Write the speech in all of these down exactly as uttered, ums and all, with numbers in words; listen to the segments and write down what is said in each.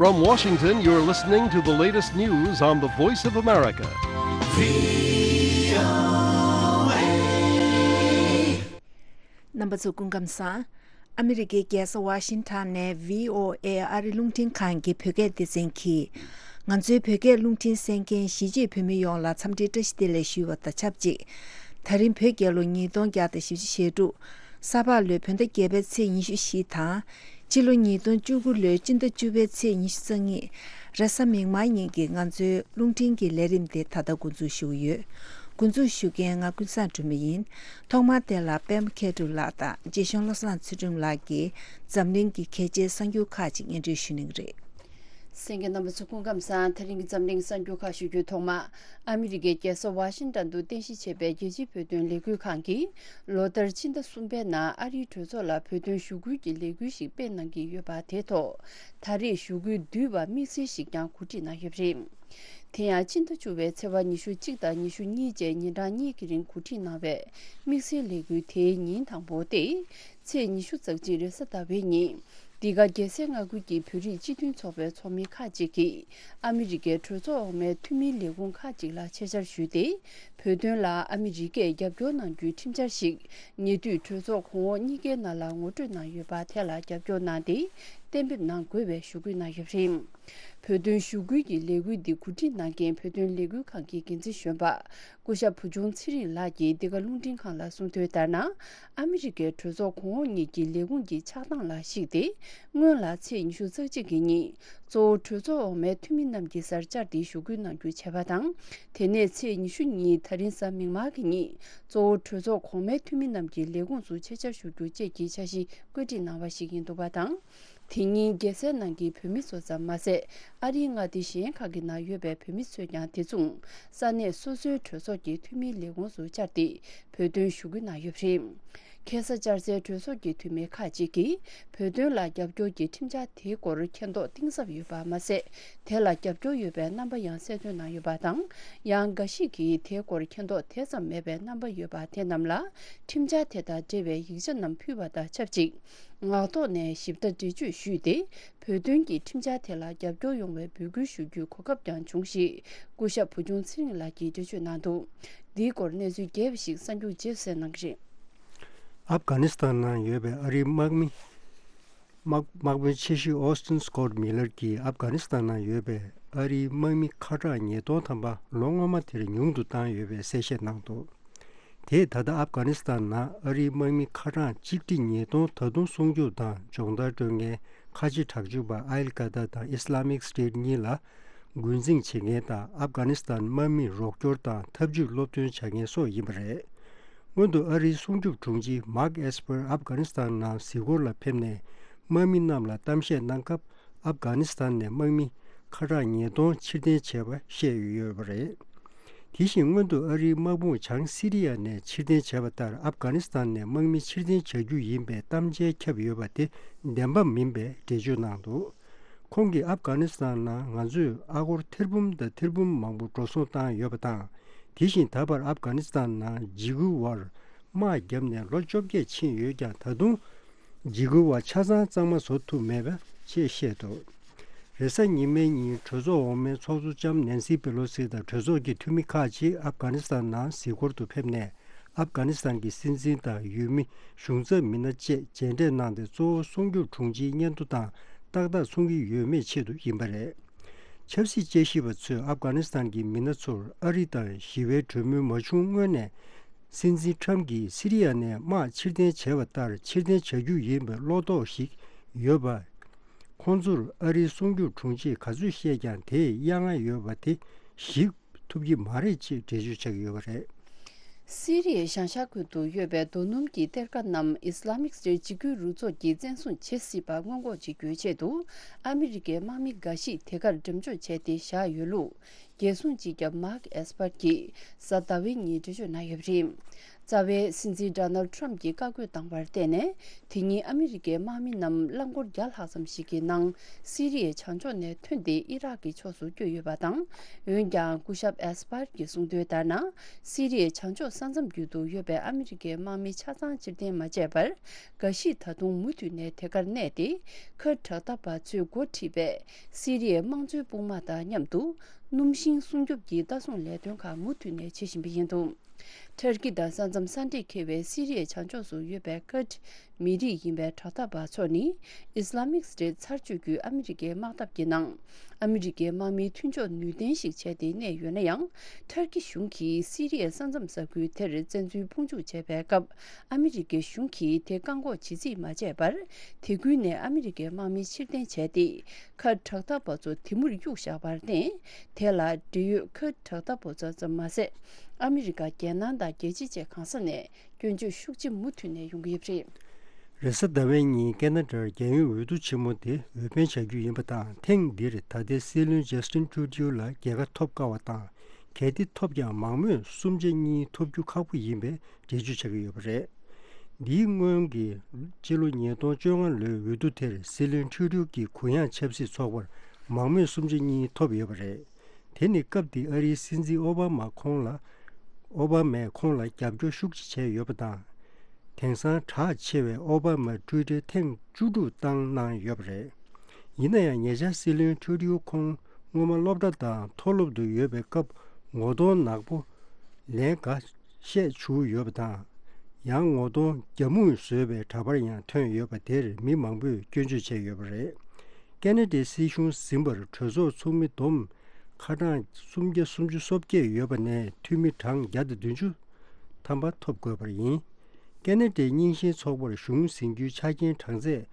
From Washington, you're listening to the latest news on the Voice of America. རྣམ་པ་ཚོ་སྐུ་ཁམས་བཟང་། ཨ་མི་རི་ཀའི་རྒྱལ་ས་ཝ་ཤིང་ཊོན་ནས་ཝི་ཨོ་ཨེ་ཨ་རི་རླུང་འཕྲིན་ཁང་གི་བོད་སྐད་སྡེ་ཚན་གྱིས། ང་ཚོའི་བོད་སྐད་རླུང་འཕྲིན་གསན་མཁན་གཞིས་བྱེས་བོད་མི་ཡོངས་ལ་འཚམས་འདྲིའི་བཀྲ་ཤིས་བདེ་ལེགས་ཞུ་བ་དང་ཆབས་ཅིག་ད་རིང་བོད་རྒྱལ་ལོ་ཉིས་སྟོང་བརྒྱ་དང་བཞི་བཅུ་ཞེ་དྲུག་ས་ཕག་ལོའི་བོད་ཟླ་བརྒྱད་པའི་ཚེས་ཉི་ཤུ་བཞི་དང་། སྤྱི་ལོ་ཉིས་སྟོང་བཅུ་དགུ་ལོའི་སྤྱི་ཟླ་བཅུ་པའི་ཚེས་ཉི་ཤུ་རྩ་གཉིས། རེས་གཟའ་མིག་དམར་ཉིན་གྱི་ང་ཚོའི་རླུང་འཕྲིན་གྱི་ལས་རིམ་དེ་ད་ལྟ་འགོ་འཛུགས་ཞུ་གི་ཡོད། འགོ་འཛུགས་ཞུ་མཁན་ང་ཀུན་བཟང་སྒྲོལ་མ་ཡིན། ཐོག་མར་དེ་ལ་པད་མ་མཁས་གྲུབ་ལགས་དང་རྗེ་གཞུང་བློ་བཟང་ཚུལ་ཁྲིམས་ལགས་ཀྱིས་འཛམ་གླིང་གི་གལ་ཆེའི་གསར་འགྱུར་ཁག་ཅིག་སྙན་སྒྲོན་ཞུ་གནང་གི་རེད། གསན་མཁན་རྣམ་པ་ཚོ་སྐུ་ཁམས་བཟང་། ད་རིང་གི་འཛམ་གླིང་གསར་འགྱུར་ཁག་ཞུ་རྒྱུའི་ཐོག་མ། ཨ་མི་རི་ཀའི་རྒྱལ་ས་ཝ་ཤིང་ཊོན་དུ་རྟེན་གཞི་བྱས་པའི་རྒྱལ་སྤྱིའི་བོད་དོན་ལས་འགུལ་ཁང་གིས་ལོ་ལྟར་ཕྱི་ཟླ་གསུམ་པའི་ནང་ཨ་རིའི་གྲོས་ཚོགས་ལ་བོད་དོན་ཞུ་སྐུལ་གྱི་ལས་འགུལ་ཞིག་སྤེལ་གནང་གི་ཡོད་པ་དེ་ཐོག་ད་རེས་ཞུ་སྐུལ་བསྡུས་པ་དམིགས་བསལ་ཞིག་ཀྱང་གོ་སྒྲིག་གནང་ཡོད་པ་རེད། དེ་ཡང་ཕྱི་ཟླ་བཅུ་པའི་ཚེས་པ་ཉི་ཤུ་གཅིག་དང་ཉི་ཤུ་གཉིས་བཅས་ཉིན་གྲངས་གཉིས་ཀྱི་རིང་གོ་སྒྲིག་གནང་བའི་དམིགས་བསལ་ལས་འགུལ་དེའི་ཉིན་དང་པོ་སྟེ། ཚེས་ཉི་ཤུ་རྩ་གཅིག་རེས་གཟའ་ཟླ་བའི་ཉིན། འདི་ག་རྒྱལ་སའི་མངའ་ཁུལ་གྱི་བོད་རིགས་སྤྱི་མཐུན་ཚོགས་པའི་ཚོགས་མི་ཁག་ཅིག་གིས་ཨ་མི་རི་ཀའི་གྲོས་ཚོགས་འོག་མའི་འཐུས་མིའི་ལས་ཁུངས་ཁག་ཅིག་ལ་ཆེད་བཅར་ཞུས་ཏེ། བོད་དོན་ལ་ཨ་མི་རི་ཀས་རྒྱབ་སྐྱོར་གནང་རྒྱུའི་ཁྲིམས་འཆར་ཞིག་ཉེ་དུས་གྲོས་ཚོགས་གོང་འོག་གཉིས་ཀའི་ནང་ལ་ངོ་སྤྲོད་གནང་ཡོད་པ་དེ་ལ་རྒྱབ་སྐྱོར་གནང་སྟེ། གཏན་འབེབས་གནང་དགོས་པའི་ཞུ་སྐུལ་གནང་ཡོད་པ་རེད། བོད་དོན་ཞུ་སྐུལ་གྱི་ལས་འགུལ་འདི་གོ་སྒྲིག་གནང་མཁན་བོད་དོན་ལས་འགུལ་ཁང་གི་འགན་འཛིན་གཞོན་པ་སྐུ་ཞབས་བུ་ཆུང་ཚེ་རིང་ལགས་ཀྱིས་འདི་ག་རླུང་འཕྲིན་ཁང་ལ་གསུངས་དོན་ལྟར་ན། ཨ་མི་རི་ཀའི་གྲོས་ཚོགས་གོང་འོག་གཉིས་ཀྱི་ལས་ཁུངས་ཀྱི་ཆགས་སྟངས་ལ་གཞིགས་ཏེ། སྔོན་ལ་ཚེས་ཉི་ཤུ་རྩ་གཅིག་གི་ཉིན་གཙོ་བོ་གྲོས་ཚོགས་འོག་མའི་འཐུས་མི་རྣམས་ཀྱི་སར་བཅར་ཏེ་ཞུ་སྐུལ་གནང་རྒྱུ་བྱས་པ་དང་། དེ་ནས་ཚེས་ཉི་ཤུ་གཉིས་ད་རིང་གཟའ་མིག་དམར་གྱི་ཉིན་གཙོ་བོ་གྲོས་ཚོགས་གོང་མའི་འཐུས་མི་རྣམས་ཀྱི་ལས་ཁུངས་སུ་ཆེད་བཅར་ཞུ་རྒྱུ་བཅས་ཀྱི་འཆར་གཞི་བཀོད་སྒྲིག་གནང་བ་ཞིག་ཡིན་འདུག་པ་དང་། དེ་ཉིན་རྒྱལ་སའི་ནང་གི་བོད་མི་ཚོ་ཙམ་མ་ཟད། ཨ་རིའི་མངའ་སྡེ་གཞན་ཁག་གི་ནང་ཡོད་པའི་བོད་མི་ཚོས་ཀྱང་དེ་མཚུངས་ས་གནས་སོ་སོའི་གྲོས་ཚོགས་ཀྱི་འཐུས་མིའི་ལས་ཁུངས་སུ་བཅར་ཏེ་བོད་དོན་ཞུ་སྐུལ་གནང་ཡོད་པ་རེད། ཁ་སང་བཅར་སའི་གྲོས་ཚོགས་ཀྱི་འཐུས་མི་ཁག་ཅིག་གིས་བོད་དོན་ལ་རྒྱབ་སྐྱོར་གྱི་ཁྲིམས་འཆར་དེའི་སྐོར་མཁྱེན་རྟོགས་གཏིང་ཟབ་ཡོད་པ་མ་ཟད། དེ་ལ་རྒྱབ་སྐྱོར་ཡོད་པའི་རྣམ་པ་ཡང་གསལ་སྟོན་གནང་ཡོད་པ་དང་། ཡང་འགའ་ཞིག་གིས་དེའི་སྐོར་མཁྱེན་རྟོགས་དེ་ཙམ་མེད་པའི་རྣམ་པ་ཡོད་པ་དེ་རྣམས་ལ་ཁྲིམས་འཆར་དེ་དང་འབྲེལ་བའི་ཡིག་ཆ་རྣམས་ཕུལ་བ་དང་ཆབས་ཅིག་ངག་ཐོག་ནས་ཞིབ་ཕྲ་འགྲེལ་བརྗོད་ཞུས་ཏེ། བོད་དོན་གྱི་ཁྲིམས་འཆར་དེ་ལ་རྒྱབ་སྐྱོར་ཡོང་བའི་འབོད་སྐུལ་ཞུ་རྒྱུའི་གོ་སྐབས་ཀྱང་བྱུང་ཞེས་སྐུ་ཞབས་བུ་ཆུང་ཚེ་རིང་ལགས་ཀྱིས་འགྲེལ་བརྗོད་གནང་འདུག་འདིའི་སྐོར་གནས་ཚུལ་རྒྱས་པ་ཞིག་གསར་འགྱུར་རྗེས་སུ་གསན་གནང་གི་རེད། ཨབ་གྷ་ནི་སི་ཐན་ནང་ཡོད་པའི་ཨ་རིའི་དམག་མི། དམག་དམག་དཔོན་ཆེ་ཤོས་ཨོ་སྟིན་སྐོད་མི་ལར་གྱིས་ཨབ་གྷ་ནི་སི་ཐན་ནང་ཡོད་པའི་ཨ་རིའི་དམག་མི་ཁ་གྲངས་ཉིས་སྟོང་ཐམ་པ་ལོ་སྔོན་མ་དེར་ཉུང་དུ་བཏང་ཡོད་པའི་གསལ་བཤད་གནང་འདུག་དེས་ད་ལྟ་ཨབ་གྷ་ནི་སི་ཐན་ནང་ཨ་རིའི་དམག་མི་ཁ་གྲངས་ཆིག་ཁྲི་ཉིས་སྟོང་ད་དུང་སྲུང་སྐྱོབ་དང་སྦྱོང་བརྡར་སྤྲོད་མཁན་ཁ་ཆེ་དྲག་སྤྱོད་པ་ཨལ་ཀ་ད་དང་ཨི་སི་ལ་མིག་སི་ཊེ་ཊི་གཉིས་ལ་རྒོལ་འཛིང་བྱེད་མཁན་དང་ཨབ་གྷ་ནི་སི་ཐན་དམག་མིར་རོགས་སྐྱོར་དང་ཐབས་ཇུས་སློབ་སྟོན་བྱ་མཁན་སོགས་ཡིན་པ་རེད། སྔོན་དུ་ཨ་རིའི་སྲུང་སྐྱོབ་དྲུང་ཆེ་མཱག་ཨེས་པར་ཨབ་གྷ་ནི་སི་ཐན་ནང་གཟིགས་སྐོར་ལ་ཕེབས་ནས་དམག་མི་རྣམས་ལ་གཏམ་བཤད་གནང་སྐབས། ཨབ་གྷ་ནི་སི་ཐན་ནས་དམག་མི་ཁ་གྲངས་ཉིས་སྟོང་ཕྱིར་འཐེན་བྱས་པ་བཤད་ཡོད་པ་རེད། དེ་བཞིན་སྔོན་དུ་ཨ་རིའི་དམག་དཔུང་བྱང་སི་རི་ཡ་ནས་ཕྱིར་འཐེན་བྱས་པ་ལྟར་ཨབ་གྷ་ནི་སི་ཐན་ནས་དམག་མི་ཕྱིར་འཐེན་བྱ་རྒྱུ་ཡིན་པའི་གཏམ་འཆལ་ཁྱབ་ཡོད་པ་དེ་བདེན་པ་མིན་པའི་འགྲེལ་བརྗོད་གནང་འདུག་ཁོང་གིས་ཨབ་གྷ་ནི་སི་ཐན་ནང་ང་ཚོས་ཨ་སྒོར་ཐེར་འབུམ་དང་ཐེར་འབུམ་མང་པོ་འགྲོ་སོང་བཏང་ཡོད་པ་དང་། དེ་བཞིན་ད་བར་ཨབ་གྷ་ནི་སི་ཐན་ནང་འཇིགས་སྐུལ་བར་དམག་བརྒྱབ་ནས་ལོ་བཅོ་བརྒྱད་ཕྱིན་ཡོད་ཀྱང་ད་དུང་འཇིགས་སྐུལ་བ་ཆ་ཚང་གཙང་མ་བཟོ་ཐུབ་མེད་པ་ཞེས་བཤད་འདུག་རེས་གཟའ་ཉི་མའི་ཉིན་གྲོས་ཚོགས་འོག་མའི་ཚོགས་གཙོ་ལྕམ་ནན་སི་པེ་ལོ་སི་དང་གྲོས་ཚོགས་ཀྱི་འཐུས་མི་ཁག་ཅིག་ཨབ་གྷ་ནི་སི་ཐན་ནང་གཟིགས་སྐོར་དུ་ཕེབས་ནས། ཨབ་གྷ་ནི་སི་ཐན་གྱི་སྲིད་འཛིན་དང་འོས་མི་གཞུང་ཚབ་མི་སྣ་བཅས་མཇལ་འཕྲད་གནང་སྟེ། གཙོ་བོ་སྲུང་སྐྱོབ་དྲུང་ཆེའི་སྙན་ཐོ་དང་ཏག་ཏག་ཚོང་གི་ཡོད་མེད་ཆེད་དུ་ཡིན་པ་རེད། ཆབ་སྲིད་དཔྱད་ཞིབ་པ་ཚོས་ཨབ་གྷ་ནི་སི་ཐན་གྱི་མི་སྣ་ཚོར་ཨ་རི་དང་ཞི་བའི་གྲོས་མོལ་མ་བྱུང་སྔོན་ནས། སྲིད་འཛིན་ཁྲམ་གྱིས་སི་རི་ཡ་ནས་དམག་ཕྱིར་འཐེན་བྱས་པ་ལྟར་ཕྱིར་འཐེན་བྱ་རྒྱུ་ཡིན་པའི་བློ་དོགས་ཤིག་ཡོད་པ། ཁོང་ཚོར་ཨ་རིའི་སྲུང་སྐྱོབ་དྲུང་ཆེས་ག་ཚོད་བཤད་ཀྱང་དེས་གཡར་མངའ་ཡོད་པ་དེ་གཞིགས་ཐུབ་ཀྱི་མ་རེད་ཅེས་འགྲེལ་བརྗོད་བྱ་གི་ཡོད་པ་རེད། སི་རི་ཡའི་བྱང་ཤར་ཁུལ་དུ་ཡོད་པའི་རྡོ་སྣུམ་གྱི་གཏེར་ཁ་རྣམས་ཨི་སི་ལ་མིག་སི་ཊེ་ཊི་འཇིགས་སྐུལ་རུ་ཚོགས་ཀྱིས་བཙན་བཟུང་བྱེད་སྲིད་པ་སྔོན་འགོག་བྱེད་རྒྱུའི་ཆེད་དུ། ཨ་མི་རི་ཀའི་དམག་མི་འགའ་ཞིག་དེ་གར་འགྲེམས་འཇོག་བྱས་ཏེ་བཞག་ཡོད་ལུགས། རྒྱལ་སྲུང་སྤྱི་ཁྱབ་མཱག་ཨེས་པར་གྱིས་གཟའ་ཟླ་བའི་ཉིན་འགྲེལ་བརྗོད་གནང་ཡོད་པ་རེད། རྩ་བའི་སྲིད་འཛིན་ཌོ་ནལ་ཌི་ཊརམ་ཕི་གྱིས་བཀའ་བཀོད་བཏང་བར་བརྟེན་ནས། དེ་ཉིན་ཨ་མི་རི་ཀའི་དམག་མི་རྣམས་རླངས་འཁོར་བརྒྱ་ལྷག་ཙམ་ཞིག་གི་ནང་སི་རི་ཡའི་བྱང་ཕྱོགས་ནས་ཐོན་ཏེ་ཨི་རག་གི་ཕྱོགས་སུ་བསྐྱོད་ཡོད་པ་དང་། འོན་ཀྱང་། སྐུ་ཞབས་ཨེས་པར་གྱིས་གསུངས་དོན་ལྟར་ན། སི་རི་ཡའི་བྱང་ཕྱོགས་ས་མཚམས་རྒྱུད་དུ་ཡོད་པའི་ཨ་མི་རི་ཀའི་དམག་མི་ཆ་ཚང་ཕྱིར་འཐེན་མ་བྱས་པར། འགའ་ཞིག་ད་དུང་མུ་མཐུད་ནས་དེ་གར་གནས་ཏེ། ཁུར་ཌི་དྲག་འཐབ་པ་ཚོས་འགོ་ཁྲིད་པའི་སི་རི་ཡའི་དམངས་གཙོའི་དཔུང་དམག་དང་མཉམ་དུ། སྣུམ་ཤིང་སྲུང་སྐྱོབ་ཀྱི་ལྟ་སྲུང་ལས་དོན་ཁག་མུ་མཐུད་ནས་བྱེད་བཞིན་པ་ཡིན་འདུག་ཊར་ཀི་དང་ས་མཚམས་ས་འདྲེས་འཁེལ་བའི་སི་རི་ཡའི་བྱང་ཕྱོགས་སུ་ཡོད་པའི་ཁུར་ཌི་མི་རིགས་ཡིན་པའི་དྲག་འཐབ་པ་ཚོ་ནི། ཨིས་ལ་མིག་སི་ཊེཊ་ཚར་གཅོད་བརྒྱུད་ཨ་མི་རི་ཀའི་དམག་འཐབ་ཀྱི་ནང་། ཨ་མི་རི་ཀའི་དམག་མིའི་མཐུན་ཕྱོགས་ནུས་ལྡན་ཞིག་བྱས་ཏེ་གནས་ཡོད་ན་ཡང་། ཊར་ཀི་གཞུང་གིས་སི་རི་ཡའི་ས་མཚམས་ས་ཁུལ་དེར་བཙན་འཛུལ་དཔུང་འཇུག་བྱས་པའི་སྐབས། ཨ་མི་རི་ཀའི་གཞུང་གིས་དེ་བཀག་འགོག་བྱེད་རྩིས་མ་བྱས་པར། དེ་ཁུལ་ནས་ཨ་མི་རི་ཀའི་དམག་མི་ཕྱིར་འཐེན་བྱས་ཏེ། ཁུར་ཌི་དྲག་འཐབ་པ་ཚོ་དེ་མུར་གཡུགས་བཞག་པར་བརྟེན། དེ་ལ་འབྲེལ་ཡོད་ཁུར་ཌི་དྲག་འཐབ་པ་ཚོ་ཙམ་མ་ཟད། ཨ་མི་རི་ཀ། རྒྱལ་ནང་དང་རྒྱལ་སྤྱི་བཅས་གང་ས་ནས་སྐྱོན་བརྗོད་ཤུགས་ཆེ་མུ་མཐུད་ནས་ཡོང་གི་ཡོད་པ་རེད། རེས་གཟའ་ཟླ་བའི་ཉིན་ཀེ་ན་ཌར་རྒྱལ་ཡོངས་འོས་བསྡུ་ཆེན་མོ་དེ་འོས་འཕེན་བྱ་རྒྱུ་ཡིན་པ་དང་། ཐེངས་འདིར་ད་ལྟའི་སྲིད་བློན་ཇ་སི་ཊིན་ཊུ་རུ་ཌིའུ་ལ་རྒྱལ་ཁ་ཐོབ་དཀའ་བ་དང་། གལ་ཏེ་ཐོབ་ཀྱང་མང་མོས་གསུམ་ཆ་གཉིས་ཐོབ་རྒྱུ་ཁག་པོ་ཡིན་པའི་འགྲེལ་བརྗོད་བྱ་གི་ཡོད་པ་རེད། འདིའི་སྔོན་གྱི་ཕྱི་ལོ་ཉིས་སྟོང་བཅོ་ལྔ་ལོའི་འོས་བསྡུ་དེར་སྲིད་བློན་ཊུ་རུ་ཌིའུ་གིས་གུ་ཡངས་ཆབ་སྲིད་ཚོགས་པར་མང་མོས་གསུམ་ཆ་གཉིས་ཐོབ་ཡོད་པ་རེད། དེ་ནི་སྐབས་དེའི་ཨ་རིའི་སྲིད་འཛིན་ཨོ་བྷ་མ་ཁོང་ལ། ཨོ་བྷ་མས་ཁོང་ལ་རྒྱབ་སྐྱོར་ཤུགས་ཆེ་བྱས་ཡོད་པ་དང་། དེང་སང་གྲགས་ཆེ་བའི་ཨོ་བྷ་མ་ཊུའི་ཊར་ཐེངས་བཅུ་དྲུག་བཏང་གནང་ཡོད་པ་རེད། ཡིན་ན་ཡང་ཉེ་ཆར་སྲིད་བློན་ཊུ་རུ་ཌིའུ་ཁོང་སྔོན་མ་སློབ་གྲྭ་དང་མཐོ་སློབ་ཏུ་ཡོད་པའི་སྐབས་ངོ་གདོང་ནག་པོ་ལན་འགའ་ཤས་བྱུགས་ཡོད་པ་དང་། ཡང་ངོ་གདོང་རྒྱ་སྨུག་བཟོས་པའི་འདྲ་པར་ཡང་ཐོན་ཡོད་པ་དེར་མི་མང་པོས་སྐྱོན་བརྗོད་བྱས་ཡོད་པ་རེད། ཀེ་ན་ཌའི་སྲིད་གཞུང་ཟིན་པར་གྲོས་ཚོགས་ཚོགས་མི་བསྡོམས་ཁ་གྲངས་སུམ་བརྒྱ་སུམ་ཅུ་སོ་བརྒྱད་ཡོད་པ་ནས་འཐུས་མི་གྲངས་བརྒྱ་དང་བདུན་ཅུ་ཐམ་པ་ཐོབ་དགོས་པར་ཡིན། ཀེ་ན་ཌའི་རྙིང་ཞེན་ཚོགས་པར་གཞུང་ཟིན་རྒྱུའི་ཆ་རྐྱེན་གྲངས་ཚད་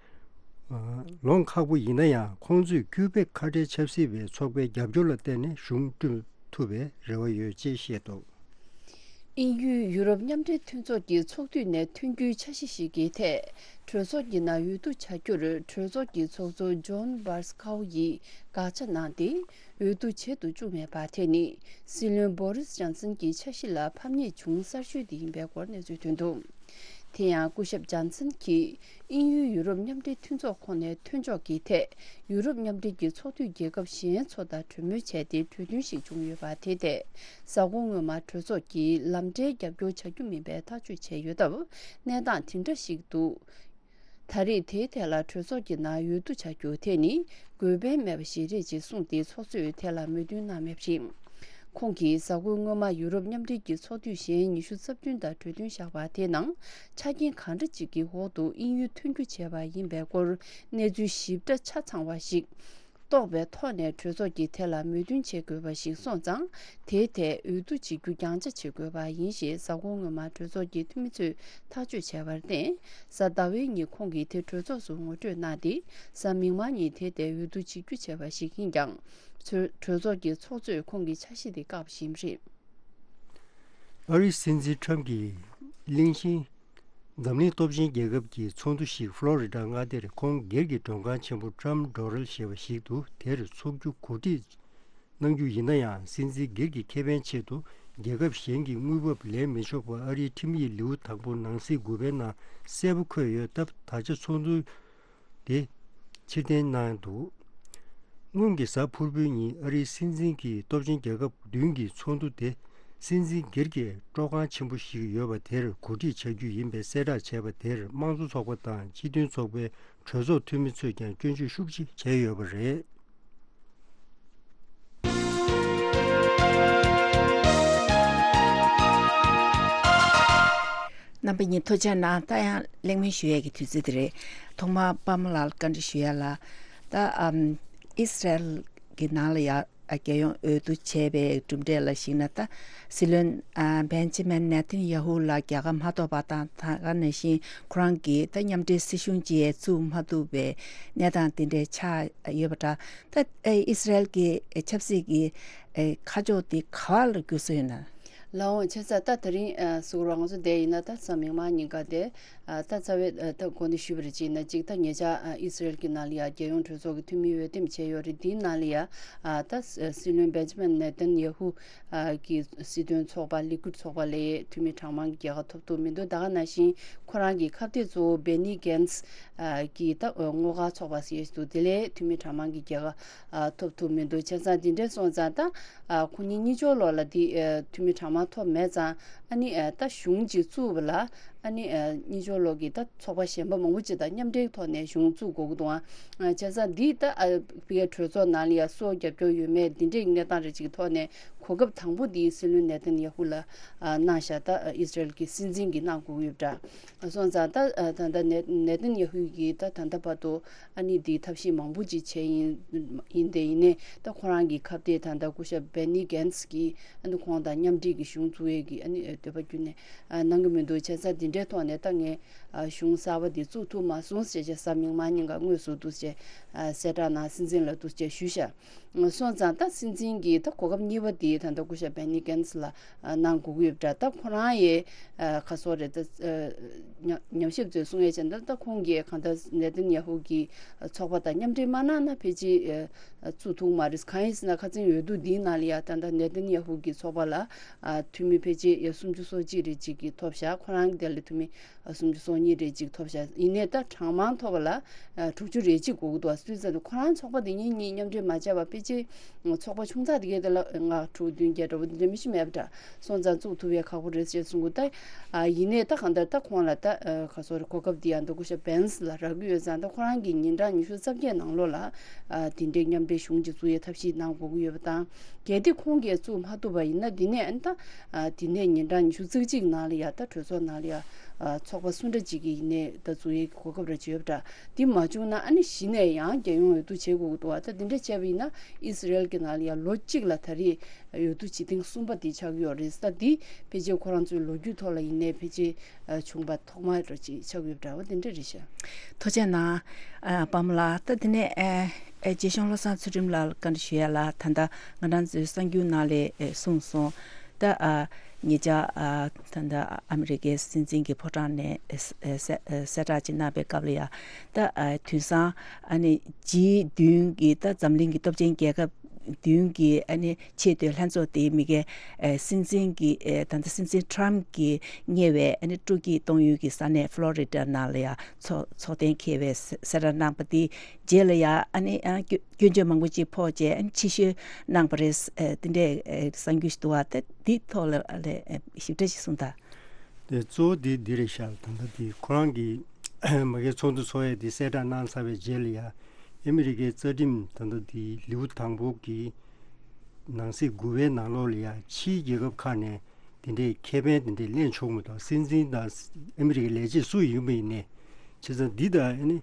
ལོངས་ཁག་པོ་ཡིན་ན་ཡང་། ཁོང་ཚོས་ཀུའི་བེག་ཁ་བྲལ་ཆབ་སྲིད་པའི་ཚོགས་པའི་རྒྱབ་སྐྱོར་ལ་བརྟེན་ནས་གཞུང་བསྐྲུན་ཐུབ་པའི་རེ་བ་ཡོད་ཅེས་བཤད་འདུག་དབྱིན་ཡུལ་ཡུ་རོབ་མཉམ་འབྲེལ་མཐུན་ཚོགས་ཀྱི་ཚོགས་འཐུས་ནས་ཐོན་རྒྱུའི་འཆར་གཞི་ཞིག་གི་ཐད། གྲོས་ཚོགས་ཀྱི་ནང་འོས་བསྡུ་བྱ་རྒྱུར་གྲོས་ཚོགས་ཀྱི་ཚོགས་གཙོ་ཇོན་བྷར་སི་ཁའུ་ཡིས་དགག་བྱ་གནང་སྟེ། འོས་བསྡུ་བྱེད་དུ་བཅུག་མེད་པ་དེ་ནི་སྲིད་བློན་བོ་རིས་ཇོན་སན་གྱི་འཆར་གཞི་ལ་ཕམ་ཉེས་བྱུང་གསར་ཤོས་དེ་ཡིན་པའི་སྐོར་གནས་ཚུལ་ཐོན་འདུག་དེ་ཡང་སྐུ་ཞབས་ཇོན་སན་གྱིས་དབྱིན་ཡུལ་ཡུ་རོབ་མཉམ་འབྲེལ་མཐུན་ཚོགས་ཁོངས་ནས་ཐོན་ཕྱོགས་ཀྱི་ཐད། ཡུ་རོབ་མཉམ་འབྲེལ་གྱི་ཚོགས་འཐུས་རྒྱལ་ཁབ་གཞན་ཚོ་དང་གྲོས་མོལ་བྱས་ཏེ་གྲོས་མཐུན་ཞིག་བྱུང་ཡོད་པ་དེ་ཐད། གཟའ་འཁོར་སྔོན་མ་གྲོས་ཚོགས་ཀྱིས་ལམ་འབྲས་རྒྱབ་སྐྱོར་བྱ་རྒྱུ་མིན་པའི་ཐག་གཅོད་བྱས་ཡོད་སྟབས། གནས་སྟངས་དེ་འདྲ་ཞིག་འདུག་ད་རེས་དེའི་ཐད་ལ་གྲོས་ཚོགས་ཀྱི་ནང་འོས་བསྡུ་བྱ་རྒྱུ་དེ་ནི་དགོས་ཕན་མེད་པ་ཞིག་རེད་ཅེས་གསུངས་ཏེ། ཚོགས་གཙོས་དེ་ལ་མོས་མཐུན་གནང་མེད་པ་རེད། ཁོང་གིས་གཟའ་འཁོར་སྔོན་མ་ཡུ་རོབ་མཉམ་འབྲེལ་གྱི་ཚོགས་འཐུས་གཞན་ཉི་ཤུ་རྩ་བདུན་དང་གྲོས་མཐུན་བཞག་པ་དེའི་ནང་ཆ་རྐྱེན་གང་འདྲ་ཅིག་གི་འོག་ཏུ་དབྱིན་ཡུལ་མཐུན་འགྱུར་བྱས་པ་ཡིན་པའི་སྐོར་གནས་ཚུལ་ཞིབ་ཕྲ་ཆ་ཚང་བ་ཞིག་རྟོགས་པའི་ཐོག་ནས་གྲོས་ཚོགས་ཀྱིས་དེ་ལ་མོས་མཐུན་བྱེད་དགོས་པ་ཞིག་སོང་ཙང་། དེའི་ཐད་འོས་བསྡུ་བྱེད་རྒྱུ་རྒྱང་ཆ་བྱེད་དགོས་པ་ཡིན་ཞེས་གཟའ་འཁོར་སྔོན་མ་གྲོས་ཚོགས་ཀྱི་འཐུས་མི་ཚོས་ཐག་གཅོད་བྱས་པར་བརྟེན། གཟའ་ཟླ་བའི་ཉིན་ཁོང་གིས་དེ་གྲོས་ཚོགས་སུ་ངོ་སྤྲོད་གནང་སྟེ། གཟའ་མིག་དམར་ཉིན་དེའི་ཐད་འོས་བསྡུ་བྱེད་རྒྱུ་བྱས་པ་ཞིག་ཡིན་ཀྱང་། གྲོས་ཚོགས་ཀྱི་ཚོགས་གཙོས་ཁོང་གི་འཆར་གཞི་དེ་བཀག་པ་ཞིག་ཡིན་པ་རེད། ཨ་རིའི་སྲིད་འཛིན་ཁྲམ་གྱི་གླེང་གཞི། འཛམ་གླིང་སྟོབས་ཆེན་རྒྱལ་ཁབ་ཀྱི་ཚོགས་འདུ་ཞིག་ཕློ་རི་ཌ་མངའ་སྡེར་ཁོང་སྒེར་གྱི་མགྲོན་ཁང་ཆེན་པོ་Trump Doral ཞེས་པ་ཞིག་ཏུ་དེར་འཚོགས་རྒྱུ་གོ་སྒྲིག་གནང་རྒྱུ་ཡིན་ན་ཡང་། སྲིད་འཛིན་སྒེར་གྱི་ཁེ་ཕན་ཆེད་དུ་རྒྱལ་ཁབ་གཞན་གྱི་དངུལ་འབབ་ལེན་མི་ཆོག་པ་ཨ་རིའི་ཁྲིམས་ཡིག་ལེའུ་དང་པོ་ནང་གསེས་དགུ་པའི་ནང་གསལ་པོ་འཁོད་ཡོད་སྟབས། ད་ཆ་ཚོགས་འདུ་དེ་ཕྱིར་འཐེན་གནང་འདུག་སྔོན་གྱི་གཟའ་ཕུར་བུའི་ཉིན་ཨ་རིའི་སྲིད་འཛིན་གྱིས་སྟོབས་ཆེན་རྒྱལ་ཁབ་བདུན་གྱི་ཚོགས་འདུ་དེ་སྲིད་འཛིན་སྒེར་གྱི་སྤྲོ་ཁང་ཆེན་པོ་ཞིག་ཡོད་པ་དེར་གོ་སྒྲིག་བྱ་རྒྱུ་ཡིན་པའི་གསལ་བསྒྲགས་བྱས་པ་དེར། དམངས་གཙོ་ཚོགས་པ་དང་སྤྱི་མཐུན་ཚོགས་པའི་གྲོས་ཚོགས་འཐུས་མི་ཚོས་ཀྱང་སྐྱོན་བརྗོད་ཤུགས་ཆེ་བྱས་ཡོད་པ་རེད། རྣམ་པ་གཉིས་ཐུགས་རྗེ་གནང་། ད་ཡང་གླེང་མོལ་ཞུ་ཡས་ཀྱི་དུས་ཚོད་དེ་རེད། ཐོག་མར་པདྨ་ལགས་བཀའ་འདྲི་ཞུ་ཡ་ལ། ད་ཨམ་ཨི་སི་རལ་གྱི་ནང་ལ་ཡ་རྒྱལ་ཡོངས་འོས་བསྡུ་བྱས་པའི་གྲུབ་འབྲས་ལ་གཞིགས་ན། ད་སྲིད་བློན་ཨ་བེན་ཇི་མིན་ནེ་ཐན་ཡ་ཧུ་ལ་རྒྱལ་ཁ་མ་ཐོབ་པ་དང་། ད་ག་ནང་བཞིན་ཁོ་རང་གིས་ད་མཉམ་འབྲེལ་སྲིད་གཞུང་ཅིག་བཙུགས་མ་ཐུབ་པའི་གནས་སྟངས་དེ་འདྲའི་ཆགས་ཡོད་པ་འདྲ། ད་ཨི་སི་རལ་གྱི་ཆབ་སྲིད་ཀྱི་ཁ་ཕྱོགས་དེ་ག་བ་ལ་འགྱུར་སྲོལ་ཡོད་ན། ལགས་འོང་། བྱས་ཙང་ད་དེ་རིང་ཨ་གཟིགས་རོགས། ང་ཚོ་བསྡད་ཡིན་ན། ད་གཟའ་མིག་དམར་ཉིན་ཀ་དེ་ ཨ་ད་རྩ་བའི་ཨ་ད་གོ་གནས་ཞུས་པ་རེད་ཅེ་ན་གཅིག་ད་ཉེ་ཆར་ཨ་ཨི་སི་རེལ་གྱི་ནང་ལ་ཡ་རྒྱལ་ཡོངས་གྲོས་ཚོགས་ཀྱི་འཐུས་མི་འོས་འདེམས་བྱས་ཡོད་རེད། དེའི་ནང་ལ་ཡ་ཨ་ད་སྲིད་བློན་བེན་ཇི་མིན་ནེ་ཐན་ཡ་ཧུ་ཨ་གི་སྲིད་དོན་ཚོགས་པ་ལི་ཀུད་ཚོགས་པ་ལས་འཐུས་མི་གྲངས་མང་གི་རྒྱལ་ཁ་ཐོབ་ཐུབ་མི་འདུག་ད་ག་ནང་བཞིན་ཁོ་རང་གི་ཁ་གཏད་གཙོ་བོ་བེ་ནི་གན་སི་ཨ་གི་ད་ཨ་སྔོ་དཀར་ཚོགས་པ་ཟེར་ཡས་འདུག་དེ་ལས་འཐུས་མི་གྲངས་མང་གི་རྒྱལ་ཁ་ཨ་ཐོབ་ཐུབ་མི་འདུག་བྱས་ཙང་དེ་འདྲ་སོང་ཙང་ད་ཨ་ཁོ་གཉིས་གཉིས་ཕྱོགས་ལོགས་ལ་དེ་ཨ་འཐུས་མི་གྲངས་མང་ཐོབ་མེད་ཙང་ཨ་ནི་ཨ་ད་གཞུང་ཅིག་བཙུགས་པ་ལ་ཨ་ནི་ཨ་གཉིས་ཕྱོགས་ལོགས་ཀྱི་ད་ཚོགས་པ་གཞན་པ་མང་པོ་ཅིག་དང་མཉམ་འབྲེལ་ཐོག་ནས་གཞུང་བཙུགས་དགོས་ཀྱི་འདུག་ཨ་བྱས་ཙང་འདི་ད་ཨ་ཕ་གིའི་གྲོས་ཚོགས་ནང་ལ་ཡ་སུ་རྒྱབ་སྐྱོར་ཡོད་མེད་འདི་འདྲའི་གནས་སྟངས་རེ་ཅིག་གི་ཐོག་ནས་གོ་སྐབས་དང་པོ་འདི་སྲིད་བློན་ནེ་ཐན་ཡ་ཧུ་ལ་ཨ་གནང་བཞག་ད་ཨ་ཨི་སི་རེལ་གྱི་སྲིད་འཛིན་གྱིས་གནང་དགོས་ཀྱི་ཡོད་པ་འདྲ། སོང་ཙང་ད་ཨ་ད་ལྟ་ནེ་ནེ་ཐན་ཡ་ཧུ་གིས་ད་ད་ལྟ་བར་དུ་ཨ་ནི་འདི་ཐབས་ཤེས་མང་པོ་ཅིག་བྱས་ཡིན་ཡིན་ཏེ་ཡིན་ནའི་ད་ཁོ་རང་གི་ཁ་གཏད་ད་ལྟ་སྐུ་ཞབས་བེ་ནི་གན་སི་གིས་ཨ་ནི་ཁོང་དང་མཉམ་འབྲེལ་གྱི་གཞུང་བཙུགས་ཡས་ཀྱི་ཨ་ནི་འདོད་པ་ཁྱོན་ནས་ཨ་གནང་གི་མི་འདུག་བྱས་ཙང་འདི་འདྲའི་ཐོག་ནས་ད་ངས་ཨ་གཞུང་གསར་པ་འདི་བཙུགས་ཐུབ་མ་སོང་ཞེས་བྱས་གཟའ་མིག་དམར་ཉིན་ཀ་དངོས་སུ་འདུག་ཅེས་ཨ་གསལ་བསྒྲགས་ནང་སྲིད་འཛིན་ལ་འདུག་ཅེས་ཞུས་ཤག་སོང་ཙང་ད་སྲིད་འཛིན་གྱིས་ད་གོ་སྐབས་གཉིས་པ་དེ་ད་ལྟ་སྐུ་ཞབས་བེ་ནི་གན་སི་ལ་ཨ་གནང་དགོས་ཀྱི་ཡོད་པ་འདྲ། ད་ཁོ་རང་ཡས་ཨ་ག་སོགས་རེད་ད་ཨ་ཉམས་ཉམས་ཞིབ་ཚོས་གསུང་ཡས་བྱས་ན་ད་ཁོང་གིས་གང་ལྟར་ནེ་ཐན་ཡ་ཧུ་གི་ཚོགས་པ་དང་མཉམ་འབྲེལ་མ་གནང་ན་ཕལ་ཆེར་ཨ་བཙུགས་ཐུབ་མ་རེད། གང་ཡིན་ཟེར་ན་ཁ་སང་འོས་བསྡུ་འདིའི་ནང་ལ་ཡ་ད་ལྟ་ནེ་ཐན་ཡ་ཧུ་གི་ཚོགས་པ་ལ་ཨ་འཐུས་མི་ཕལ་ཆེར་ཡ་སུམ་ཅུ་སོ་གཅིག་རེ་ཅིག་གིས་ཐོབ་བཞག་ཁོ་རང་གི་དེ་ལ་འཐུས་མི་སུམ་ཅུ་སོ་གཉིས་རེ་གཅིག་ཐོབ་ཤག་ཡིན་ནའི་ད་གྲངས་མང་ཐོབ་པ་ལ་ཨ་དྲུག་ཅུ་རེ་གཅིག་དགོས་ཀྱི་འདུག་དུས་ཚོད་དུ་ཁོ་རང་ཚོགས་པ་དེ་གཉིས་གཉིས་མཉམ་འབྲེལ་མ་བྱས་པ་ཕལ་ཆེར་ཚོགས་པ་ཆུང་ཙག་དེ་གའི་དེ་ལ་ལྔ་དྲུག་བདུན་བརྒྱད་འདྲ་བོ་དེ་འདྲ་མི་ཤི་མེད་པ་འདྲ། སོང་ཙང་བཙུགས་ཐུབ་ཡས་ཁག་པོ་རེད་ཅེས་གསུང་གི་ད། ཨ་ཡིན་ནའི་ད་གང་ལྟར་ད་ཁོང་ལ་ད་ཨ་ག་སོ་རེ་གོ་སྐབས་འདི་ཡང་ད་སྐུ་ཞབས་བེན་སི་ལ་རག་གི་ཡོད་ཙང་ད་ཁོ་རང་གིས་ཉིན་གྲངས་ཉི་ཤུ་རྩ་བརྒྱད་ནང་ལོགས་ལ་ཨ་དེ་འདྲའི་མཉམ་འབྲེལ་གཞུང་ཅིག་བཙུགས་ཡས་ཐབས་ཤེས་གནང་དགོས་ཀྱི་ཡོད་པ་དང་། གལ་ཏེ་ཁོང་གིས་བཙུགས་མ་ཐུབ་པ་ཡིན་ན་འདི་ནས་ཨ་ནི་ད་ཨ་དེ་ནས་ཉིན་གྲངས་ཉི་ཤུ་རྩ་གཅིག་ནང་ལ་ཡ་ད་གྲོས་ཚོགས་ནང་ལ་ཡ་ཨ་ཚོགས་པ་སུ་འདྲ་ཅིག་གི་ཡིན་ནའི་ད་བཙུགས་ཡས་ཀྱི་གོ་སྐབས་ར་ཅིག་ཡོད་པ་འདྲ། འདི་མ་བྱུང་ན་ཨ་ནི་གཞི་ནས་ཡང་རྒྱལ་ཡོངས་འོས་བསྡུ་བྱེད་དགོས་ཀྱི་འདུག་བ། ད་འདི་འདྲ་བྱས་པ་ཡིན་ན་ཨི་སི་རེལ་གྱི་ནང་ལ་ཡ་ལོ་གཅིག་ལ་ད་རེས་འོས་བསྡུ་བྱེད་ཐེངས་གསུམ་པ་དེ་ཆགས་ཀྱི་ཡོད་རེད། ད་འདི་ཕལ་ཆེར་ཁོ་རང་ཚོའི་ལོ་རྒྱུས་ཐོག་ལ་ཡིན་ནའི་ཕལ་ཆེར་ཨ་བྱུང་པ་ཐོག་མ་ར་ཅིག་ཆགས་ཀྱི་ཡོད་པ་འདྲ་བ་དེ་འདྲ་རེད་ཤག་ཐུགས་རྗེ་གནང་། ཨ་པ་མ་ལགས། ད་དེ་ནས་ཨ་ཨ་རྗེ་གཞུང་བློ་བཟང་ཚུལ་ཁྲིམས་ལགས་ལ་བཀའ་འདྲི་ཞུ་ཡ་ལ། ད་ལྟ་ང་རང་ཚོའི་གསར་འགྱུར་ནང་ལ་ཨ་གསུངས་སོང་། ད་ཨ་ཉེ་ཆར་ཨ་ད་ལྟ་ཨ་མི་རི་ཀའི་སྲིད་འཛིན་གྱི་ཕོ་བྲང་ནས་ཨ་གསལ་ཨ་གསལ་བསྒྲགས་ཅིག་གནང་པའི་སྐབས་ལ་ཡ། ད་ཨ་དུས་སང་ཨ་ནི་ཇི་བདུན་གྱི་ད་འཛམ་གླིང་གི་སྟོབས་ཆེན་རྒྱལ་ཁབ་བདུན་གྱི་ཨ་ནི་ཆེས་མཐོའི་ལྷན་ཚོགས་དེའི་མི་སྒེར་ཨ་སྲིད་འཛིན་གྱི་ཨ་ད་ལྟ་སྲིད་འཛིན་ཊམ་གྱི་གཉེར་བའི་ཨ་ནི་སྤྲོ་སྐྱིད་གཏོང་ཡུལ་གྱི་ས་གནས་ཕློ་རི་ཌ་ནང་ལ་ཡ་ཚོགས་ཚོགས་གཏན་འཁེལ་བའི་གསལ་བསྒྲགས་གནང་པ་དེ་རྗེས་ལ་ཡ་ཨ་ནི་ཨ་སྐྱོ་སྐྱོན་བརྗོད་མང་པོ་ཅིག་ཕོག་རྗེས་ཨ་ནི་ཕྱིར་བཤོལ་གནང་པ་རེད། ཨ་དེ་འདྲའི་ཨ་གསར་འགྱུར་ཞིག་འདུག་བ། ད་དེའི་ཐོག་ལ་ལ་ཨ་ཞིབ་ཕྲ་ཞིག་གསུངས་དང་། དེ་གཙོ་བོ་དེ་འདི་རེད་ཤག་ད་ལྟ་དེ་ཁོ་རང་གིས་མ་གིའི་ཚོགས་འདུ་ཚོགས་ཡས་དེ་གསལ་བསྒྲགས་གནང་ཚར་བའི་རྗེས་ལ་ཡ། ཨ་མི་རི་ཀའི་རྩ་ཁྲིམས་ད་ལྟ་དེ་ལེའུ་དང་པོ་གི་ནང་གསེས་དགུ་པའི་ནང་ལོགས་ལ་ཡ་ཕྱིའི་རྒྱལ་ཁབ་ཁག་ནས་དེ་འདྲའི་ཁེ་ཕན་དེ་འདྲའི་ལེན་ཆོག་མི་འདུག་སྲིད་འཛིན་དང་ཨ་མི་རི་ཀའི་ལས་བྱེད་སུ་ཡིན་པ་ཡིན་ནའི། བྱས་ཙང་འདི་དང་ཨ་ནི་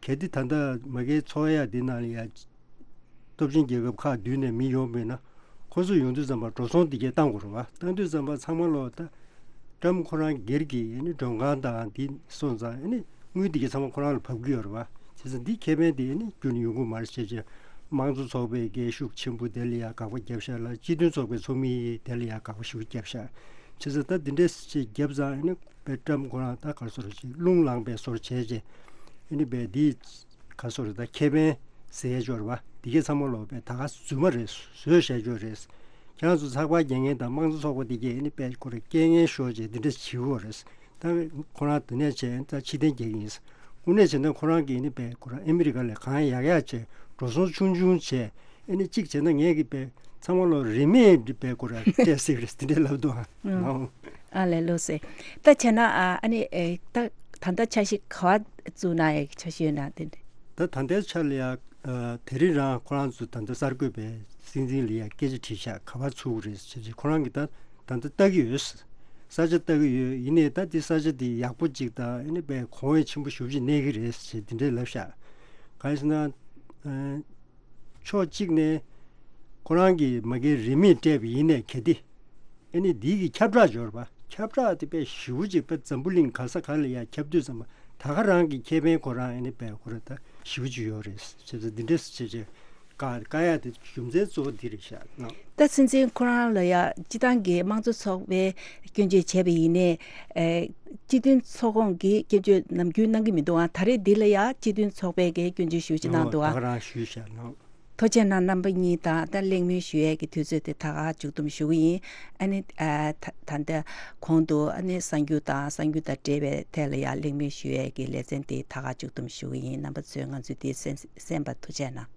གལ་ཏེ་ད་ལྟ་མ་གིའི་ཚོགས་ཡ་འདི་ནང་ལ་ཡ་སྟོབས་ཆེན་རྒྱལ་ཁབ་ཁག་བདུན་ནས་མི་ཡོང་མེད་ན། ཁོ་ཚོ་ཡོང་དུས་ཙམ་པ་འགྲོ་སོང་འདི་གས་བཏང་དགོས་རེད་བ། བཏང་དུས་ཙམ་པ་ཚང་མ་ལོ་ད་ཊམ་ཁོ་རང་སྒེར་གྱི་ཨ་ནི་མགྲོན་ཁང་དང་འདི་སོང་ཙང་ཨ་ནི་དངུལ་འདི་གས་ཚང་མ་ཁོ་རང་ལ་བབས་ཀྱི་ཡོད་རེད་བ། བྱས་ཙང་འདི་ཁེ་ཕན་དེ་ཨ་ནི་ཁྱོན་ནས་ཡོང་གི་མ་རེད་བྱས་བྱས། དམངས་གཙོ་ཚོགས་པའི་གས་ཤུགས་ཆེན་པོ་དེ་ལ་ཡ་དགག་པ་བརྒྱབ་ཤག་ལ། སྤྱི་མཐུན་ཚོགས་པའི་ཚོགས་མི་དེ་ལ་ཡ་དགག་པ་ཤུགས་བརྒྱབ་ཤག་བྱས་ཙང་ད་འདི་འདྲས་ཅིག་བརྒྱབ་ཙང་ཨ་ནི་པའི་ཊམ་ཁོ་རང་ད་ག་རེ་ཟེར་ཅིག་རླུང་ལངས་པའི་བཟོ་འདྲ་བྱས་བྱས་ཨ་ནི་པའི་འདི། ག་སོ་རེད། ད་ཁེ་ཕན་ཟེར་ཡ་ཅིག་ཡོད་རེད་བ། འདི་གས་ཚང་མ་ལོ་པའི་ད་ག་རྫུན་མ་རེད། བཟོས་བཞག་ཅིག་ཡོད་རེད། ཁྱེད་རང་ཚོ་ཚགས་པར་རྒྱག་མཁན་དང་དམངས་གཙོ་ཚོགས་པ་འདི་གས་ཨ་ནི་པའི་ཁོ་རང་རྐྱེན་ངན་ཤོར་བྱས་འདི་འདྲ་བྱེད་ཀྱི་ཡོད་རེད། ད་ཁོ་རང་འདི་ནས་བྱས་ད་ཕྱིར་འཐེན་རྒྱག་གི་ཡིན། དངོས་གནས་བྱས་ན་ཁོ་རང་གིས་ཨ་ནི་པའི་ཁོ་རང་ཨ་མི་རི་ཀ་ལ་གང་ཡག་ཡག་བྱས་འགྲོ་སོང་ཆུང་ཆུང་བྱས་ཨ་ནི་གཅིག་བྱས་ན་ངས་ཀྱི་པའི་ཚང་མ་ལོ་རིན་མེད་འདི་པའི་ཁོ་རང་སྤྲད་སྲིད་རེད་འདི་འདྲ་ལབ་འདུག་ཨ། ཨང་། ཨ་ལས་ལོས་སེ། ད་བྱས་ན་ཨ་ཨ་ནི་ཨེ་ད་ད་ལྟ་འཆར་གཞི་ག་བ་བཙུགས་གནང་ཡག་འཆར་གཞི་ཡོད་ན་དེ་འདྲ། ད་ད་ལྟའི་ཆ་ལ་ཡ། ཨ་དེ་རིང་རང་ཁོ་རང་ཚོ་ད་ལྟ་གསར་འགོད་པའི་སྲིད་འཛིན་ལ་ཡ་སྐད་ཆ་དྲིས་ཤག་ག་པར་ཚུགས་རེད་ཟེར་ཅིག་ཁོ་རང་གིས་ད་ད་ལྟ་ལྟ་གི་ཡོད། ས་ཆ་ལྟ་གི་ཡོད། ཡིན་ནའི་ད་དེ་ས་ཆ་དེ་ཡག་པོ་ཅིག་དང་ཨ་ནི་པའི་གོང་འོག་ཆེན་པོ་ཞེ་པོ་ཅིག་གནས་ཀྱི་རེད་ཟེར་དེ་འདྲས་ལབ་ཤག་གང་ཡིན་ཟེར་ན། ཨ་ཕྱོགས་གཅིག་ནས་ཁོ་རང་གིས་མ་གིའི་རིན་མེད་སྤྲད་པ་ཡིན་ནའི་གལ་ཏེ། ཨ་ནི་འདི་གི་ཁྱབ་བསྒྲགས་འབྱོར་བ། ཁྱབ་བསྒྲགས་དེ་དཔེ་ཞེ་པོ་ཅིག་དཔེ་འཛམ་བུ་གླིང་ག་ས་ག་ལ་ཡ་ཁྱབ་དུས་ཙམ་པ་ད་ག་རང་གི་ཁེ་ཕན་ཁོ་རང་ཨ་ནི་དཔེ་ཁོ་ར་ད་ཞེ་པོ་ཅིག་ཡོད་རེད། བྱས་ཙང་འདི་འདྲས་སུ་བྱས་བྱས། དཀའ་དཀའ་ཡག་དེ་རྒྱུ་མཚན་གཙོ་བོ་འདི་རེད་ཤག་ནོ། ད་སྲིད་འཛིན་ཁོ་རང་ལ་ཡ་སྤྱི་བཏང་གི་དམངས་གཙོ་ཚོགས་པས་སྐྱོན་བརྗོད་བྱས་པ་ཡིན་ནའི། ཨེ། སྤྱི་མཐུན་ཚོགས་ཁོངས་ཀྱིས་སྐྱོན་བརྗོད་ནམ་རྒྱུན་གནང་གི་མི་འདུག་ཨ། ད་རེས་འདི་ལ་ཡ་སྤྱི་མཐུན་ཚོགས་པས་ཀྱི་སྐྱོན་བརྗོད་ཞུ་ཅིག་གནང་འདུག་ཨ། ད་ག་རང་ཞུས་ཤག་ནོ། ཐུགས་རྗེ་གནང་། རྣམ་པ་གཉིས་དང་ད་གླེང་མོལ་ཞུ་ཡས་ཀྱི་དུས་ཚོད་དེ་ད་ག་མཇུག་བསྡོམས་ཞུ་གི་ཡིན། ཨ་ནི་ཨ་ད་ད་ལྟ་གོང་དུ་ཨ་ནི་གསར་འགྱུར་དང་གསར་འགྱུར་དང་འབྲེལ་བའི་ཐད་ལ་ཡང་གླེང་མོལ་ཞུ་ཡས་ཀྱི་ལེ་ཚན་དེ་ད་ག་མཇུག་བསྡོམས་ཞུ་གི་ཡིན། རྣམ་པ་ཚོས་ང་ཚོའི་དེ་གསན་གསན་པར་ཐུགས་རྗེ་གནང་།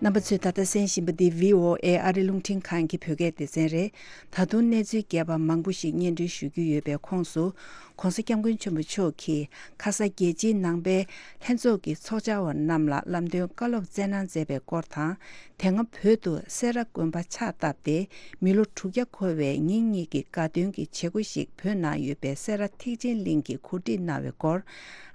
རྣམ་པ་ཚོས་ད་ལྟ་གསན་བཞིན་པ་འདི་བྷི་ཨོ་ཨེ་ཨ་རི་རླུང་འཕྲིན་ཁང་གི་བོད་སྐད་སྡེ་ཚན་རེད། ད་དུང་གནས་ཚུལ་རྒྱས་པ་མང་པོ་ཞིག་སྙན་སྒྲོན་ཞུ་རྒྱུ་ཡོད་པའི་ཁོངས་སུ། ྋགོང་ས་ྋསྐྱབས་མགོན་ཆེན་པོ་མཆོག་གིས་ཁ་ས་རྒྱལ་སྤྱིའི་ནང་པའི་ལྷན་ཚོགས་ཀྱི་ཚོགས་བཅར་བ་རྣམས་ལ་ལམ་སྟོན་བཀའ་སློབ་སྩལ་གནང་མཛད་པའི་སྐོར་དང་། དེ་སྔ་བོད་དུ་སེ་ར་དགོན་པ་ཕྱག་བཏབ་སྟེ་མི་ལོ་དྲུག་བརྒྱ་འཁོར་བའི་ཉིན་གཉིས་ཀྱི་དགའ་སྟོན་གྱི་བྱེད་སྒོ་ཞིག་བོད་ནང་ཡོད་པའི་སེ་ར་ཐེག་ཆེན་གླིང་གིས་གོ་སྒྲིག་གནང་བའི་སྐོར།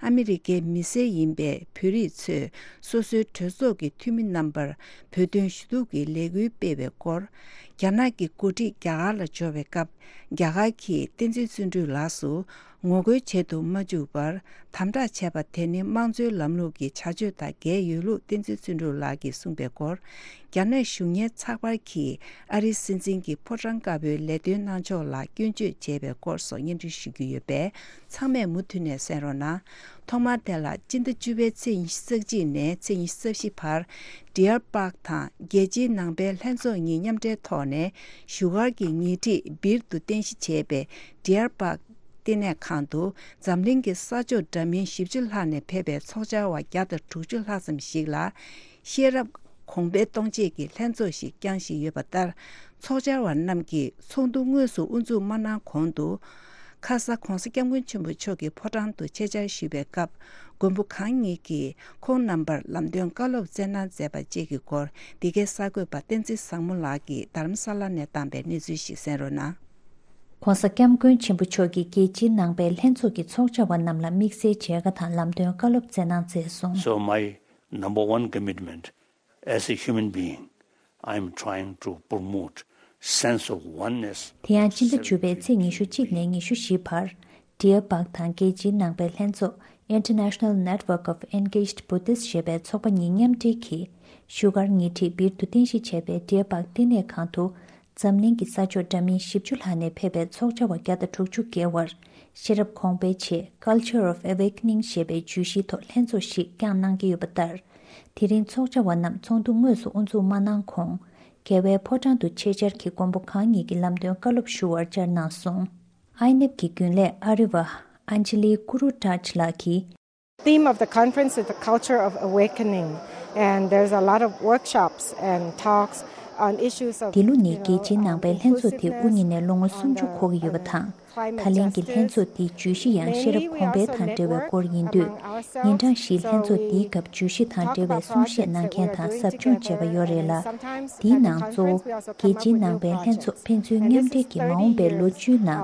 ཨ་མི་རི་ཀའི་མི་སེར་ཡིན་པའི་བོད་རིགས་ཚོས་སོ་སོའི་གྲོས་ཚོགས་ཀྱི་འཐུས་མི་རྣམ་པར་བོད་དོན་ཞུ་གཏུག་གི་ལས་འགུལ་སྤེལ་བའི་སྐོར། རྒྱ་ནག་གི་འགོ་ཁྲིད་རྒྱ་གར་ལ་འབྱོར་བའི་སྐབས། རྒྱ་གར་གྱིས་བསྟན་འཛིན་བརྩོན་འགྲུས་ལགས་སུ་ངོ་རྒོལ་བྱེད་དུ་མ་བཅུག་པར་དམ་དྲག་བྱས་པ་དེ་ནི་དམངས་གཙོའི་ལམ་ལུགས་ཀྱི་བྱ་སྤྱོད་དང་འགལ་ཡོད་ལུགས་བསྟན་འཛིན་བརྩོན་འགྲུས་ལགས་ཀྱིས་གསུངས་པའི་སྐོར། རྒྱ་ནག་གཞུང་ངན་ཚགས་པར་གྱིས་ཨ་རིའི་སྲིད་འཛིན་གྱི་ཕོ་བྲང་དཀར་པོའི་ལས་དོན་གནང་ཕྱོགས་ལ་སྐྱོན་བརྗོད་བྱས་པའི་སྐོར་སོགས་སྙན་སྒྲོན་ཞུ་རྒྱུ་ཡོད་པས། ཚང་མས་མུ་མཐུད་ནས་གསན་རོགས་གནང་། ཐོག་མར་དེ་ལ་སྤྱི་ཟླ་བཅུ་པའི་ཚེས་ཉི་ཤུ་རྩ་གཅིག་ནས་ཚེས་ཉི་ཤུ་རྩ་བཞི་བར། Deer Park དང་རྒྱལ་སྤྱིའི་ནང་པའི་ལྷན་ཚོགས་གཉིས་མཉམ་འབྲེལ་ཐོག་ནས་བཞུགས་སྒར་གྱི་ཉེ་འཁྲིས་སྦིར་དུ་རྟེན་གཞི་བྱས་པའི་Deer Park ལྟེ་གནས་ཁང་དུ་འཛམ་གླིང་གི་ས་ཕྱོགས་འདྲ་མིན་བཞི་བཅུ་ལྷག་ནས་ཕེབས་པའི་ཚོགས་བཅར་བ་བརྒྱ་དང་དྲུག་ཅུ་ལྷག་ཙམ་ཞིག་ལ། ཤེས་རབ་གོང་འཕེལ་གཏོང་ཆེད་ཀྱི་ལྷན་ཚོགས་ཤིག་བསྐྱངས་བཞིན་ཡོད་པ་ལྟར། ཚོགས་བཅར་བ་རྣམས་ཀྱིས་ཚོགས་འདུ་དངོས་སུ་དབུ་འཛུགས་མ་གནང་གོང་དུ། ཁ་ས་ྋགོང་ས་ྋསྐྱབས་མགོན་ཆེན་པོ་མཆོག་གི་ཕོ་བྲང་དུ་ཆེད་བཅར་ཞུས་པའི་སྐབས། མགོན་པོ་གང་ཉིད་ཀྱིས་ཁོང་རྣམ་པར་ལམ་སྟོན་བཀའ་སློབ་སྩལ་གནང་མཛད་པ་བཅས་ཀྱི་སྐོར། འདི་གའི་གསར་འགོད་པ་བསྟན་འཛིན་བཟང་མོ་ལགས་ཀྱིས་རྡ་རམ་ས་ལ་ནས་བཏང་པའི་གནས་ཚུལ་ཞིག་གསན་རོགས་གནང་། ྋགོང་ས་ྋསྐྱབས་མགོན་ཆེན་པོ་མཆོག་གིས་རྒྱལ་སྤྱིའི་ནང་པའི་ལྷན་ཚོགས་ཀྱི་ཚོགས་བཅར་བ་རྣམས་ལ་དམིགས་བསལ་མཇལ་ཁ་དང་ལམ་སྟོན་བཀའ་སློབ་སྩལ་གནང་མཛད་སོང་། So my number one commitment as a human being, I am trying to promote sense of oneness. དེ་ཡང་སྤྱི་ཟླ་བཅུ་པའི་ཚེས་ཉི་ཤུ་གཅིག་ནས་ཉི་ཤུ་བཞི་བར། Deer Park དང་རྒྱལ་སྤྱིའི་ནང་པའི་ལྷན་ཚོགས་International Network of Engaged Buddhists ཞེས་པའི་ཚོགས་པ་གཉིས་མཉམ་འབྲེལ་གྱིས། བཞུགས་སྒར་ཉེ་འཁྲིས་སྦིར་དུ་རྟེན་གཞི་བྱས་པའི་Deer Park ལྟེ་གནས་ཁང་དུ། འཛམ་གླིང་གི་ས་ཕྱོགས་འདྲ་མིན་བཞི་བཅུ་ལྷག་ནས་ཕེབས་པའི་ཚོགས་བཅར་བ་བརྒྱ་དང་དྲུག་ཅུ་བརྒལ་བར། ཤེས་རབ་གོང་འཕེལ་ཆེད་Culture of Awakening ཞེས་པའི་བརྗོད་གཞིའི་ཐོག་ལྷན་ཚོགས་ཤིག་བསྐྱངས་གནང་གི་ཡོད་པ་ལྟར། དེ་རིང་ཚོགས་བཅར་བ་རྣམས་ཚོགས་འདུ་དངོས་སུ་དབུ་འཛུགས་མ་གནང་གོང་། རྒྱལ་བའི་ཕོ་བྲང་དུ་ཆེད་བཅར་གྱིས་མགོན་པོ་གང་ཉིད་ཀྱི་ལམ་སྟོན་བཀའ་སློབ་ཞུ་བར་བཅར་གནང་སོང་། ཨའི་ནེབ་ཀྱི་རྒྱུན་ལས་ཨ་རི་བ་Anjali Gurudhaj ལགས་ཀྱིས། Theme of the conference is the culture of awakening, and there's a lot of workshops and talks on issues of འདི་ལོ་ནི་རྒྱལ་སྤྱིའི་ནང་པའི་ལྷན་ཚོགས་དེ་དབུ་བརྙེས་ནས་ལོ་ངོ་སུམ་ཅུ་འཁོར་གྱི་ཡོད་པ་དང་། ད་ལན་གྱི་ལྷན་ཚོགས་འདིའི་བརྗོད་གཞི་ཡང་ཤེས་རབ་གོང་འཕེལ་དང་འབྲེལ་བའི་སྐོར་ཡིན་དུས། ཉིན་གྲངས་བཞིའི་ལྷན་ཚོགས་འདིའི་སྐབས་བརྗོད་གཞི་དང་འབྲེལ་བའི་གསུང་བཤད་གནང་མཁན་དང་ཟབ་སྦྱོང་བྱས་པ་ཡོད་རེད་ལ། འདིའི་ནང་གཙོ་བོ་རྒྱལ་སྤྱིའི་ནང་པའི་ལྷན་ཚོགས་ཕན་ཚུན་མཉམ་འབྲེལ་གྱིས་མ་འོངས་པའི་ལོ་བཅུའི་ནང་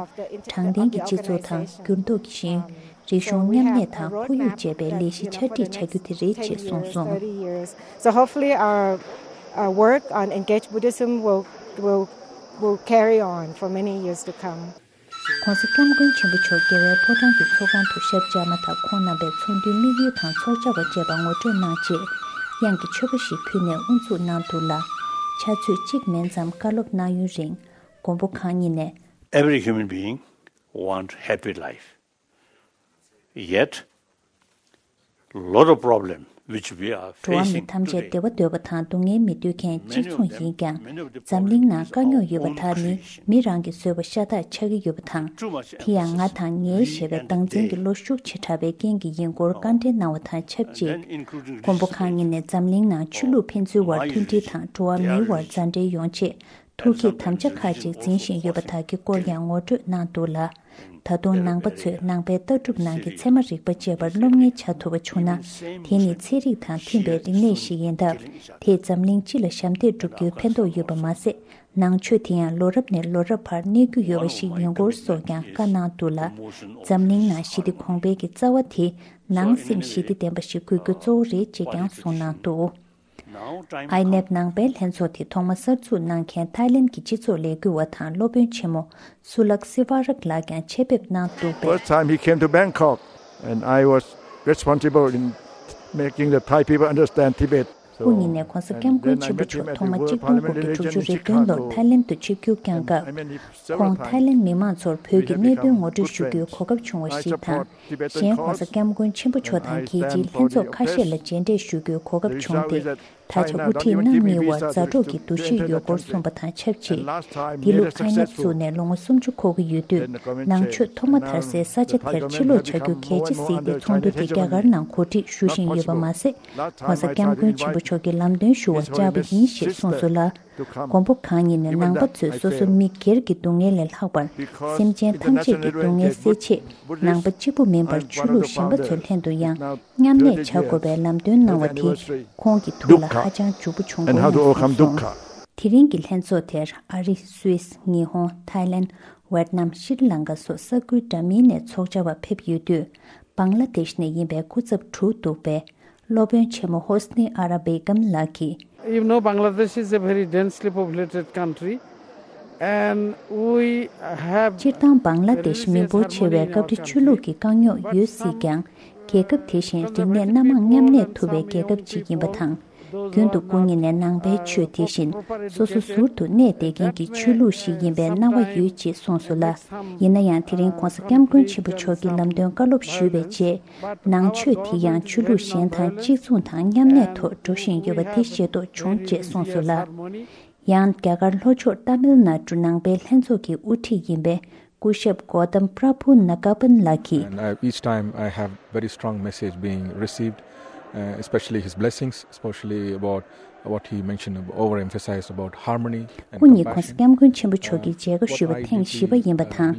དྲང་བདེན་གྱི་སྤྱི་ཚོགས་དང་འགྱུར་ལྡོག་གི་ཞིང་། རིག་གཞུང་མཉམ་གནས་དང་ཁོར་ཡུག་ཅེས་པའི་ལས་གཞི་ཆ་སྒྲིག་བྱ་རྒྱུ་དེ་རེད་ཅེས་གསུངས་སོང་། So hopefully our, our work on engaged Buddhism will, will, will carry on for many years to come. ྋགོང་ས་ྋསྐྱབས་མགོན་ཆེན་པོ་མཆོག་རྒྱལ་བའི་ཕོ་བྲང་གི་ཚོགས་ཁང་དུ་ཞབས་བཅགས་མ་ཐག་ཁོང་རྣམ་པའི་ཚོགས་འདུའི་དམིགས་ཡུལ་དང་ཚོགས་བཅར་བ་བཅས་པ་ངོ་སྤྲོད་གནང་རྗེས། དབྱངས་ཀྱི་མཆོད་པ་ཞིག་ཕུལ་ནས་དབུ་འཛུགས་གནང་འདུག་ལ། ཕྱག་ཚོད་གཅིག་མིན་ཙམ་བཀའ་སློབ་གནང་ཡུན་རིང་། མགོན་པོ་གང་ཉིད་ནས། Every human being want happy life. Yet, lot of problem which we are འགྲོ་བ་མི་facing ཐམས་ཅད་བདེ་བ་འདོད་པ་དང་སྡུག་བསྔལ་མི་འདོད་མཁན་གཅིག་མཚུངས་ཡིན་ཀྱང་། འཛམ་གླིང་ནང་དཀའ་རྙོག་ཡོད་པ་དག་ནི་མི་རང་གི་བཟོས་པ་ཤ་སྟག་ཆགས་ཀྱི་ཡོད་པ་དང་། དེ་ཡང་ང་དང་ངའི་ཞེས་པའི་སྡང་འཛིན་གྱི་བློ་ཤུགས་ཆེ་དྲགས་པའི་རྐྱེན་གྱིས་ཡིན་སྐོར་བཀའ་འདྲི་གནང་བ་དང་ཆབས་ཅིག། མགོན་པོ་གང་ཉིད་ནས་འཛམ་གླིང་ནང་ཆོས་ལུགས་ཕན་ཚུན་དབར་མཐུན་སྒྲིལ་དང་འགྲོ་བ་མིའི་དབར་མཛའ་འབྲེལ་ཡོང་ཆེད། ཐུགས་བསྐྱེད་དམ་བཅའ་ཁག་ཅིག་འཛིན་བཞིན་ཡོད་པ་དག་གི་སྐོར་ཡང་ངོ་སྤྲོད་གནང་འདུག་ལ། ད་དུང་ནང་པ་ཚོས་ནང་པའི་ལྟ་གྲུབ་ནང་གི་ཚད་མ་རིག་པ་བཅས་པར་སློབ་གཉེར་བྱ་ཐུབ་པ་བྱུང་ན། དེ་ནི་ཚན་རིག་དང་མཐུན་པའི་རིག་གནས་ཤིག་ཡིན་སྟབས། དེས་འཛམ་གླིང་སྤྱི་ལ་ཞབས་འདེགས་སྒྲུབ་རྒྱུའི་ཕན་ཐོགས་ཡོད་པ་མ་ཟད། ནང་ཆོས་དེ་ཡང་ལོ་རབས་ནས་ལོ་རབས་བར་གནས་རྒྱུ་ཡོད་པ་ཞིག་ཡིན་སྐོར་སོགས་ཀྱང་བཀའ་གནང་འདུག་ལ། འཛམ་གླིང་ནང་ཞི་བདེ་གོང་འཕེལ་གྱི་རྩ་བ་དེ་ནང་སེམས་ཞི་བདེ་ལྡན་པ་ཞིག་དགོས་རྒྱུ་གཙོ་བོ་རེད་ཅེས་ཀྱང་གསུངས་གནང་འདུག། ཨའི་ནེབ་ནང་པའི་ལྷན་ཚོགས་དེ་ཐོག་མ་གསར་འཛུགས་གནང་མཁན་ཐའི་ལེན་གྱི་སྤྱི་ཚོགས་ལས་འགུལ་བ་དང་སློབ་དཔོན་ཆེན་མོ་སུ་ལག་སི་ཝ་རག་ལགས་ཀྱང་ཆེད་ཕེབས་གནང་འདུག་པས། First time he came to Bangkok, and I was responsible in making the Thai people understand Tibet. སྐུ་ཉིད་ནས་༸གོང་ས་༸སྐྱབས་མགོན་ཆེན་པོ་མཆོག་ཐོག་མ་གཅིག་སྟོང་དགུ་བརྒྱ་དྲུག་ཅུ་རེ་བདུན་ལོར་ཐའི་ལེན་དུ་ཆིབས་བསྒྱུར་བསྐྱངས་སྐབས། ཁོང་ཐའི་ལེན་མི་མང་ཚོར་བོད་ཀྱི་གནད་དོན་ངོ་སྤྲོད་ཞུ་རྒྱུའི་གོ་སྐབས་བྱུང་བ་ཞིག་དང་། གཞན་༸གོང་ས་༸སྐྱབས་མགོན་ཆེན་པོ་མཆོག་དང་རྒྱལ་སྤྱིའི་ལྷན་ཚོགས་ཁ་ཤས་ལ་མཇལ་འཕྲད་ཞུ་རྒྱུའི་གོ་སྐབས་བྱུང་སྟེ། ད་ཆ་དབུ་ཁྲིད་རྣམ་གཉིས་བར་མཛའ་གྲོགས་ཀྱི་འདུ་ཤེས་ཡོད་སྐོར་གསུངས་པ་དང་ཆབས་ཅིག་འདི་ལོ་ཨའི་ནེབ་བཙུགས་ནས་ལོ་ངོ་སུམ་ཅུ་འཁོར་གྱི་ཡོད་དུས། ནང་ཆོས་ཐོག་མ་དར་སའི་ས་ཆ་དེར་ཕྱིར་ལོག་བྱ་རྒྱུ་གལ་ཆེ་གཟིགས་ཏེ་ཚོགས་འདུ་དེ་རྒྱ་གར་ནང་གོ་སྒྲིག་ཞུ་བཞིན་ཡོད་པ་མ་ཟད། ༸གོང་ས་༸སྐྱབས་མགོན་ཆེན་པོ་མཆོག་གི་ལམ་སྟོན་ཞུ་བར་བཅར་བ་ཡིན་ཞེས་གསུངས་སོང་ལ། མགོན་པོ་གང་ཉིད་ནས་ནང་པ་ཚོས་སོ་སོ་མི་སྒེར་གྱི་སྡུག་བསྔལ་ལས་ལྷག་པར། སེམས་ཅན་ཐམས་ཅད་ཀྱི་སྡུག་བསྔལ་སེལ་ཆེད། ནང་པ་གཅིག་པུ་མིན་པར་ཆོས་ལུགས་གཞན་པ་ཚོའི་ལྷན་དུ་ཡང་མཉམ་གནས་བྱ་དགོས་པའི་ལམ་སྟོན་གནང་བ་དེ་ཁོང་གི་ཐུགས་ལ་ཧ་ཅང་འཇུག་པོ་བྱུང་བ་ཡིན་གསུངས་སོང་། དེ་རིང་གི་ལྷན་ཚོགས་དེར་ཨ་རི། སུད་སི། ཉི་ཧོང་། ཐའི་ལེན། ཝེད་ནམ། ཤྲི་ལང་ཀ་སོགས་ས་ཁུལ་འདྲ་མིན་ནས་ཚོགས་བཅར་བ་ཕེབས་ཡོད་དུས། བང་ལ་དེཤ་ནས་ཡིན་པའི་སྐུ་ཚབ་དྲུག་འདུག་པས། སློབ་དཔོན་ཆེན་མོ་ཧོ་སི་ནི་ཨ་ར་བེ་གམ་ལགས་ཀྱིས། You know, Bangladesh is a very densely populated country, and we have སྤྱིར་བཏང་བང་ལ་དེཤ་མི་འབོར་ཆེ་བས་སྐབས་རེ་ཆོས་ལུགས་ཀྱི་དཀའ་རྙོག་ཡོད་སྲིད་ཀྱང་། རྒྱལ་ཁབ་དེ་བཞིན་རིག་གནས་སྣ་མང་མཉམ་གནས་ཐུབ་པའི་རྒྱལ་ཁབ་ཅིག་ཡིན་པ་དང་། རྒྱུན་དུ་སྐུ་ཉིད་ནས་ནང་པའི་ཆོས་དེ་བཞིན་སོ་སོ་ཟུར་དུ་གནས་བསྡད་མཁན་གྱི་ཆོས་ལུགས་ཤིག་ཡིན་པའི་སྣང་བ་ཡོད་ཅེས་གསུངས་སོང་ལ། ཡིན་ན་ཡང་དེ་རིང་༸གོང་ས་༸སྐྱབས་མགོན་ཆེན་པོ་མཆོག་གིས་ལམ་སྟོན་བཀའ་སློབ་ཞུས་པའི་རྗེས། ནང་ཆོས་དེ་ཡང་ཆོས་ལུགས་གཞན་དང་གཅིག་མཚུངས་དང་མཉམ་གནས་ཐོག་འགྲོ་བཞིན་ཡོད་པ་དེ་ཤེས་རྟོགས་བྱུང་ཅེས་གསུངས་སོང་ལ། ཡང་རྒྱ་གར་ལྷོ་ཕྱོགས་ཏཱ་མིལ་ནཱ་ཌུ་ནང་པའི་ལྷན་ཚོགས་ཀྱི་དབུ་ཁྲིད་ཡིན་པའི་སྐུ་ཞབས་གོ་ཏམ་པྲ་བྷུ་ན་ཀ་པན་ལགས་ཀྱིས། And I, each time I have very strong message being received, uh, especially his blessings, especially about what he mentioned, overemphasized about harmony and སྐུ་ཉིད་༸གོང་ས་༸སྐྱབས་མགོན་ཆེན་པོ་མཆོག་གིས་མཇལ་ཁ་ཞུས་པ་ཐེངས་བཞི་པ་ཡིན་པ་དང་།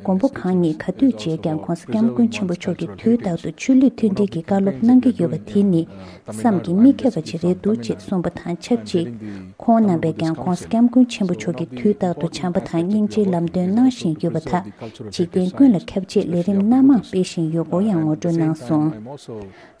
མགོན་པོ་གང་ཉིད་ག་དུས་མཇལ་ཀྱང་༸གོང་ས་༸སྐྱབས་མགོན་ཆེན་པོ་མཆོག་གིས་དུས་རྟག་ཏུ་ཆོས་ལུགས་མཐུན་སྒྲིལ་གྱི་བཀའ་སློབ་གནང་གི་ཡོད་པ་དེ་ནི་བསམ་གྱིས་མི་ཁྱབ་པ་ཅིག་རེད་འདུག་ཅེས་གསུངས་པ་དང་ཆབས་ཅིག་ཁོང་རྣམ་པས་ཀྱང་༸གོང་ས་༸སྐྱབས་མགོན་ཆེན་པོ་མཆོག་གིས་དུས་རྟག་ཏུ་བྱམས་པ་དང་སྙིང་རྗེའི་ལམ་སྟོན་གནང་བཞིན་ཡོད་པ་དག་འཇིག་རྟེན་ཀུན་ལ་ཁྱབ་ཆེད་ལས་རིམ་སྣ་མང་སྤེལ་བཞིན་ཡོད་སྐོར་ཡང་ངོ་སྤྲོད་གནང་སོང་།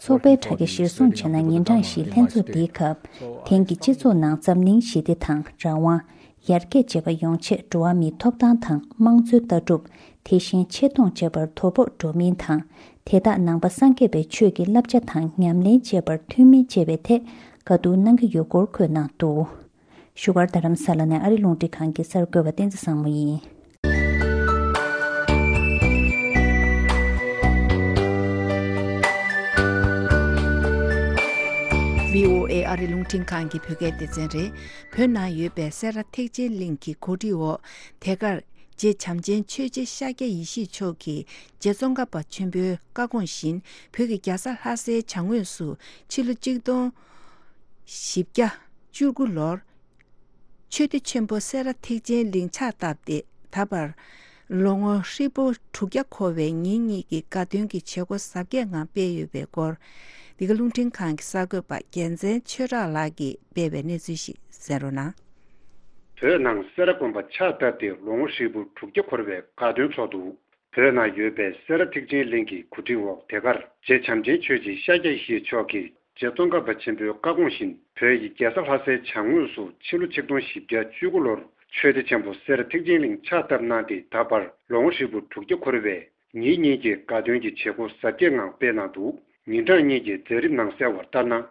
ཚོགས་པའི་དྲ་རྒྱ་གཞིར་བཟུང་བྱས་ན། ཉིན་གྲངས་བཞིའི་ལྷན་ཚོགས་འདིའི་སྐབས། དེང་གི་སྤྱི་ཚོགས་ནང་འཛམ་གླིང་ཞི་བདེ་དང་། རང་དབང་། ཡར་རྒྱས་བཅས་པ་ཡོང་ཆེད་འགྲོ་བ་མིའི་ཐོབ་ཐང་དང་། དམངས་གཙོའི་ལྟ་གྲུབ། དེ་བཞིན་ཆེ་མཐོང་བཅས་པར་དོ་ཕོག་འགྲོ་མིན་དང་། དེ་དག་ནང་པ་སངས་རྒྱས་པའི་ཆོས་ཀྱི་བསླབ་བྱ་དང་ཉམས་ལེན་བཅས་པར་མཐུན་མིན་བཅས་པའི་ཐད་བཀའ་བསྡུར་གནང་གི་ཡོད་སྐོར་འཁོད་གནང་འདུག་བཞུགས་སྒར་རྡ་རམ་ས་ལ་ནས་ཨ་རི་རླུང་འཕྲིན་ཁང་གི་གསར་འགོད་པ་བསྟན་འཛིན་བཟང་མོ་ཡིན། བྷི་ཨོ་ཨེ་ཨ་རི་རླུང་འཕྲིན་ཁང་གི་བོད་སྐད་སྡེ་ཚན་རེད། བོད་ནང་ཡོད་པའི་སེ་ར་ཐེག་ཆེན་གླིང་གི་གོ་སྒྲིག་འོག་དེ་གར་རྗེ་བྱམས་ཆེན་ཆོས་རྗེ་ཤཱཀྱ་ཡེ་ཤེས་མཆོག་གིས་རྗེ་ཙོང་ཁ་པ་ཆེན་པོའི་བཀའ་དགོངས་བཞིན་བོད་ཀྱི་རྒྱལ་ས་ལྷ་སའི་བྱང་ངོས་སུ་ཕྱི་ལོ་གཅིག་སྟོང་བཞི་བརྒྱ་བཅུ་དགུ་ལོར་ཆོས་སྡེ་ཆེན་པོ་སེ་ར་ཐེག་ཆེན་གླིང་ཕྱག་བཏབ་སྟེ། ད་བར་ལོ་ངོ་ཧྲིལ་པོ་དྲུག་བརྒྱ་འཁོར་བའི་ཉིན་གཉིས་ཀྱི་དགའ་སྟོན་གྱི་བྱེད་སྒོ་གཟབ་རྒྱས་ངང་སྤེལ་ཡོད་པའི་སྐོར། འདི་ག་རླུང་འཕྲིན་ཁང་གི་གསར་འགོད་པ་རྒྱལ་མཚན་ཆོས་གྲགས་ལགས་ཀྱིས་སྤེལ་བའི་གནས་ཚུལ་ཞིག་གསན་རོགས་གནང་། བོད་ནང་སེ་ར་དགོན་པ་ཕྱག་བཏབ་སྟེ་ལོ་ངོ་ཧྲིལ་པོ་དྲུག་བརྒྱ་འཁོར་བའི་དགའ་སྟོན་ཚོགས་འདུ། བོད་ནང་ཡོད་པའི་སེ་ར་ཐེག་ཆེན་གླིང་གི་གོ་སྒྲིག་འོག་དེ་གར་རྗེ་བྱམས་ཆེན་ཆོས་རྗེ་ཤཱཀྱ་ཡེ་ཤེས་མཆོག་གིས་རྗེ་ཙོང་ཁ་པ་ཆེན་པོའི་བཀའ་དགོངས་བཞིན་བོད་ཀྱི་རྒྱལ་ས་ལྷ་སའི་བྱང་ངོས་སུ་ཕྱི་ལོ་ཆིག་སྟོང་བཞི་བརྒྱ་བཅུ་དགུ་ལོར་ཆོས་སྡེ་ཆེན་པོ་སེ་ར་ཐེག་ཆེན་གླིང་ཕྱག་བཏབ་གནང་སྟེ། ད་བར་ལོ་ངོ་ཧྲིལ་པོ་དྲུག་བརྒྱ་འཁོར་བའི་ཉིན་གཉིས་ཀྱི་དགའ་སྟོན་གྱི་བྱེད་སྒོ་གཟབ་རྒྱས་ངང་སྤེལ་གནང་འདུག་ཉིན་གྲངས་གཉིས་ཀྱི་མཛད་རིམ་ནང་གསལ་བར་ལྟར་ན།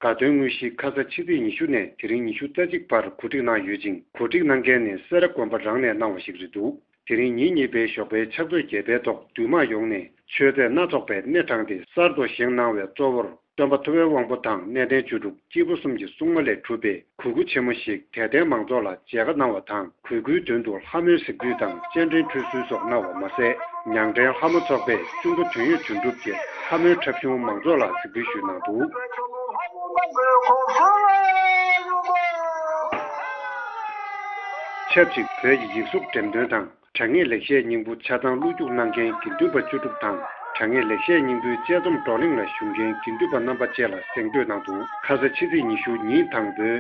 དགའ་སྟོན་དངོས་གཞི་ཁ་ས་ཕྱི་ཚེས་ཉི་ཤུ་ནས་དེ་རིང་ཉི་ཤུ་རྩ་གཅིག་བར་གོ་སྒྲིག་གནང་ཡོད་ཅིང་། གོ་སྒྲིག་གནང་མཁན་ནི་སེ་ར་དགོན་པ་རང་ནས་གནང་བ་ཞིག་རེད་འདུག་དེ་རིང་ཉིན་གཉིས་པའི་ཞོགས་པའི་ཕྱག་ཚོད་བརྒྱད་པའི་ཐོག་འདུས་མང་ཡོངས་ནས་མཆོད་རྫས་སྣ་ཚོགས་པའི་སྣེ་དྲངས་ཏེ་གསར་དུ་བཞེངས་གནང་བའི་གཙོ་བོར་སྟོན་པ་ཐུབ་པའི་དབང་པོ་དང་གནས་བརྟན་བཅུ་དྲུག་སྐྱེས་བུ་གསུམ་གྱི་སྲུང་མ་ལས་གྲུབ་པའི་གུས་སྐུ་ཆེན་མོ་ཞིག་དད་ལྡན་མང་ཚོགས་ལ་མཇལ་ཁ་གནང་བ་དང་། གུས་སྐུའི་མདུན་དུ་ལྷ་མོའི་གཟིགས་འབུལ་དང་སྤྱན་འདྲེན་ཁྲུས་གསོལ་སོགས་གནང་བ་མ་ཟད། ཉང་བྲན་ལྷ་མོ་ཚོགས་པས་གཅུང་པོ་དོན་ཡོད་དོན་གྲུབ་ཀྱི་ལྷ་མོའི་འཁྲབ་གཞུང་མང་ཚོགས་ལ་གཟིགས་འབུལ་ཞུས་གནང་འདུག་ཆབས་ཅིག་བོད་ཀྱི་ཡིག་གཟུགས་འགྲེམས་སྟོན་དང་། དྲ་བརྙན་ལེགས་བཤད་སྙིང་པོ་ཆ་ཚང་བློ་རྒྱུགས་གནང་མཁན་དགེ་འདུན་པ་བཅུ་དྲུག་དང་། དྲ་བརྙན་ལེགས་བཤད་སྙིང་པོའི་དཔྱད་རྩོམ་བགྲོ་གླེང་ལ་ཞུགས་མཁན་དགེ་འདུན་པ་རྣམ་པ་བཅས་ལ་གཟེངས་བསྟོད་གནང་འདུག་ཁ་ས་ཕྱི་ཚེས་ཉི་ཤུ་ཉིན་དང་པོའི་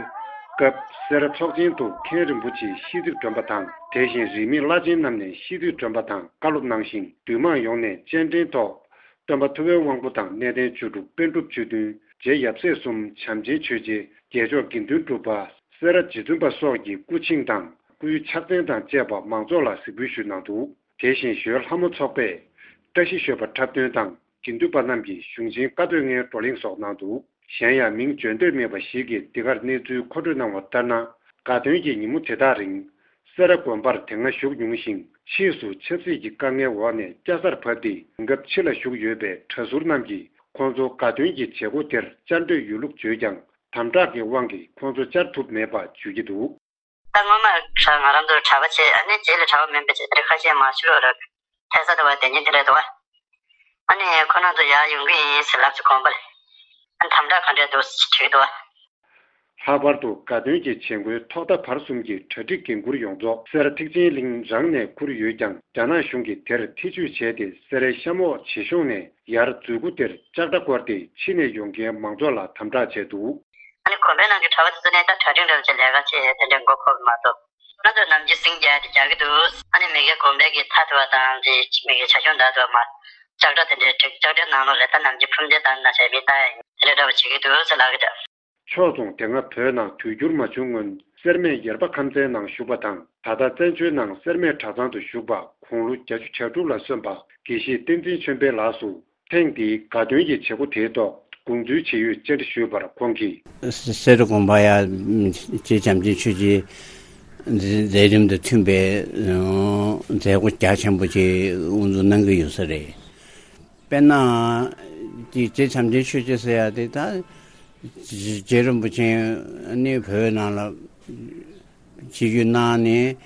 སྐབས་སེ་ར་ཚོགས་ཆེན་དུ་མཁན་རིན་པོ་ཆེ་ཤིས་ཚིག་སྒྲོན་པ་དང་། དེ་བཞིན་རིས་མེད་བླ་ཆེན་རྣམས་ནས་ཤིས་ཚིག་སྒྲོན་པ་དང་བཀའ་སློབ་གནང་ཞིང་། འདུས་མང་ཡོངས་ནས་སྤྱན་འདྲེན་ཐོག་སྟོན་པ་ཐུབ་པའི་དབང་པོ་དང་གནས་བརྟན་བཅུ་དྲུག་པཎ་གྲུབ་ཆོས་བདུན། རྗེ་ཡབ་སྲས་གསུམ། བྱམས་ཆེན་ཆོས་རྗེ། རྒྱལ་མཆོག་དགེ་འདུན་གྲུབ་པ། སེ་ར་རྗེ་བཙུན་པ་སོགས་ཀྱི་སྐུ་ཆིངས་དང་སྐུའི་ཕྱག་མཚན་དང་བཅས་པ་མང་ཚོགས་ལ་གཟིགས་འབུལ་ཞུས་གནང་འདུག་དེ་བཞིན་ཞོལ་ལྷ་མོ་ཚོགས་པས་བཀྲ་ཤིས་ཞོལ་པ་འཁྲབ་སྟོན་དང་། དགེ་འདུན་པ་རྣམས་ཀྱིས་གཞུང་ཆེན་བཀའ་སྡོད་ལྔའི་བགྲོ་གླེང་སོགས་གནང་འདུག་གཞན་ཡང་མིང་བརྗོད་འདོད་མེད་པ་ཞིག་གིས་འདི་གར་གནས་ཚུལ་མཁོ་སྤྲོད་གནང་བ་ལྟར་ན། དགའ་སྟོན་གྱི་ཉིན་མོ་དེ་དག་རིང་། སེ་ར་དགོན་པར་དེ་སྔ་བཞུགས་མྱོང་ཞིང་། ཕྱིས་སུ་ཆབ་སྲིད་ཀྱི་དཀའ་ངལ་འོག་ནས་སྐྱ་སར་བབས་ཏེ་དུས་སྐབས་ཕྱི་ལ་བཞུགས་ཡོད་པའི་གྲྭ་ཟུར་རྣམས་ཀྱིས་ཁོང་ཚོ་དགའ་སྟོན་གྱི་བྱེད་སྒོ་དེར་བཅར་འདོད་ཡོད་ལུགས་བརྗོད་ཀྱང་། དམ་དྲག་གི་དབང་གིས་ཁོང་ཚོ་བཅར་ཐུབ་མེད་པ་བརྗོད་ཀྱི་འདུག་ད་སྔོན་མ་གྲྭ་ང་རང་ཚོ་གྲྭ་པ་བྱས། ཨ་ནི་རྗེས་ལ་གྲྭ་པ་མིན་པའི་ཆེད་དུ་ཁ་ཤས་མ་ཤི་རོགས་ར། ཐལ་ས་དུ་བ་དེ་ཉིན་དེ་རེད་དོ། ཨ་ནི་ཁོ་རང་ཚོ་ཡར་ཡོང་གི་ཡིན་ཟེར་ལབ་ཚེ་དགོན་པ་ལ། ཨ་ནི་དམ་དྲག་ག་འདྲས་འདུག་ཟེར་དྲིས་འདུག་ལྷག་པར་དུ་དགའ་སྟོན་གྱི་བྱེད་སྒོའི་ཐོག་མཐའ་བར་གསུམ་གྱི་གྲ་སྒྲིག་འགན་འཁུར་ཡོངས་རྫོགས་སེ་ར་ཐེག་ཆེན་གླིང་རང་ནས་འཁུར་ཡོད་ཀྱང་། རྒྱ་ནག་གཞུང་གིས་དེར་ཐེ་བྱུས་བྱས་ཏེ། སེ་རའི་གཤམ་འོག་བྱེ་གཞུང་ནས་ཡར་མཛོད་སྒོ་དེར་ལྕགས་དྲ་བསྐོར་ཏེ་ཕྱི་ནས་ཡོང་མཁན་མང་ཚོགས་ལ་དམ་དྲག་བྱས་འདུག་ཨ་ནི་དགོན་པའི་ནང་གི་གྲྭ་པ་དེ་ཚོ་ནི་ད་གྲ་སྒྲིག་འདྲ་བྱས་ལས་ཀ་བྱས་དེ་འདྲའི་མགོ་འཁོར་གི་མ་གཏོགས། ང་ཚོས་ནམ་རྒྱུན་སིང་རྒྱག་དེ་རྒྱག་གི་འདུག་ཨ་ནི་མི་སྒེར་དགོན་པའི་གི་མཐའ་དེ་བ་དང་དེ་མི་སྒེར་བྱ་ཁྱོན་དག་དེ་བ་མ་ལྕགས་དྲ་དེ་འདྲའི་བསྒྲིགས། ལྕགས་དྲའི་ནང་ལོགས་ལ་ད་ནམ་རྒྱུན་ཕུང་མདེལ་བཏང་ན་བྱས་མི་ལྟ་ཡ་ཡིན། དེ་འདྲའི་འདྲ་བ་བྱེད་ཀྱི་འདུག་ཟེར་ལབ་ཀྱི་འདུག་ཕྱོགས་མཚུངས། དེ་སྔ་བོད་ནང་དུས་འགྱུར་མ་བྱུང་སྔོན། སེར་སྨད་ཡེར་པ་ཁམས་ཚན་ནང་བཞུགས་པ་དང་། ད་ལྟ་བཙན་བྱོལ་ནང་སེར་སྨད་གྲྭ་ཚང་དུ་བཞུགས་པ། དགུང་ལོ་བརྒྱད་ཅུ་གྱ་དྲུག་ལ་སོན་པ་དགེ་བཤེས་བསྟན་འཛིན་ཆོས་འཕེལ་ལགས་སུ། ཐེངས་འདིའི་དགའ་སྟོན་གྱི་བྱེད་སྒོ་དེའི་ཐོག་དགོངས་ཚུལ་ཇི་ཡོད་བཅར་འདྲི་ཞུས་པར་ཁོང་གིས། སེ་ར་དགོན་པ་ཡ་རྗེ་བྱམས་ཆེན་ཆོས་རྗེ་མཛད་རིམ་དང་མཐུན་པའི་མཛད་སྒོ་རྒྱ་ཆེན་པོ་ཅིག་དབུ་འཛུགས་གནང་གི་ཡོད་ས་རེད། དཔེར་ན། དེ་རྗེ་བྱམས་ཆེན་ཆོས་རྗེ་ཟེར་ཡ་དེ་ད། རྗེ་རིན་པོ་ཆེ་ནི་བོད་ནང་ལ་ཆིབས་བསྒྱུར་གནང་ནས་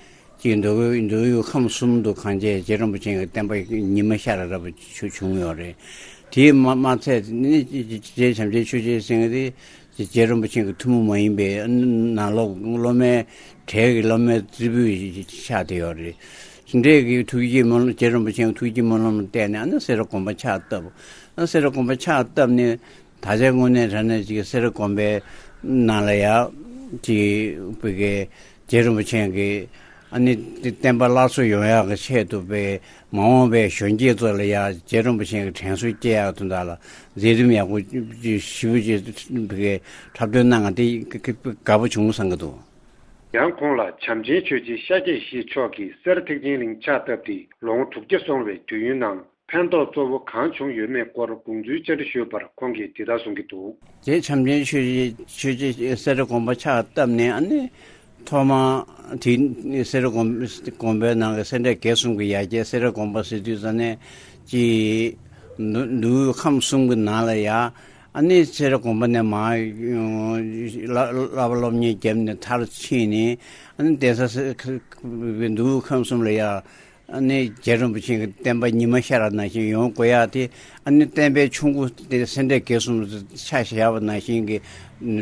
ཅིག་མདོ་དབུས་མདོ་དབུས་ཁམས་གསུམ་དུ་གང་བྱས་རྗེ་རིན་པོ་ཆེ་གི་བསྟན་པ་ཉི་མ་ཤར་རབ་བྱུང་ཡོད་རེད། དེས་མ་མ་ཚད་ནི་རྗེ་བྱམས་ཆེན་ཆོས་རྗེ་ཟེར་མཁན་དེ་རྗེ་རིན་པོ་ཆེ་གི་ཐུན་མོང་མ་ཡིན་པའི་ནང་ལོགས་སློབ་མའི་གྲས་ཀྱི་སློབ་མའི་རྩེ་ཕུད་ཆགས་བསྡད་ཡོད་རེད། འདྲས་ཀྱི་ཐུགས་བསྐྱེད་སྨོན་ལམ། རྗེ་རིན་པོ་ཆེའི་ཐུགས་བསྐྱེད་སྨོན་ལམ་ལ་བརྟེན་ནས་ཨ་ནི་སེ་ར་དགོན་པ་ཕྱག་བཏབ། ཨ་སེ་ར་དགོན་པ་ཕྱག་བཏབ་ནས་ད་ཆ་དངོས་གནས་དྲང་གནས་ཅིག་སེ་ར་དགོན་པའི་ནང་ལ་ཡ་ཅིག་བི་གའི་རྗེ་རིན་པོ་ཆེ་གི་ཨ་ནི་བསྟན་པ་སླར་གསོ་ཡོང་ཡག་གི་ཆེད་དུ་བི་མ་འོངས་པའི་གཞོན་སྐྱེས་ཚོ་ལ་ཡ་རྗེ་རིན་པོ་ཆེ་གི་དྲན་གསོ་སྐྱེ་ཡག་དོན་དག་ལ་མཛད་རིམ་ཡག་པོ་ཞེ་པོ་ཅིག་བི་གའི་འཁྲབ་སྟོན་གནང་ང་དེ་དགའ་པོ་བྱུང་བསམ་གི་འདུག་ཡང་ཁོང་ལ་བྱམས་ཆེན་ཆོས་རྗེ་ཤཱཀྱ་ཡེ་ཤེས་མཆོག་གིས་སེ་ར་ཐེག་ཆེན་གླིང་ཕྱག་བཏབ་སྟེ་ལོ་ངོ་དྲུག་བརྒྱ་སོང་བའི་དུས་ཡུན་ནང་ཕན་ཐོགས་གཙོ་བོ་གང་བྱུང་ཡོད་མེད་སྐོར་དགོངས་ཚུལ་བཅར་འདྲི་ཞུས་པར་ཁོང་གིས་འདི་ལྟར་གསུང་གི་འདུག་རྗེ་བྱམས་ཆེན་ཆོས་རྗེ་ཆོས་རྗེ་སེ་ར་དགོན་པ་ཕྱག་བཏབ་ནས་ཨ་ནི་ཐོག་མ་དེ་སེ་ར་དགོན་དགོན་པའི་ནང་གི་སེ་འབྲས་དགེ་གསུམ་གྱི་ཡ་གྱལ་སེ་ར་དགོན་པ་ཟེར་དུས་ཙ་ནས་ཀྱི་མདོ་དབུས་ཁམས་གསུམ་གྱི་ནང་ལ་ཡ། ཨ་ནི་སེ་ར་དགོན་པ་ནས་མར་བསླབ་པ་སློབ་གཉེར་བརྒྱབ་ནས་མཐར་ཕྱིན་ནས་ཨ་ནི་གདན་ས་སེ་མདོ་དབུས་ཁམས་གསུམ་ལ་ཡ་ཨ་ནི་རྗེ་རིན་པོ་ཆེ་གི་བསྟན་པ་ཉི་མ་ཤར་བ་ནང་བཞིན་ཡོང་དགོས་ཡ་དེ་ཨ་ནི་བསྟན་པའི་ཆུ་མགོ་དེ་སེ་འབྲས་དགེ་གསུམ་ཆ་བཞག་པ་ནང་བཞིན་གྱི་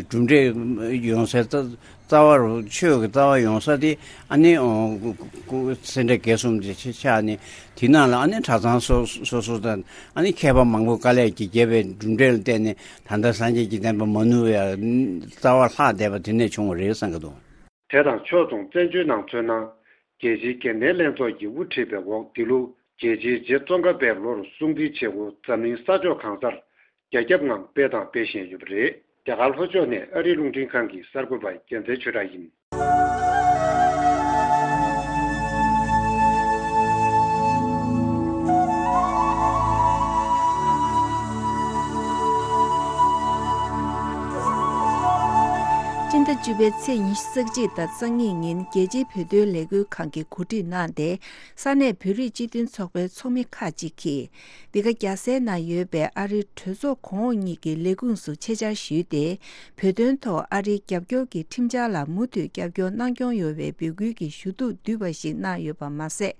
གྲུབ་འབྲས་ཡོང་སའི་རྩ་བ་རུ་ཆོས་ཀྱི་རྩ་བ་ཡོང་ས་དེ་ཨ་ནི་སེ་འབྲས་དགེ་གསུམ་དེ་ཆགས་ནས་དེ་ནང་ལ་ཨ་ནི་གྲྭ་ཚང་སོ་སོ་སོ་དང་ཨ་ནི་མཁས་པ་མང་པོ་དཀའ་ལས་ཀྱིས་བརྒྱབ་པའི་གྲུབ་འབྲས་ལ་བརྟེན་ནས། ད་ལྟ་སངས་རྒྱས་ཀྱི་བསྟན་པ་མ་ནུབ་པའི་རྩ་བ་ལྷག་བསྡད་པ་དེ་ནས་བྱུང་བ་རེད་བསམ་གྱི་འདུག་དེ་དང་ཕྱོགས་མཚུངས་བཙན་བྱོལ་ནང་མཚོན་ན། རྒྱལ་སྤྱིའི་དགེ་ལྡན་ལྷན་ཚོགས་ཀྱི་དབུ་ཁྲིད་པའི་འོག་འདི་ལོ་རྒྱལ་སྤྱིའི་རྗེ་ཙོང་ཁ་པའི་ལོར་སྲུང་བརྩིའི་བྱེད་སྒོ་འཛམ་གླིང་ས་ཕྱོགས་གང་སར་རྒྱ་ཁྱབ་ངང་སྤེལ་དང་སྤེལ་བཞིན་ཡོད་པ་རེད། རྒྱ་གར་ལྷོ་ཕྱོགས་ནས་ཨ་རིའི་རླུང་འཕྲིན་ཁང་གི་གསར་འགོད་པ་རྒྱལ་མཚན་ཆོས་གྲགས་ཡིན། སྤྱི་ཟླ་བཅུ་པའི་ཚེས་ཉི་ཤུ་རྩ་གཅིག་དང་རྩ་གཉིས་ཉིན་རྒྱལ་སྤྱིའི་བོད་དོན་ལས་འགུལ་ཁང་གིས་གོ་སྒྲིག་གནང་སྟེ། ས་གནས་བོད་རིགས་སྤྱི་མཐུན་ཚོགས་པའི་ཚོགས་མི་ཁག་ཅིག་གིས། འདི་ག་རྒྱལ་སའི་ནང་ཡོད་པའི་ཨ་རིའི་གྲོས་ཚོགས་གོང་འོག་གཉིས་ཀྱི་ལས་ཁུངས་སུ་ཆེད་བཅར་ཞུས་ཏེ། བོད་དོན་ཐོག་ཨ་རིའི་རྒྱབ་སྐྱོར་གྱི་ཁྲིམས་འཆར་ལ་མུ་མཐུད་རྒྱབ་སྐྱོར་གནང་སྐྱོང་ཡོད་པའི་འབོད་སྐུལ་གྱི་ཞུ་གཏུག་བསྡུས་པ་ཞིག་གནང་ཡོད་པ་མ་ཟད།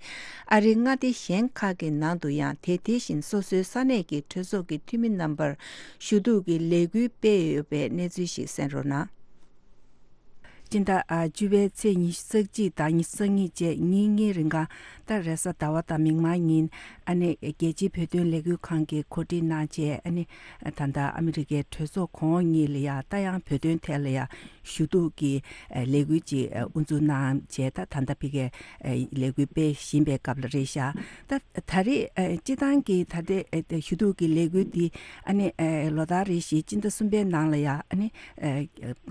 ཨ་རིའི་མངའ་སྡེ་གཞན་ཁག་གི་ནང་དུ་ཡང་དེ་དེ་བཞིན་སོ་སོའི་ས་གནས་ཀྱི་གྲོས་ཚོགས་ཀྱི་འཐུས་མི་རྣམ་པར་ཞུ་གཏུག་གི་ལས་འགུལ་སྤེལ་ཡོད་པའི་གནས་ཚུལ་ཞིག་གསན་རོགས་གནང་། སྤྱི་ཟླ་ཨ་བཅུ་པའི་ཚེས་ཉི་ཤུ་རྩ་གཅིག་དང་ཉི་ཤུ་རྩ་གཉིས་བཅས་ཉིན་གཉིས་རིང་ག་ད་རེས་གཟའ་ཟླ་བ་དང་མིག་དམར་ཉིན་ཨ་ནི་རྒྱལ་སྤྱིའི་བོད་དོན་ལས་འགུལ་ཁང་གིས་གོ་སྒྲིག་གནང་བྱས། ཨ་ནི་ད་ལྟ་ཨ་མི་རི་ཀའི་གྲོས་ཚོགས་གོང་འོག་གཉིས་ལ་ཡ་ད་ཡང་བོད་དོན་ཐད་ལ་ཡ་ཞུ་གཏུག་གི་ལས་འགུལ་ཅིག་དབུ་འཛུགས་གནང་བྱས། ད་ད་ལྟ་ཕ་གིའི་ལས་འགུལ་སྤེལ་བཞིན་པའི་སྐབས་ལ་རེད་ཤག་ད་ད་རེས་སྤྱི་བཏང་གི་ད་ལྟའི་ཞུ་གཏུག་གི་ལས་འགུལ་འདི་ཨ་ནི་ལོ་ལྟར་རེ་བཞིན་སྤྱི་ཟླ་གསུམ་པའི་ནང་ལ་ཡ་ཨ་ནི་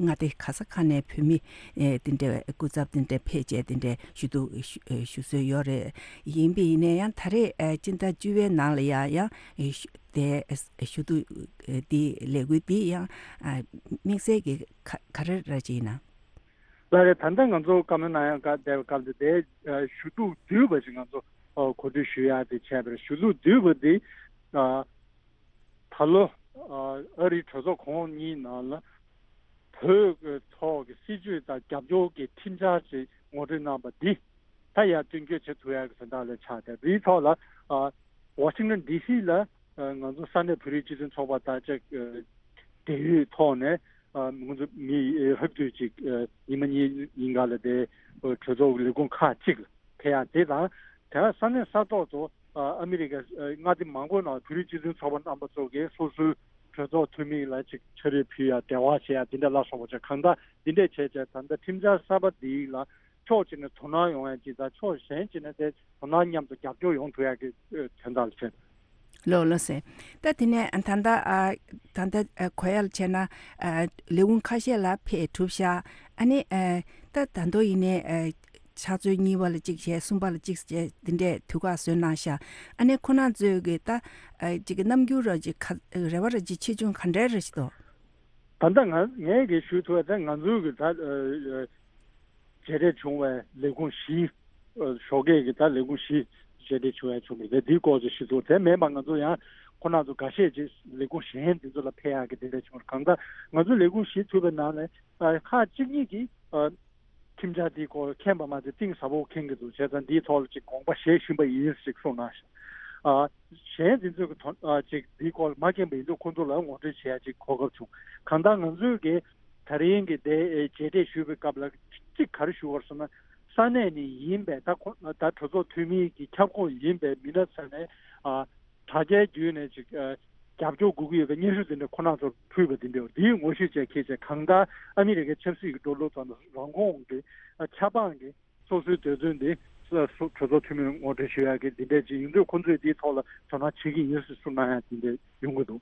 མངའ་སྡེ་ག་ས་ག་ནས་བོད་མི་ཨེ་དེ་འདྲའི་སྐུ་ཚབ་དེ་འདྲ་ཕེབས་བྱས་དེ་འདྲའི་ཞུ་གཏུག་ཞུ་ཨེ་ཞུ་སྲོལ་ཡོད་རེད། ཡིན་པ་ཡིན་ན་ཡང་ད་རེས་ཨེ་སྤྱི་ཟླ་བཅུ་པའི་ནང་ལ་ཡང་ཡང་ཨེ་ཞུ་དེ་ཨེ་ཞུ་གཏུག་ཨེ་འདི་ལས་འགུལ་འདི་ཡང་ཨ་དམིགས་བསལ་གྱི་ག་ག་རེ་རེད་ཅེ་ཡིན་ན། ལགས་རེད། ད་ལྟ་ང་ཚོ་བཀའ་མོལ་གནང་ཡག་སྐབས་དེ་སྐབས་དེ་དེ་ཨེ་ཞུ་གཏུག་བསྡུས་པ་ཞིག་ང་ཚོ་ཨ་གོ་སྒྲིག་ཞུ་ཡག་དེ་བྱས་པ་རེད། ཞུ་གཏུག་བསྡུས་པ་འདི་ཨ། ད་ལོ་ཨ་རིའི་གྲོས་ཚོགས་གོང་འོག་གཉིས་ནང་ལ་བོད་ཀྱི་ཐོག་གི་སྲིད་བྱུས་དང་རྒྱབ་སྐྱོར་གྱི་ཁྲིམས་འཆར་ཅིག་ངོ་སྤྲོད་གནང་པ་འདི་ད་ཡར་བསྟན་བཅོས་བྱེད་ཐུབ་ཡག་གི་དོན་དག་ལ་ཆགས་ཏེ། འདིའི་ཐོག་ལ་ཨ་ཝ་ཤིང་ཊོན་ཌི་སི་ལ་ཨ་ང་ཚོ་ས་གནས་བོད་རིགས་སྤྱི་མཐུན་ཚོགས་པ་དང་ཅིག་ཨ་འབྲེལ་ཡོད་ཐོག་ནས་ཨ་ང་ཚོ་མི་ལྷག་བསྡུས་ཅིག་ཨ་ཉི་མ་གཉིས་ཡིན་ག་ལ་དེ་གྲོས་ཚོགས་ཀྱི་ལས་ཁུངས་ཁག་ཅིག་ལ་ཕེབས་ཡག་དེ་དང་། དེ་ས་གནས་ས་ཐོག་ཏུ་ཨ་ཨ་མི་རི་ཀའི་ཨ་མངའ་སྡེ་མང་པོའི་ནང་བོད་རིགས་སྤྱི་མཐུན་ཚོགས་པ་རྣམ་པ་ཚོ་གིས་སོ་སོའི་གྲོས་ཚོགས་འཐུས་མི་ལ་ཅིག་ཕྱག་བྲིས་ཕུལ་ཡག་འབྲེལ་བ་བྱེད་ཡག་དེ་འདྲ་ལ་སོགས་པ་བྱས། གང་ལྟར་འདི་འདྲས་བྱས་བྱས་ད་ལྟ་ཁྲིམས་འཆར་གསར་པ་འདི་ལ་ཕྱོགས་གཅིག་ནས་དོ་སྣང་ཡོང་ཡག་ཅིག་དང་། ཕྱོགས་གཞན་གཅིག་ནས་དེ་དོ་སྣང་མཉམ་དུ་རྒྱབ་སྐྱོར་ཡོང་ཐུབ་ཡག་གི་ཨ་དོན་དག་ལ་བྱས། ལགས་ལགས་སེ། ད་དེ་ནས་ད་ལྟ་ཨ་ད་ལྟ་ཨ་གོ་ཡག་ལ་བྱས་ན་ཨ་ལས་ཁུངས་ཁ་ཤས་ལ་ཕེབས་གྲུབ་ཤག་ཨ་ནི་ཨ་ད་ད་དུང་ཡིན་ནའི་ཨ་ཕྱག་ཚོད་གཉིས་པ་ལ་གཅིག་བྱས། གསུམ་པ་ལ་གཅིག་བྱས། འདི་འདྲས་དུས་བཀག་བཟོས་གནང་ཤག་ཨ་ནི་ཁོ་རང་ཚོས་ཀྱི་ད་ཨ་ཅིག་གི་རྣམ་འགྱུར་ར་ཅིག་ག་རེ་བ་ར་ཅིག་ཆེ་ཆུང་ག་འདྲས་རེ་ཞིག་འདུག་ད་ལྟ་ང་ངས་ཀྱི་ཞུ་ཐུབ་པ་དེ་ང་ཚོའི་གི་ད་ཨ་མཇལ་འཕྲད་བྱུང་བའི་ལས་ཁུངས་བཞི། ཨ་ཞོགས་ཀས་ཀྱི་ད་ལས་ཁུངས་བཞི་མཇལ་འཕྲད་བྱུང་ཡག་བྱུང་བ་རེད། དེའི་སྐོར་ཅིག་ཞུ་ཐུབ། དེ་མིན་པ་ང་ཚོ་ཡང་ཁོ་རང་ཚོ་འགའ་ཤས་ཅིག་ལས་ཁུངས་གཞན་དེ་ཚོ་ལ་ཕེབས་ཡག་གི་དེ་འདྲ་བྱུང་བ་རེད། གང་ལྟར་ང་ཚོ་ལས་ཁུངས་བཞི་ཐུབ་པའི་ནང་ནས་ཨ་ཁག་གཅིག་གཉིས་ཀྱིས་ཨ་ཁྲིམས་འཆར་འདིའི་སྐོར་མཁྱེན་པ་མ་ཚད་གཏིང་ཟབ་པོ་མཁྱེན་གྱི་འདུག་བྱས་ཙང་འདིའི་ཐོག་ལ་ཅིག་དགོངས་པ་བཞེས་བཞིན་པ་ཡིན་ཞེས་གསུངས་གནང་ཤག་ཨ་གཞན་འཛིན་ཚོད་ཀྱི་དོན་ཨ་ཅིག་འདིའི་སྐོར་ལ་མ་མཁྱེན་པ་ཡིན་དུས་ཁོང་ཚོ་ལ་ངོ་སྤྲོད་བྱེད་ཡ་ཅིག་གོ་སྐབས་བྱུང་། གང་ལྟར་ང་ཚོས་ཀྱི་ད་རིང་གི་དེ་ཨེ་མཇལ་འཕྲད་ཞུས་པའི་སྐབས་ལ་གཅིག་ག་རེ་ཞུ་དགོས་ཟེར་ན། ས་གནས་ནས་ཡིན་པའི་ད་ཁོ་ད་གྲོས་ཚོགས་འཐུས་མི་གི་ཁྱབ་ཁོངས་ཡིན་པའི་མི་སྣ་ཚོ་ནས་ཨ་དྲ་རྒྱའི་བརྒྱུད་ནས་ཅིག་ཨ་རྒྱབ་སྐྱོར་དགོས་ཀྱི་ཡོད་པའི་སྙན་ཞུ་དེ་འདྲ་ཁོ་རང་ཚོར་ཕུལ་བ་དེ་འདྲ། འདིའི་ངོ་ཤེས་བཅས་ཁྱེད་ཅག་གང་ལྟར་ཨ་མི་རི་ཀའི་ཆབ་སྲིད་ཀྱི་འགྲོ་ལུགས་དང་རང་ཁོངས་ཀྱི་ཨ་ཆབ་འབངས་ཀྱི་སོ་སོའི་འདོད་འདུན་དེ་གྲོས་ཚོགས་འཐུས་མིར་ངོ་སྤྲོད་ཞུ་ཡག་གི་འདི་འདྲས་ཅིག་ཡིན་དུས་ཁོང་ཚོས་འདིའི་ཐོག་ལ་དོ་སྣང་བྱེད་ཀྱི་ཡིན་ཟེར་གསུངས་གནང་ཡག་འདི་འདྲས་ཡོང་གི་འདུག་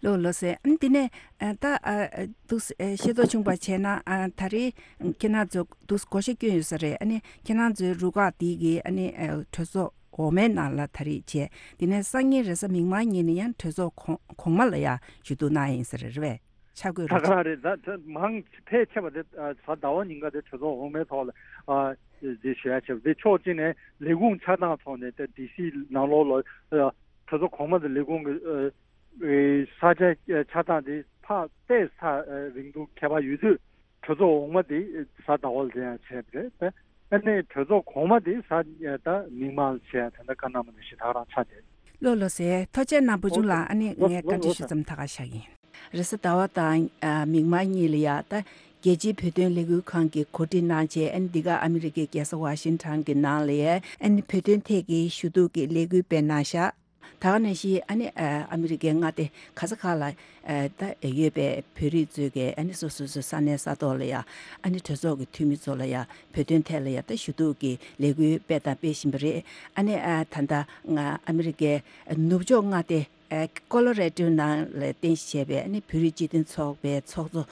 ལགས་ལགས་སེ། ཨ་ནི་འདི་ནས་ཨ་ད་ཨ་ཨ་འདུག་སེ་ཨ་ཤེས་རྟོགས་བྱུང་བ་བྱས་ན། ཨ་ད་རེས་ཁྱེད་རང་ཚོ་འདུག་སེ་བགོ་བཤའ་བསྐྱོན་ཡོད་ས་རེད། ཨ་ནི་ཁྱེད་རང་ཚོའི་རུ་ཁག་འདི་གི་ཨ་ནི་ཨ་གྲོས་ཚོགས་འོག་མའི་ནང་ལ་ད་རེས་བྱས། འདི་ནས་སང་ཉིན་རེས་གཟའ་མིག་དམར་ཉིན་ནས་ཡང་གྲོས་ཚོགས་གོང་གོང་མ་ལ་ཡང་ཞུ་གཏུག་གནང་ཡིན་ས་རེད། རེད་པས། ཆ་བགོས་ད་རེད་ག་རེད། ད་ད་མང་ཕལ་ཆེ་བ་དེ་ཨ་གཟའ་ཟླ་བ་ཉིན་ཀ་དེ་གྲོས་ཚོགས་འོག་མའི་ཐོག་ལ་ཨ་དེ་ཞུ་ཡ་བྱས་པ་དེ། ཕྱོགས་གཅིག་ནས་ལས་ཁུངས་ཆགས་སྟངས་ཐོག་ནས་ད་ཌི་སི་ནང་ལོགས་ལ་ཨ་གྲོས་ཚོགས་གོང་མ་དང་ལས་ཁུངས་ཀྱི་ཨ་ཨེ་ས་ཆ་ཨ་ཆགས་སྟངས་དེ་ཕར་ཏོག་ཙམ་ཨ་རིང་ཐུང་ཁྱད་པར་ཡོད་དུས། གྲོས་ཚོགས་འོག་མ་དེ་གཟའ་ཟླ་བ་ལ་དེ་ཡང་བྱས་པ་རེད། ཨ་ནི་གྲོས་ཚོགས་གོང་མ་དེ་གཟའ་ད་མིག་དམར་ལ་བྱས་ཡ་དེ་འདྲ་བཀའ་གནང་བ་དེ་ཞེ་དྲག་རང་ཆགས་བསྡད། ལགས་ལགས་སེ། ཐུགས་རྗེ་གནང་བུ་ཆུང་ལགས། ཨ་ནི་ངས་བཀའ་འདྲི་ཞུ་མཚམས་ད་ག་བཞག་ཡིན། རེས་གཟའ་ཟླ་བ་དང་ཨ་མིག་དམར་གཉིས་ལ་ཡ་ད་རྒྱལ་སྤྱིའི་བོད་དོན་ལས་འགུལ་ཁང་གིས་གོ་སྒྲིག་གནང་བྱས། ཨ་ནི་འདི་ག་ཨ་མི་རི་ཀའི་རྒྱལ་ས་ཝ་ཤིང་ཊོན་གྱི་ནང་ལ་ཡ་ཨ་ནི་བོད་དོན་ཐད་ཀྱི་ཞུ་གཏུག་གི་ལས་འགུལ་སྤེལ་གནང་ཤག་ད་ག་ནང་བཞིན་ཨ་ནི་ཨ་ཨ་མི་རི་ཀའི་མངའ་སྡེ་ག་ས་ག་ལ་ཨ་ད་ཡོད་པའི་བོད་རིགས་ཚོས་ཀྱི་ཨ་ནི་སོ་སོ་སོའི་ས་གནས་ས་ཐོག་ལ་ཡ་ཨ་ནི་གྲོས་ཚོགས་ཀྱི་འཐུས་མི་ཚོ་ལ་ཡ་བོད་དོན་ཐད་ལ་ཡ་ད་ཞུ་གཏུག་གི་ལས་འགུལ་སྤེལ་དང་སྤེལ་བཞིན་པ་རེད། ཨ་ནི་ཨ་ད་ལྟ་ང་ཨ་མི་རི་ཀའི་ནུབ་ཕྱོགས་མངའ་སྡེ་ཨ་ཀོ་ལོ་རེ་ཌོ་ནང་ལ་རྟེན་གཞི་བྱས་པའི་ཨ་ནི་བོད་རིགས་སྤྱི་མཐུན་ཚོགས་པའི་ཚོགས་གཙོ་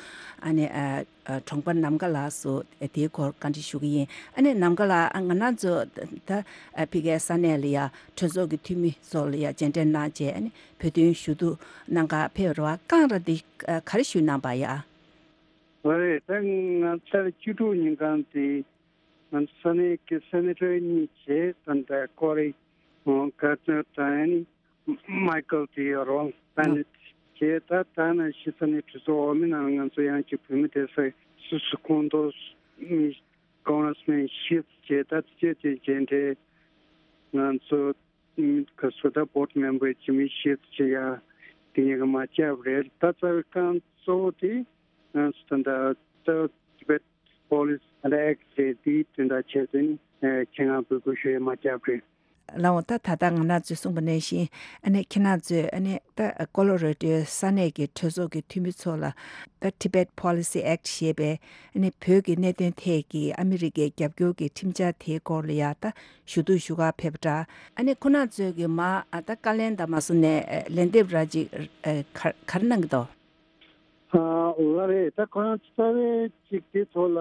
ཨ་ནི་ཨ་ཨ་གྲོང་པ་ནམ་མཁའ་ལགས་སུ་དེའི་སྐོར་བཀའ་འདྲི་ཞུ་གི་ཡིན། ཨ་ནི་ནམ་མཁའ་ལགས། ཨ་ང་རང་ཚོ་ད་ཨ་ཕ་གིའི་ས་གནས་ལ་ཡ་གྲོས་ཚོགས་ཀྱི་འཐུས་མི་ཚོ་ལ་ཡ་མཇལ་འཕྲད་གནང་བྱས། ཨ་ནི་བོད་དོན་ཞུ་གཏུག་གནང་ག་ཕེབས་རེད་པ། རྐང་ར་འདི་ཨ་ག་རེ་ཞུས་གནང་པ་ཡ། ཨོ་རེད། ད་ང་ཚར་བཅུ་དྲུག་ཉིན་གང་དེ་ང་ཚོ་ས་གནས་ཀྱི་སེ་ནེ་ཊར་གཉིས་བྱས། ད་ལྟ་ཀོ་རི་ཨོ་ཀར་ནར་དང་ཨ་ནི་མའི་ཀལ་དེ་ཡོད་རོང་། ད་ནི་བྱས། ད་ད་ནང་བཞིན་ས་གནས་གྲོས་ཚོགས་འོག་མའི་ནང་ང་ཚོ་ཡང་ཅིག་བོད་མི་སྡེ་ཚན་སོ་སོའི་ཁོངས་གཏོགས་མི་ཀོང་རེས་མེན་བཞི་བྱས། ད་དེ་བྱས་དེ་མཇལ་འཕྲད་ང་ཚོ་མི་ག་ཚོད་ད་བྷོར་ཌི་མེམ་བར་ཅིག་མི་བཞི་བྱས་ཡ་དེ་གཉིས་ཀ་མ་བཅར་བ་རེད། ད་རྩ་བའི་རྐང་གཙོ་བོ་དེ་ང་ཚོ་ད་ལྟ་ད་ཊི་བེཊ་ Policy and Act ཟེར་དེའི་དོན་དག་ཆེད་དུ་ནི་ཁྱེད་རང་འབོད་སྐུལ་ཞུ་ཡས་མ་བརྒྱབ་རེད། ལགས་འོང་། ད་ད་ལྟ་ང་རང་ཚོས་གསུངས་པ་ནང་བཞིན་ཨ་ནི་ཁྱེད་རང་ཚོས་ཨ་ནི་ད་ཀོ་ལོ་ར་ཌོའི་ས་གནས་ཀྱི་གྲོས་ཚོགས་ཀྱི་འཐུས་མི་ཚོ་ལ་ད་Tibet Policy Act ཞེས་པའི་ཨ་ནི་བོད་ཀྱི་གནད་དོན་ཐད་ཀྱི་ཨ་མི་རི་ཀའི་རྒྱབ་སྐྱོར་གྱི་ཁྲིམས་འཆར་དེའི་སྐོར་ལ་ཡ་ད་ཞུ་གཏུག་ཞུ་གར་ཕེབས་པ་འདྲ། ཨ་ནི་ཁོ་རང་ཚོས་ཀྱི་མ་ད་བཀའ་ལན་དང་མ་སོང་ནས་ལན་འདེབས་ར་ཅིག་ག་ག་རེ་གནང་གི་འདུག་ཨ་ལ་རེད། ད་ཁོ་རང་རྩ་བའི་ཅིག་དེ་ཐོག་ལ་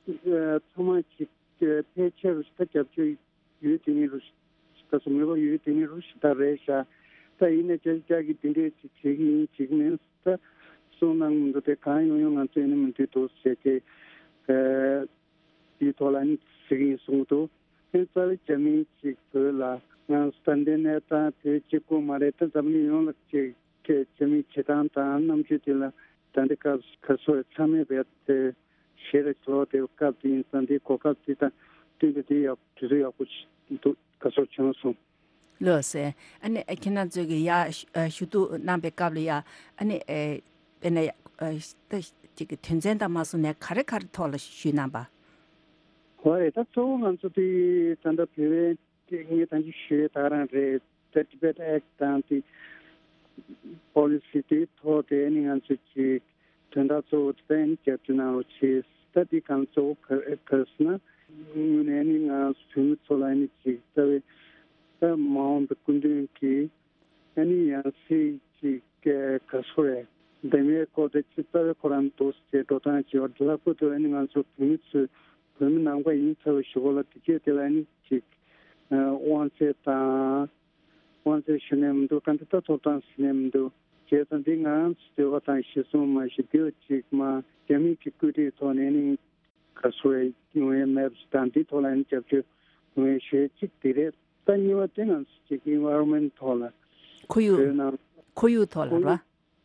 ཚང་མ་ཅིག་ཕལ་ཆེར་ད་རྒྱབ་སྐྱོར་ཡོད་དེ་ནི་རུ་ཞིག་ད་སོ་མེད་པ་ཡོད་དེ་ནི་རུ་ཞིག་ད་རེད་ཤག་ད་ཡིན་ན་ཅག་ཅག་གིས་དེ་འདྲས་ཅིག་བྱེད་ཀྱི་ཡིན་ཅིག་མིན་ད་གསུང་གནང་མི་འདུག་དེ་གང་ཡོང་ཡོང་ང་ཚོས་ནི་མི་འདུག་འདུག་ཟེར་ཏེ་དེའི་ཐོག་ལ་ནི་ཟེར་གྱི་ཡིན་གསུངས་འདུག་དེ་རྩ་བའི་རྒྱ་མི་ཅིག་བོད་ལ་ང་ཚོ་ད་ལྟའི་གནས་སྟངས་དེ་གཅིག་པོ་མ་རེད། ད་འཛམ་གླིང་ཡོངས་ལ་ཅིག་གི་རྒྱ་མིའི་བྱེད་སྟངས་དང་རྣམ་དཔྱོད་དེ་ལ་ད་ལྟའི་སྐབས་ག་ཚོད་ཚང་མས་བས་དེ་ཞེ་རེ་ཚོར་བ་དེ་སྐབས་དེ་ཡིན་ཙང་དེའི་གོ་སྐབས་དེ་དང་བསྟུན་ཏེ་དེ་ཡག་དུས་ཚོད་ཡག་པོ་ཞིག་འདུག་ག་ཚོད་བྱུང་སོང་། ལགས་སེ། ཨ་ནི་ཁྱེད་རང་ཚོས་ཀྱི་ཡ་ཞུ་གཏུག་གནང་པའི་སྐབས་ལ་ཡ་ཨ་ནི་དཔེར་ན་ད་ཅིག་གི་དོན་ཚན་དང་མ་སོང་ནས་ག་རེ་ག་རེ་ཐོག་ལ་ཞུས་གནང་པ། ཧོ་རེད། ད་གཙོ་བོ་ང་ཚོ་དེ་ད་ལྟ་བོད་པའི་དེ་ངས་ད་ཅི་ཞུ་ཡས་ད་རང་རེད། ད་Tibet Act དང་དེ་Policy དེའི་ཐོག་དེ་ནི་ང་ཚོས་ཅིག་དོན་དག་གཙོ་བོ་དེ་ནི་རྒྱབ་སྐྱོར་གནང་རོགས་བྱེད། ད་དེ་གང་གཙོ་བོ་ག་ག་ཟེར་ན་དངོས་གནས་ནི་ང་ཚོ་བོད་མི་ཚོ་ལ་ནི་ཅིག་རྩ་བའི་ད་མ་འོངས་པའི་སྐུ་མདུན་གྱི་ཨ་ནི་ཡང་སྲིད་ཅིག་ག་སོ་རེད། འདེམས་ཡས་སྐོར་དེ་ཅིག་རྩ་བའི་ཁོ་རང་འདུག་ཅེས་འགྲོ་སྟངས་ཅིག་ཡོད། ལྷག་པར་དུ་ཨ་ནི་ང་ཚོ་བོད་མི་ཚོས་བོད་མི་ནང་པ་ཡིན་ཚར་བའི་གཞུག་གུ་ལ་དེ་སྐད་དེ་ལ་ཨ་ནི་ཅིག་དབང་ཚད་དང་། དབང་ཚད་ཞུ་ནས་མི་འདུག་ག་འདི་ལྟ་ཐོབ་ཐང་ཟིན་ནས་མི་འདུག་བྱས་ཙང་འདི་ང་རང་ཚོ་འདོད་པ་དང་གཞི་བཟུང་མ་ཞིག་འདི་ཅིག་མ་རྒྱ་མི་གི་བཀོད་སྒྲིག་ཐོག་ནས་ནི་ག་སོ་ཡོང་ཡས་མེད་པ་ཞིག་དང་འདི་ཐོག་ལ་ནི་རྒྱབ་སྐྱོར་ཡོང་ཡས་ཞུ་ཡས་གཅིག་འདི་རེད། ད་གཉིས་པ་དེ་ང་ཚོ་ཅིག་environment ཐོག་ལ་ཁོར་ཡུག་བོད་ནང་ཁོར་ཡུག་ཐོག་ལ་ཁོར་ར། ཡུག་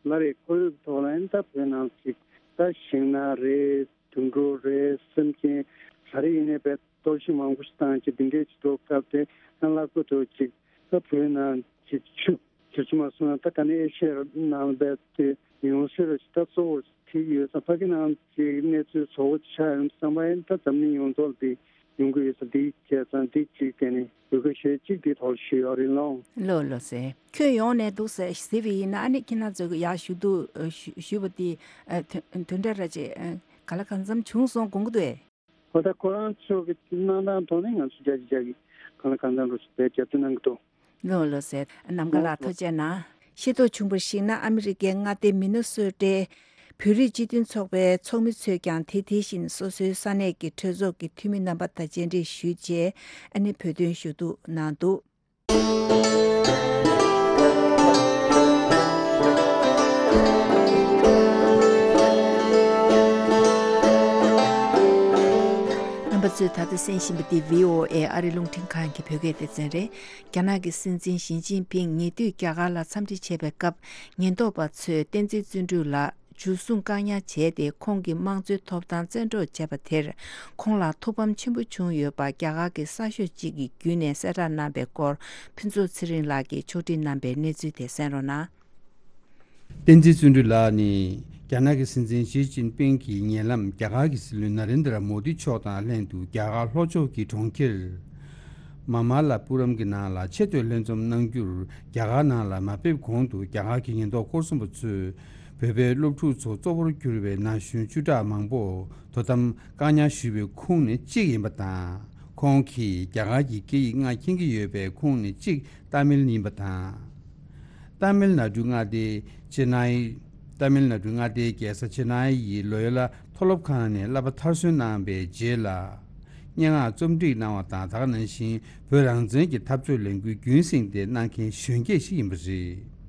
ལ་རེད། ཁོར་ཡུག་ཐོག་ལ་ཡིན་ད་བོད་ནང་ཅིག་ད་ཤིང་ནགས་རེད། དུད་འགྲོ་རེད། སེམས་ཅན་ག་རེ་ཡིན་ནའི་བས་གཏོར་བཤིག་མང་པོ་ཞིག་བཏང་བྱས་འདི་འདྲས་ཅིག་འགྲོ་སྐབས་དེ་ཡང་ལྷག་པར་དུ་ཅིག་ད་བོད་ནང་ཅིག་ཆུ་ཆུ་ཆུ་མ་སོང་ན་ད་ག་ནས་ཨེ་ཤེ་ཡ་ནང་བས་དེ་ཡོང་སྲིད་རེད། ད་གཙོ་བོ་དེ་ཡོད་ཙང་ཕ་གི་ནང་ཅིག་གནས་ཚུལ་བཟོ་བོ་ཆགས་ཡོང་བསམ་པ་ཡིན་ད་འཛམ་གླིང་ཡོངས་རྫོགས་ལ་དེ་ཡོང་གི་ཡོད་ཙང་འདི་བྱས་ཙང་འདི་གཅིག་དེ་ནི་འོས་བཀོད་ཞུ་གཅིག་འདི་ཐོག་ཞུས་ཡོད་རེད་ལོ། ལོ་ལོ་ཟེར། ཁྱོད་ཡོང་ནས་འདུག་ཟེར་ཟེར་བ་ཡིན་ན་ཨ་ནི་ཁྱེད་རང་ཚོ་གི་ཡར་ཞུ་གཏུག་ཞུ་ཞུས་པ་དེ་དོན་དོན་འབྲས་ར་ཅེ་ག་ལ་གང་འཚམ་བྱུང་སོང་དགོངས་ཀྱི་འདུག་ཨེ། ཧོ་ད་ཁོ་རང་ཚོ་གི་གནང་སྟངས་ཐོག་ནས་ང་ཚོ་རྒྱ་ཆེ་རྒྱ་གི་གང་ལ་གང་འཚམ་རུ་ཞུ་བའི་རྒྱབ་སྐྱོར་གནང་གི་འདུག་ལོ་ལོ་ཟེར། ནམ་མཁའ་ལགས་ཐུགས་རྗེ་གནང་། ཤེས་རྟོགས་བྱུང་བར་གཞིགས་ན་ཨ་མི་རི་ཀའི་མངའ་སྡེ་མི་ནི་སོ་ཊའི་བོད་རིགས་སྤྱི་མཐུན་ཚོགས་པའི་ཚོགས་མི་ཚོས་ཀྱང་དེ་དེ་བཞིན་སོ་སོའི་ས་གནས་ཀྱི་གྲོས་ཚོགས་ཀྱི་འཐུས་མི་རྣམ་པ་དང་མཇལ་འཕྲད་ཞུས་རྗེས་ཨ་ནི་བོད་དོན་ཞུ་གཏུག་གནང་འདུག་རྣམ་པ་ཚོས་ད་ལྟ་གསན་བཞིན་པ་འདི་བྷི་ཨོ་ཨེ་ཨ་རི་རླུང་འཕྲིན་ཁང་གི་བོད་སྐད་སྡེ་ཚན་རེད། རྒྱ་ནག་གི་སྲིད་འཛིན་ཞི་ཅིན་ཕིང་ཉེ་དུས་རྒྱ་གར་ལ་འཚམས་འདྲི་བྱེད་པའི་སྐབས། ཉེན་རྟོག་པ་ཚོས་བསྟན་འཛིན་བརྩོན་འགྲུས་ལགས་འཇུ་བཟུང་བཀག་ཉར་བྱས་ཏེ། ཁོང་གི་དམངས་གཙོའི་ཐོབ་ཐང་བཙན་འཕྲོག་བྱས་པ་དེར། ཁོང་ལ་ཐུགས་ཕམ་ཆེན་པོ་བྱུང་ཡོད་པ། རྒྱ་གར་གྱི་གསར་ཤོག་ཅིག་གི་བརྒྱུད་ནས་གསལ་བསྒྲགས་གནང་པའི་སྐོར། ཕུན་ཚོགས་ཚེ་རིང་ལགས་ཀྱིས་ཕྱོགས་སྒྲིག་གནང་པའི་གནས་ཚུལ་དེ་གསན་རོགས་གནང་། བསྟན་འཛིན་བརྩོན་འགྲུས་ལགས་ནི། རྒྱ་ནག་གི་སྲིད་འཛིན་ཞི་ཅིན་ཕིང་གི་ཉེ་ལམ་རྒྱ་གར་གྱི་སྲིད་བློན་ན་རེན་དྲ་མོ་དི་མཆོག་དང་ལྷན་དུ་རྒྱ་གར་ལྷོ་ཕྱོགས་ཀྱི་གྲོང་ཁྱེར། མ་མ་ལ་པུ་རམ་གྱི་ནང་ལ་ཆེ་བསྟོད་ལྷན་འཛོམས་གནང་རྒྱུར་རྒྱ་གར་ནང་ལ་མ་ཕེབས་གོང་དུ་རྒྱ་གར་གྱི་ཉེན་རྟོག་སྐོར་སྲུང་པ་ཚོས་བོད་པའི་སློབ་ཕྲུག་ཚོ་གཙོ་བོར་གྱུར་པའི་ན་གཞོན་བཅུ་ཕྲག་མང་པོ་དོ་དམ་བཀག་ཉར་ཞུས་པའི་ཁོངས་ནས་གཅིག་ཡིན་པ་དང་། ཁོང་གིས་རྒྱ་གར་གྱི་སྐད་ཡིག་ལྔ་མཁྱེན་གྱི་ཡོད་པའི་ཁོངས་ནས་གཅིག་ཏཱ་མིལ་ཡིན་པ་དང་། ཏཱ་མིལ་ནཱ་ཌུ་མངའ་སྡེའི་ཅེ་ནའི། ཏཱ་མིལ་ནཱ་ཌུ་མངའ་སྡེའི་རྒྱལ་ས་ཅེ་ནའི་ཡི་ལོ་ཡོ་ལ་མཐོ་སློབ་ཁང་ནས་བསླབ་པ་མཐར་སོན་གནང་བའི་རྗེས་ལ། སྙན་ངག་རྩོམ་སྒྲིག་གནང་བ་དང་། ད་ག་ནང་བཞིན་བོད་རང་བཙན་གྱི་འཐབ་རྩོད་ལས་འགུལ་རྒྱུན་སྲིང་དེ་གནང་མཁན་གཞོན་སྐྱེས་ཤིག་ཡིན་པ་རེད།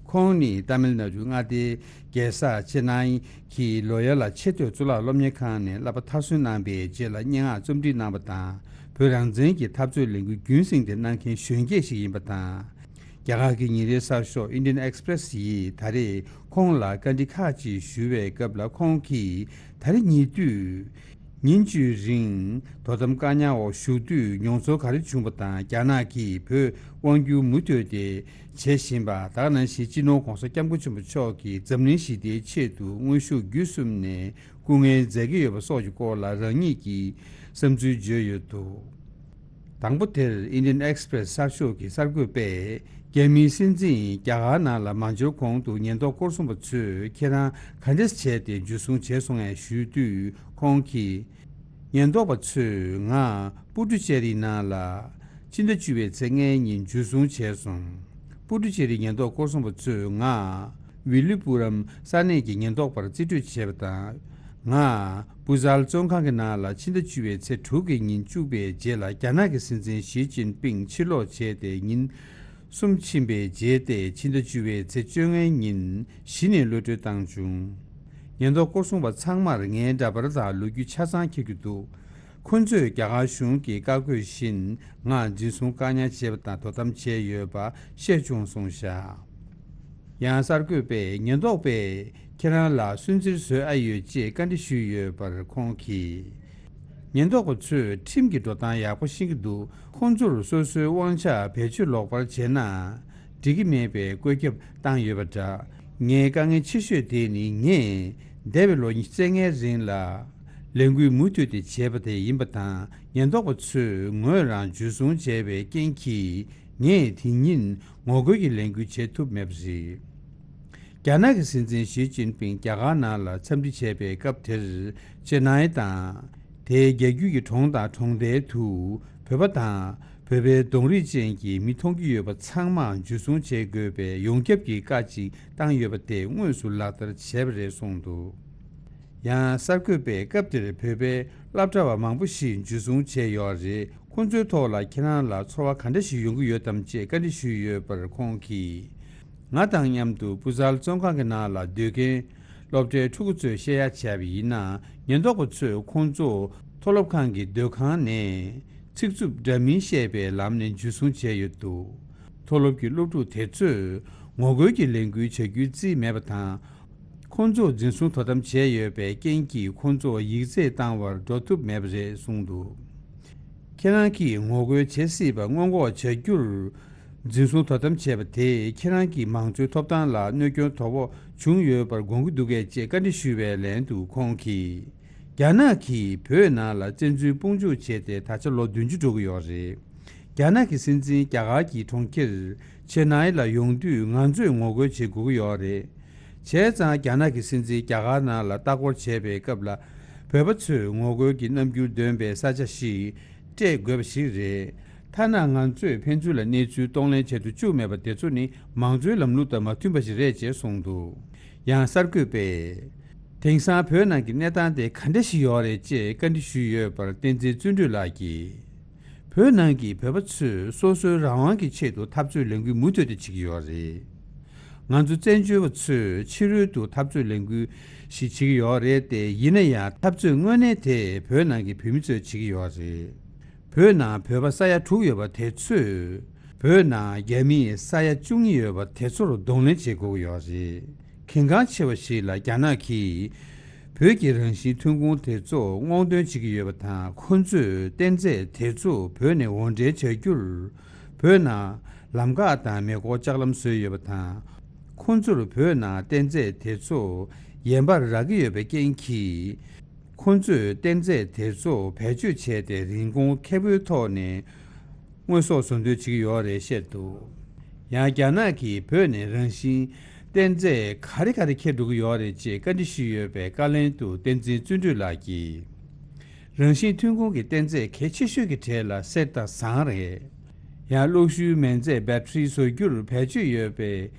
ཁོང་ནི་ཏཱ་མིལ་ནཱ་ཌུ་མངའ་སྡེའི་རྒྱལ་ས་ཅེ་ནའི་གི་ལོ་ཡོ་ལ་ཆེས་མཐོའི་གཙུག་ལག་སློབ་གཉེར་ཁང་ནས་བསླབ་པ་མཐར་སོན་གནང་པའི་རྗེས་ལ་སྙན་ངག་རྩོམ་སྒྲིག་གནང་བ་དང་། བོད་རང་བཙན་གྱི་འཐབ་རྩོད་ལས་འགུལ་རྒྱུན་སྲིང་དེ་གནང་མཁན་གཞོན་སྐྱེས་ཤིག་ཡིན་པ་དང་། རྒྱ་གར་གྱི་ཉིན་རེའི་གསར་ཤོག་Indian Express ཡིས་ད་རེས་ཁོང་ལ་བཀའ་འདྲི་ཁག་ཅིག་ཞུ་བའི་སྐབས་ལ། ཁོང་གིས་ད་རེས་ཉེ་དུས་ཉིན་བཅུའི་རིང་དོ་དམ་བཀག་ཉར་འོག་བཞུགས་དུས་མྱོང་ཚོར་ག་རེ་བྱུང་བ་དང་། རྒྱ་ནག་གིས་བོད་དབང་སྒྱུར་མུ་མཐུད་དེ་བྱེད་བཞིན་པ། ད་ག་ནང་བཞིན་སྤྱི་ནོར་༧གོང་ས་༧སྐྱབས་མགོན་ཆེན་པོ་མཆོག་གིས་འཛམ་གླིང་ཞི་བདེའི་ཆེད་དུ་དངོས་ཤུགས་བརྒྱུད་གསུམ་ནས་ སྐུ་ངལ་འཛེམ་གྱི་ཡོད་པ་སོགས་ཀྱི་སྐོར་ལ་རང་ཉིད་ཀྱི་བསམ་ཚུལ་བརྗོད་ཡོད་འདུག། དང་པོ་དེར་Indian Express གསར་ཤོག་གི་གསར་འགོད་པས། རྒྱ་མིའི་སྲིད་འཛིན་རྒྱ་གར་ནང་ལ་མ་འབྱོར་གོང་དུ་ཉེན་རྟོག་སྐོར་སྲུང་པ་ཚོས་ཁྱེད་རང་ག་འདྲས་བྱས་ཏེ་འཇུ་བཟུང་བྱས་སོང་ངས་ཞུས་དུས། ཁོང་གིས། ཉེན་རྟོག་པ་ཚོས་ང་པུ་ཏུ་ཅེ་རི་ནང་ལ་ཕྱི་ཟླ་བཅུ་པའི་ཚེས་ལྔའི་ཉིན་འཇུ་བཟུང་བྱས་སོང་། པུ་ཏུ་ཅེ་རི་ཉེན་རྟོག་སྐོར་སྲུང་པ་ཚོས་ང་ཝི་ལི་པུ་རམ་ས་གནས་ཀྱི་ཉེན་རྟོག་པར་རྩིས་སྤྲོད་བྱས་པ་དང་། ང་བུ་ཛལ་བཙོན་ཁང་གི་ནང་ལ་ཕྱི་ཟླ་བཅུ་པའི་ཚེས་དྲུག་གི་ཉིན་བཅུག་པའི་རྗེས་ལ། རྒྱ་ནག་གི་སྲིད་འཛིན་ཞི་ཅིན་ཕིང་ཕྱིར་ལོག་བྱས་ཏེ་ཉིན་གསུམ་ཕྱིན་པའི་རྗེས་ཏེ། ཕྱི་ཟླ་བཅུ་པའི་ཚེས་བཅོ་ལྔའི་ཉིན་གཞི་ནས་གློད་གྲོལ་བཏང་བྱུང་། ཉེན་རྟོག་སྐོར་སྲུང་པ་ཚང་མར་ངའི་འདྲ་པར་དང་ལོ་རྒྱུས་ཆ་ཚང་འཁྱེར་རྒྱུ་འདུག། ཁོ་ཚོས་རྒྱ་གར་གཞུང་གི་བཀའ་བཀོད་བཞིན་ང་འཛིན་བཟུང་བཀག་ཉར་བྱས་པ་དང་དོ་དམ་བྱས་ཡོད་པ་ཤེས་བྱུང་གསུངས་བཞག། ཡང་གསར་འགོད་པས་ཉེན་རྟོག་པས་ཁྱེད་རང་ལ་སུན་གཙེར་བཟོས་ཨ་ཡོད་ཅེས་བཀའ་འདྲི་ཞུས་ཡོད་པར་ཁོང་གིས། ཉེན་རྟོག་པ་ཚོས་ཁྲིམས་ཀྱི་འགྲོ་སྟངས་ཡག་པོ་ཤེས་ཀྱི་འདུག། ཁོང་ཚོར་སོ་སོའི་དབང་ཆ་བེད་སྤྱོད་ལོག་པར་བྱས་ན་འགྲིག་གི་མེད་པའི་བཀོད་ཁྱབ་བཏང་ཡོད་པ་འདྲ། ངའི་དཀའ་ངལ་ཆེ་ཤོས་དེ་ནི་ངས་འདས་པའི་ལོ་ཉི་ཤུ་རྩ་ལྔའི་རིང་ལ་ལས་འགུལ་མུ་མཐུད་དེ་བྱས་པ་དེ་ཡིན་པ་དང་། ཉེན་རྟོག་པ་ཚོས་ངོས་རང་འཇུ་བཟུང་བྱས་པའི་རྐྱེན་གྱིས། ངས་དེ་ཉིན་ངོ་རྒོལ་གྱི་ལས་འགུལ་བྱེད་ཐུབ་མེད་པ་རེད། རྒྱ་ནག་གི་སྲིད་འཛིན་ཞི་ཅིན་ཕིང་རྒྱ་གར་ནང་ལ་འཚམས་འདྲི་བྱས་པའི་སྐབས་དེར། ཅེ་ནའི་དང་། དེའི་རྒྱ་རྒྱུད་ཀྱི་གྲོང་དང་གྲོང་རྡལ་དུ་བོད་པ་དང་བོད་པའི་གདོང་རིས་ཅན་གྱི་མི་མཐོང་རྒྱུ་ཡོད་པ་ཚང་མ་འཇུ་བཟུང་བྱེད་དགོས་པའི་ཡོངས་ཁྱབ་ཀྱི་བཀའ་ཅིག་བཏང་ཡོད་པ་དེ་དངོས་སུ་ལག་བསྟར་བྱས་པ་རེད་གསུངས་འདུག། ཡང་གསར་འགོད་པས་སྐབས་དེར་བོད་པའི་སློབ་གྲྭ་བ་མང་པོ་ཞིག་འཇུ་བཟུང་བྱས་ཡོད་རེད། ཁོང་ཚོའི་ཐོག་ལ་ཁྱེད་རང་ལ་ཚོར་བ་ག་འདྲ་ཞིག་ཡོང་གི་ཡོད་དམ་ཅེས་བཀའ་འདྲི་ཞུས་ཡོད་པར་ཁོང་གིས། ང་དང་མཉམ་དུ་པུ་ཛལ་བཙོན་ཁང་གི་ནང་ལ་སྡོད་མཁན་སློབ་གྲྭའི་ཕྲུ་གུ་ཚོས་བཤད་ཡ་བྱས་པ་ཡིན་ན། ཉེན་རྟོག་པ་ཚོས་ཁོང་ཚོ་མཐོ་སློབ་ཁང་གི་སྡོད་ཁང་ནས་ཚིག་རྩུབ་འདྲ་མིན་བཤད་པའི་ལམ་ནས་འཇུ་བཟུང་བྱས་ཡོད་འདུག། མཐོ་སློབ་ཀྱི་སློབ་ཕྲུག་དེ་ཚོས་ངོ་རྒོལ་གྱི་ལས་འགུལ་བྱ་རྒྱུའི་རྩིས་མེད་པ་དང་། ཁོང་ཚོ་འཛིན་བཟུང་དོ་དམ་བྱས་ཡོད་པའི་རྐྱེན་གྱིས། ཁོང་ཚོ་ཡིག་ཚད་བཏང་བར་འགྲོ་ཐུབ་མེད་པ་རེད་གསུངས་འདུག། ཁྱེད་རང་གིས་ངོ་རྒོལ་བྱེད་སྲིད་པ་སྔོན་འགོག་བྱ་རྒྱུར་འཛིན་བཟུང་དོ་དམ་བྱས་པ་དེས་ཁྱེད་རང་གི་མང་གཙོའི་ཐོབ་ཐང་ལ་གནོད་སྐྱོན་དོ་ཕོག་བྱུང་ཡོད་པར་དགོངས་ཀྱི་འདུག་གས་ཅེས་བཀའ་འདྲི་ཞུས་པའི་ལན་དུ་ཁོང་གིས། རྒྱ་ནག་གིས་བོད་ནང་ལ་བཙན་འཛུལ་དཔུང་འཇུག་བྱས་ཏེ་ད་ཆ་ལོ་བདུན་ཅུ་འགྲོ་གི་ཡོད་རེད། རྒྱ་ནག་གི་སྲིད་འཛིན་རྒྱ་གར་གྱི་གྲོང་ཁྱེར་ཆེ་ནའི་ལ་ཡོང་དུས། ང་ཚོས་ངོ་རྒོལ་བྱེད་དགོས་ཀྱི་ཡོད་རེད། བྱས་ཙང་རྒྱ་ནག་གི་སྲིད་འཛིན་རྒྱ་གར་ནང་ལ་ལྟ་སྐོར་བྱས་པའི་སྐབས་ལ། བོད་པ་ཚོས་ངོ་རྒོལ་གྱི་རྣམ་འགྱུར་འདོན་པའི་ས་ཆ་ཞིག་སྤྲད་དགོས་པ་ཞིག་རེད། ཐ་ན་ང་ཚོས་ཕན་ཚུན་ལ་གནས་ཚུལ་གཏོང་ལེན་བྱེད་དུ་བཅུག་མེད་པ་དེ་ཚོ་ནི་མང་གཙོའི་ལམ་ལུགས་དང་མ་མཐུན་པ་ཞིག་རེད་ཅེས་གསུངས་འདུག། ཡང་གསར་འགོད་པས། དེང་སང་བོད་ནང་གི་གནས་སྟངས་དེ་ག་འདྲ་ཞིག་ཡོད་རེད་ཅེས་བཀའ་འདྲི་ཞུས་ཡོད་པར། བསྟན་འཛིན་བརྩོན་འགྲུས་ལགས་ཀྱིས། བོད་ནང་གི་བོད་པ་ཚོས་སོ་སོའི་རང་དབང་གི་ཆེད་དུ་འཐབ་རྩོད་ལས་འགུལ་མུ་མཐུད་དུ་བྱེད་ཀྱི་ཡོད་རེད། ང་ཚོ་བཙན་བྱོལ་བ་ཚོས་ཕྱི་རོལ་དུ་འཐབ་རྩོད་ལས་འགུལ་ཞིག་བྱེད་ཀྱི་ཡོད་རེད་དེ། ཡིན་ན་ཡང་འཐབ་རྩོད་དངོས་གནས་དེ་བོད་ནང་གི་བོད་མི་ཚོས་བྱེད་ཀྱི་ཡོད་རེད། བོད་ནང་བོད་པ་ས་ཡ་དྲུག་ཡོད་པ་དེ་ཚོས། བོད་ནང་རྒྱ་མི་ས་ཡ་བཅུ་གཉིས་ཡོད་པ་དེ་ཚོར་གདོང་ལེན་བྱེད་དགོས་ཀྱི་ཡོད་རེད། གལ་འགངས་ཆེ་བ་ཞིག་ལ་རྒྱ་ནག་གིས་བོད་ཀྱི་རང་བཞིན་ཐོན་ཁུངས་དེ་ཚོ་སྔོག་འདོན་བྱེད་ཀྱི་ཡོད་པ་དང་། ཁོ་ཚོས་གཏན་རྫས་དེ་ཚོ་བོད་ནས་འོར་འདྲེན་བྱ་རྒྱུར་བོད་ནང་ལམ་ཁ་དང་མེ་འཁོར་ལྕགས་ལམ་བཟོས་ཡོད་པ་དང་། ཁོ་ཚོར་བོད་ནང་གཏན་རྫས་དེ་ཚོ་ཡན་པར་རག་གི་ཡོད་པའི་རྐྱེན་གྱིས། ཁོ་ཚོས་གཏན་རྫས་དེ་ཚོ་བེད་སྤྱོད་བྱས་ཏེ་རིན་གོང་ཁེ་པོའི་ཐོག་ནས་དངོས་ཟོག་བཟོ་འདོད་བྱེད་ཀྱི་ཡོད་རེད་བཤད་འདུག། ཡང་རྒྱ་ནག་གིས་བོད་ནས་རང་བཞིན་གཏན་རྫས་ག་རེ་ག་རེ་འཁྱེར་འགྲོ་གི་ཡོད་རེད་ཅེས་བཀའ་འདྲི་ཞུས་ཡོད་པའི་བཀའ་ལན་དུ། བསྟན་འཛིན་བརྩོན་འགྲུས་ལགས་ཀྱིས། རང་བཞིན་ཐོན་ཁུངས་ཀྱི་གཏན་རྫས་གལ་ཆེ་ཤོས་ཀྱི་གྲས་ལ་གསེར་དང་ཟངས་རེད། ཡང་གློག་ཤུགས་མེ་མཛད་བེ་ཊི་རི་བཟོ་རྒྱུར་བེད་སྤྱོད་ཡོད་པའི་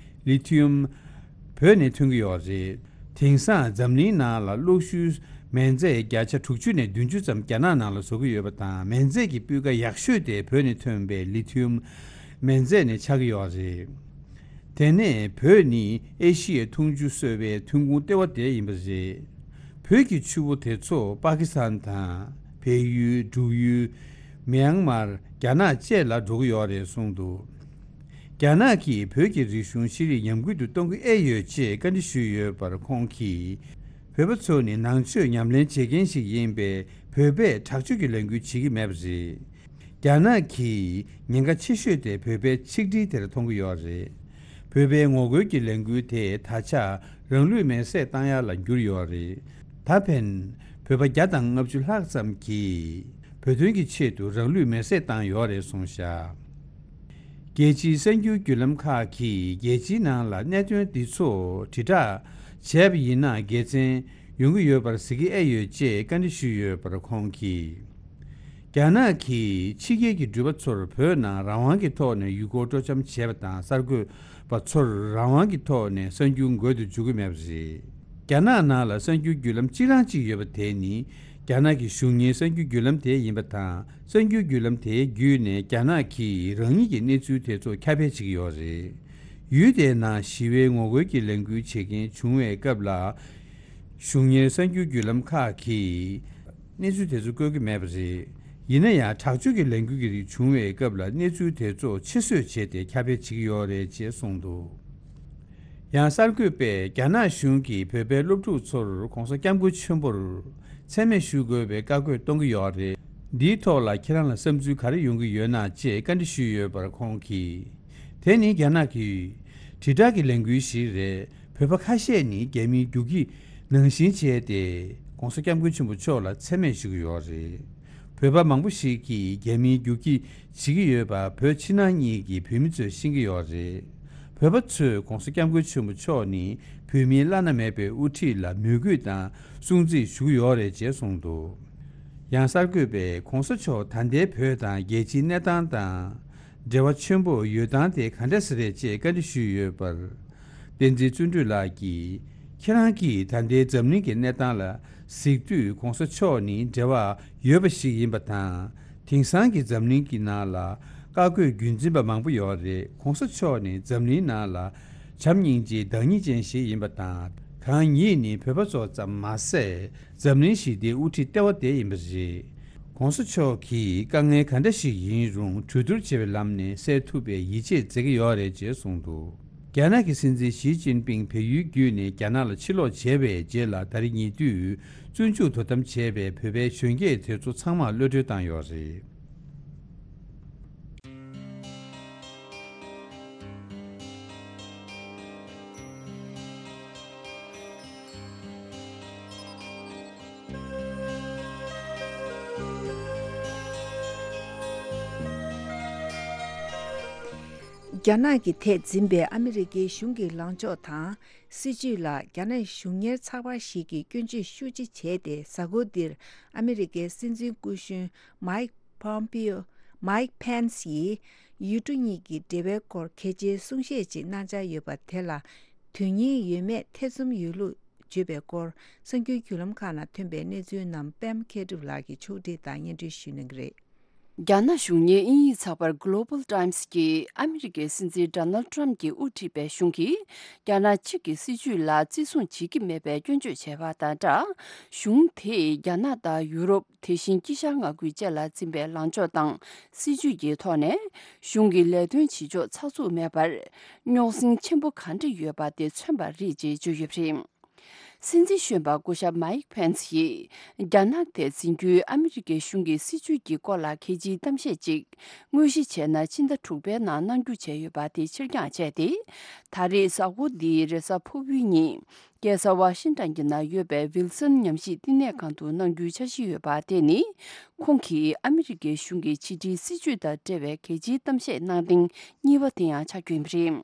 ལི་ཐི་ཡུམ་བོད་ནས་ཐོན་གྱི་ཡོད་རེད། དེང་སང་འཛམ་གླིང་ནང་ལ་གློག་ཤུགས་མེ་མཛད་བརྒྱ་ཆ་དྲུག་ཅུ་ནས་བདུན་ཅུ་ཙམ་རྒྱ་ནག་ནང་ལ་བཟོ་གི་ཡོད་པ་དང་། མེ་མཛད་ཀྱི་སྤུས་ཀ་ཡག་ཤོས་དེ་བོད་ནས་ཐོན་པའི་ལི་ཐི་ཡུམ་མེ་མཛད་ནས་ཆགས་ཀྱི་ཡོད་རེད། དེ་ནས་བོད་ནི་ཨེ་ཤི་ཡའི་འཐུང་ཆུ་གསོ་བའི་ཐོན་ཁུངས་ལྟེ་བ་དེ་ཡིན་པ་རེད། བོད་ཀྱི་ཆུ་བོ་དེ་ཚོ་པ་ཀི་སི་ཐན་དང་བལ་ཡུལ། འབྲུག་ཡུལ། མེན་མར། རྒྱ་ནག་བཅས་ལ་འགྲོ་གི་ཡོད་རེད་གསུངས་འདུག། རྒྱ་ནག་གིས་བོད་ཀྱི་རིག་གཞུང་ཤེས་རིག་ཉམས་རྒུད་དུ་གཏོང་གི་ཨེ་ཡོད་ཅེས་བཀའ་འདྲི་ཞུས་ཡོད་པར་ཁོང་གིས། བོད་པ་ཚོ་ནི་ནང་ཆོས་ཉམས་ལེན་བྱེད་མཁན་ཞིག་ཡིན་པས། བོད་པས་དྲག་སྤྱོད་ཀྱི་ལས་འགུལ་བྱེད་ཀྱི་མེད་པ་རེད། རྒྱ་ནག་གིས་ཉེན་ཁ་ཆེ་ཤོས་དེ་བོད་པའི་ཆིག་སྒྲིལ་དེར་མཐོང་གི་ཡོད་རེད། བོད་པའི་ངོ་རྒོལ་གྱི་ལས་འགུལ་དེ་ད་ཆ་རང་ལུས་མེར་སྲེག་བཏང་ཡ་ལ་འགྱུར་ཡོད་རེད། ད་ཕན། བོད་པ་བརྒྱ་དང་ལྔ་བཅུ་ལྷག་ཙམ་གྱིས་བོད་དོན་གྱི་ཆེད་དུ་རང་ལུས་མེར་སྲེག་བཏང་ཡོད་རེད་གསུངས་བཞག་རྒྱལ་སྤྱིའི་གསར་འགྱུར་བརྒྱུད་ལམ་ཁག་གིས་རྒྱལ་སྤྱིའི་ནང་ལ་གནད་དོན་འདི་ཚོ་དྲིལ་བསྒྲགས་བྱས་པ་ཡིན་ན་དགེ་མཚན་ཡོང་གི་ཡོད་པར་གཟིགས་ཀྱི་ཨེ་ཡོད་ཅེས་བཀའ་འདྲི་ཞུས་ཡོད་པར་ཁོང་གིས། རྒྱ་ནག་གིས་ཕྱི་རྒྱལ་གྱི་འགྲུལ་པ་ཚོར་བོད་ནང་རང་དབང་གི་ཐོག་ནས་ཡུལ་སྐོར་སྤྲོ་འཆམ་བྱས་པ་དང་གསར་འགོད་པ་ཚོར་རང་དབང་གི་ཐོག་ནས་གསར་འགྱུར་འགོད་དུ་འཇུག་གི་མེད་པ་རེད། རྒྱ་ནག་ནང་ལ་གསར་འགྱུར་བརྒྱུད་ལམ་གཅིག་རང་གཅིག་ཡོད་པ་དེ་ནི་རྒྱ་ནག་གི་གཞུང་གཉེར་གསར་འགྱུར་བརྒྱུད་ལམ་དེ་ཡིན་པ་དང་། གསར་འགྱུར་བརྒྱུད་ལམ་དེའི་བརྒྱུད་ནས་རྒྱ་ནག་གིས་རང་ཉིད་ཀྱི་གནས་ཚུལ་དེ་ཚོ་ཁྱབ་སྤེལ་བྱེད་ཀྱི་ཡོད་རེད། ཡུལ་དེའི་ནང་ཞི་བའི་ངོ་རྒོལ་གྱི་ལས་འགུལ་བྱེད་མཁན་བྱུང་བའི་སྐབས་ལ། གཞུང་གཉེར་གསར་འགྱུར་བརྒྱུད་ལམ་ཁག་གིས་གནས་ཚུལ་དེ་ཚོ་བཀོད་ཀྱི་མེད་པ་རེད། ཡིན་ན་ཡང་དྲག་སྤྱོད་ཀྱི་ལས་འགུལ་གྱི་རིགས་བྱུང་བའི་སྐབས་ལ་གནས་ཚུལ་དེ་ཚོ་ཕྱིར་བཟོས་བྱས་ཏེ་ཁྱབ་སྤེལ་བྱེད་ཀྱི་ཡོད་རེད་ཅེས་གསུངས་འདུག་ཡང་གསར་འགོད་པས་རྒྱ་ནག་གཞུང་གིས་བོད་པའི་སློབ་ཕྲུག་ཚོར་༧གོང་ས་༧སྐྱབས་མགོན་ཆེན་པོར་མཚན་སྨད་ཞུ་དགོས་པའི་བཀའ་བཀོད་གཏོང་གི་ཡོད་རེད། འདིའི་ཐོག་ལ་ཁྱེད་རང་ལ་བསམ་ཚུལ་ག་རེ་ཡོང་གི་ཡོད་ན་ཅེས་བཀའ་འདྲི་ཞུས་ཡོད་པར་ཁོང་གིས། དེ་ནི་རྒྱ་ནག་གི་དྲིལ་བསྒྲགས་ཀྱི་ལས་འགུལ་ཞིག་རེད། བོད་པ་ཁ་ཤས་ནི་རྒྱ་མིའི་རྒྱུག་ཁྱི་ནང་བཞིན་བྱས་ཏེ་༧གོང་ས་༧སྐྱབས་མགོན་ཆེན་པོ་མཆོག་ལ་མཚན་སྨད་ཞུ་གི་ཡོད་རེད། བོད་པ་མང་པོ་ཞིག་གིས་རྒྱ་མིའི་རྒྱུག་ཁྱི་བྱེད་ཀྱི་ཡོད་པ་བོད་ཕྱི་ནང་གཉིས་ཀྱི་བོད་མི་ཚོས་ཤེས་ཀྱི་ཡོད་རེད། བོད་པ་ཚོས་༧གོང་ས་༧སྐྱབས་མགོན་ཆེན་པོ་མཆོག་ནི་བོད་མིའི་བླ་ན་མེད་པའི་དབུ་ཁྲིད་ལ་མོས་གུས་དང་སྲུང་བརྩི་ཞུ་གི་ཡོད་རེད་ཅེས་གསུངས་འདུག་ཡང་གསར་འགོད་པས་༧གོང་ས་མཆོག་ད་ལྟའི་བོད་དང་རྒྱལ་སྤྱིའི་གནས་སྟངས་དང་འབྲེལ་བ་ཆེན་པོ་ཡོད་སྟངས་དེ་ག་འདྲ་ཞིག་རེད་ཅེས་བཀའ་འདྲི་ཞུས་ཡོད་པར། བསྟན་འཛིན་བརྩོན་འགྲུས་ལགས་ཀྱིས། ཁྱེད་རང་གིས་ད་ལྟའི་འཛམ་གླིང་གི་གནས་སྟངས་ལ་གཟིགས་དུས་༧གོང་ས་མཆོག་ནི་འབྲེལ་བ་ཡོད་པ་ཞིག་ཡིན་པ་དང་། དེང་སང་གི་འཛམ་གླིང་གི་ནང་ལ་བཀའ་བཀོད་རྒྱུན་འཛིན་པ་མང་པོ་ཡོད་རེད། ༧གོང་ས་མཆོག་ནི་འཛམ་གླིང་ནང་ལ་བྱམས་སྙིང་རྗེ་བདག་ཉིད་ཅན་ཞིག་ཡིན་པ་དང་། གང་ཉིད་ནི་བོད་པ་ཚོ་ཙམ་མ་ཟད། འཛམ་གླིང་ཞི་བདེའི་དབུ་ཁྲིད་ལྟེ་བ་དེ་ཡིན་པ་རེད། ༧གོང་ས་མཆོག་གིས་དཀའ་ངལ་ག་འདྲ་ཞིག་ཡིན་རུང་གྲོས་བསྡུར་བྱེད་པའི་ལམ་ནས་སེལ་ཐུབ་པའི་ཡིད་ཆེས་མཛད་ཀྱི་ཡོད་རེད་ཅེས་གསུངས་འདུག་རྒྱ་ནག་གི་སྲིད་འཛིན་ཞི་ཅིན་ཕིང་བལ་ཡུལ་བརྒྱུད་ནས་རྒྱ་ནག་ལ་ཕྱིར་ལོག་བྱས་པའི་རྗེས་ལ་ད་རེས་ཉེ་དུས་བཙོན་འཇུག་དོ་དམ་བྱས་པའི་བོད་པའི་གཞོན་སྐྱེས་དེ་ཚོ་ཚང་མར་གློད་གྲོལ་བཏང་ཡོད་རེད། རྒྱ་ནག་གི་ཐད་འཛིན་པའི་ཨ་མི་རི་ཀའི་གཞུང་གི་ལངས་ཕྱོགས་དང་སྲིད་བྱུས་ལ་རྒྱ་ནག་གཞུང་གཉེར་ཚགས་པར་ཞིག་གིས་སྐྱོན་བརྗོད་ཤུགས་ཆེ་བྱས་ཏེ། གཟའ་འཁོར་འདིར་ཨ་མི་རི་ཀའི་སྲིད་འཛིན་སྐུ་གཞོན་མཱིག་Pompeo། Mike Pence ཡིས་ཡུལ་གྲུ་གཉིས་ཀྱི་འབྲེལ་བའི་སྐོར་གལ་ཆེའི་གསུང་བཤད་ཅིག་གནང་འཆར་ཡོད་པ་དེ་ལ་དོན་སྙིང་ཡོད་མེད་ཐེ་ཚོམ་ཡོད་ལུགས་བརྗོད་པའི་སྐོར་གསར་འགྱུར་བརྒྱུད་ལམ་ཁག་ནང་ཐོན་པའི་གནས་ཚུལ་རྣམས་པད་མ་མཁས་གྲུབ་ལགས་ཀྱིས་ཕྱོགས་སྒྲིག་དང་སྙན་སྒྲོན་ཞུ་གནང་གི་རེད། རྒྱ་ནག་གཞུང་གཉེར་དབྱིན་ཡིག་ཚགས་པར་Global Times གྱིས་ཨ་མི་རི་ཀའི་སྲིད་འཛིན་Donald Trump གྱིས་དབུ་ཁྲིད་པའི་གཞུང་གིས་རྒྱ་ནག་གཅིག་གི་སྲིད་བྱུས་ལ་བརྩི་སྲུང་བྱེད་ཀྱི་མེད་པའི་སྐྱོན་བརྗོད་བྱས་པ་དང་སྦྲགས། གཞུང་དེས་རྒྱ་ནག་དང་ཡུ་རོབ། དེ་བཞིན་དཀྱིལ་ཤར་མངའ་ཁུལ་བཅས་ལ་འཛིན་པའི་ལངས་ཕྱོགས་དང་སྲིད་བྱུས་ཀྱི་ཐོག་ནས་གཞུང་གི་ལས་དོན་བྱེད་ཕྱོགས་ཚགས་ཚུད་མེད་པར་རྙོག་ཟིང་ཆེན་པོ་ག་འདྲ་ཡོད་པ་དེ་མཚོན་པ་རེད་ཅེས་བརྗོད་ཡོད་པ་རེད། སྲིད་འཛིན་གཞོན་པ་སྐུ་ཞབས་Mike Pence ཡིས་རྒྱ་ནག་ཐད་འཛིན་རྒྱུའི་ཨ་མི་རི་ཀའི་གཞུང་གི་སྲིད་བྱུས་ཀྱི་སྐོར་ལ་གལ་ཆེའི་གཏམ་བཤད་ཅིག་དངོས་གཞི་བྱས་ན་ཕྱི་ཟླ་དྲུག་པའི་ནང་གནང་རྒྱུ་བྱས་ཡོད་པ་དེ་ཕྱིར་འགྱངས་བྱས་ཏེ། ད་རེས་གཟའ་འཁོར་འདིའི་རེས་གཟའ་ཕུར་བུའི་ཉིན། རྒྱལ་ས་ཝ་ཤིང་ཊོན་གྱི་ནང་ཡོད་པའི་ཝིལ་སོན་ཉམས་ཞིབ་བསྟི་གནས་ཁང་དུ་གནང་རྒྱུའི་འཆར་གཞི་ཡོད་པ་དེ་ནི། ཁོང་གིས་ཨ་མི་རི་ཀའི་གཞུང་གི་ཕྱི་འབྲེལ་སྲིད་བྱུས་དང་འབྲེལ་བའི་གལ་ཆེའི་གཏམ་བཤད་གནང་ཐེངས་གཉིས་པ་དེ་ཡང་ཆགས་རྒྱུ་ཡིན་པ་རེད།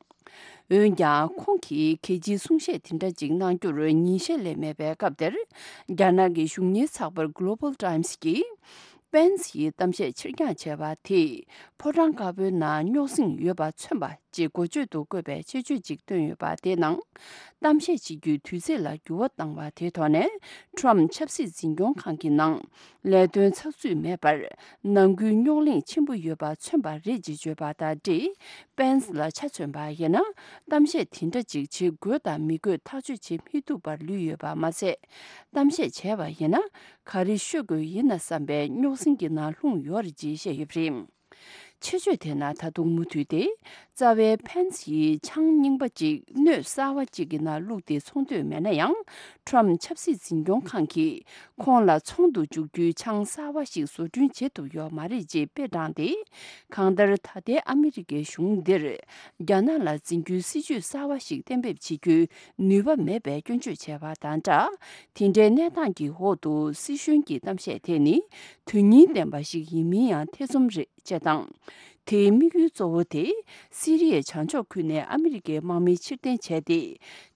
འོན་ཀྱང་། ཁོང་གིས་གལ་ཆེའི་གསུང་བཤད་དེ་འདྲ་ཅིག་གནང་རྒྱུར་ཉིན་ཤས་ལས་མེད་པའི་སྐབས་དེར། རྒྱ་ནག་གི་གཞུང་གཉེར་ཚགས་པར་Global Times གྱིས། Pence ཡིས་གཏམ་བཤད་ཕྱིར་འགྱངས་བྱས་པ་དེས། ཕོ་བྲང་དཀར་པོའི་ནང་རྙོག་ཟིང་ཡོད་པ་མཚོན་པ། ཅེས་འགོ་བརྗོད་དུ་བཀོད་པའི་ཆེད་བརྗོད་ཅིག་བཏོན་ཡོད་པ་དེའི་ནང་། གཏམ་བཤད་བྱེད་རྒྱུའི་དུས་ཚིགས་ལ་འགྱུར་བ་བཏང་བ་དེའི་ཐོག་ནས། Trump ཆབ་སྲིད་འཛིན་སྐྱོང་ཁང་གི་ནང་ལས་དོན་ཚགས་ཚུད་མེད་པར། ནང་ཁུལ་རྙོག་གླེང་ཆེན་པོ་ཡོད་པ་མཚོན་པ་རེད་ཅེས་བརྗོད་པ་དང་འབྲེལ། Pence ལ་ཆ་མཚོན་པ་ཡིན་ན། གཏམ་བཤད་དེ་འདྲ་ཅིག་བྱེད་དགོས་དང་མི་དགོས་ཐག་གཅོད་བྱེད་མི་ཐུབ་པར་ལུས་ཡོད་པ་མ་ཟད། གཏམ་བཤད་བྱས་པ་ཡིན་ན། ག་རེ་ཤོད་དགོས་ཡིན་ན་བསམ་པའི་རྙོག་ཟིང་གི་ནང་ལྷུང་ཡོད་རེད་ཅེས་བཤད་ཡོད་པ་རེད། ཆེད་བརྗོད་དེ་ནང་ད་དུང་མུ་མཐུད་དེ། རྩ་བའི་ཕན་སི་ཡིས་ཆང་རྙིང་པ་ཅིག་སྣོད་གསར་བ་ཅིག་གི་ནང་བླུགས་ཏེ་ཚོང་འདོད་མེད་ན་ཡང་། ཁྲོམ་ཆབ་སྲིད་འཛིན་སྐྱོང་ཁང་གིས་ཁོང་ལ་ཚོང་དུ་འཇུག་རྒྱུའི་ཆང་གསར་བ་ཞིག་བཟོ་སྐྲུན་བྱེད་ཐུབ་ཡོད་མ་རེད་ཅེས་དཔེ་དྲངས་ཏེ། གང་ལྟར་ད་ལྟའི་ཨ་མི་རི་ཀའི་གཞུང་འདིར་རྒྱ་ནག་ལ་འཛིན་རྒྱུའི་སྲིད་ཇུས་གསར་བ་ཞིག་གཏན་འབེབས་བྱེད་རྒྱུའི་ནུས་པ་མེད་པའི་སྐྱོན་བརྗོད་བྱས་པ་དང་སྦྲགས། དེ་འདྲའི་གནས་སྟངས་ཀྱི་འོག་ཏུ་སྲིད་གཞུང་གི་གཏམ་བཤད་དེ་ནི་དོན་སྙིང་ལྡན་པ་ཞིག་ཡིན་མིན་ཡང་ཐེ་ཚོམ་རེད། ཅེས་དང་། དེའི་དམིགས་ཡུལ་གཙོ་བོ་དེ། སི་རི་ཡའི་བྱང་ཕྱོགས་ཁུལ་ནས་ཨ་མི་རི་ཀའི་དམག་མི་ཕྱིར་འཐེན་བྱས་ཏེ།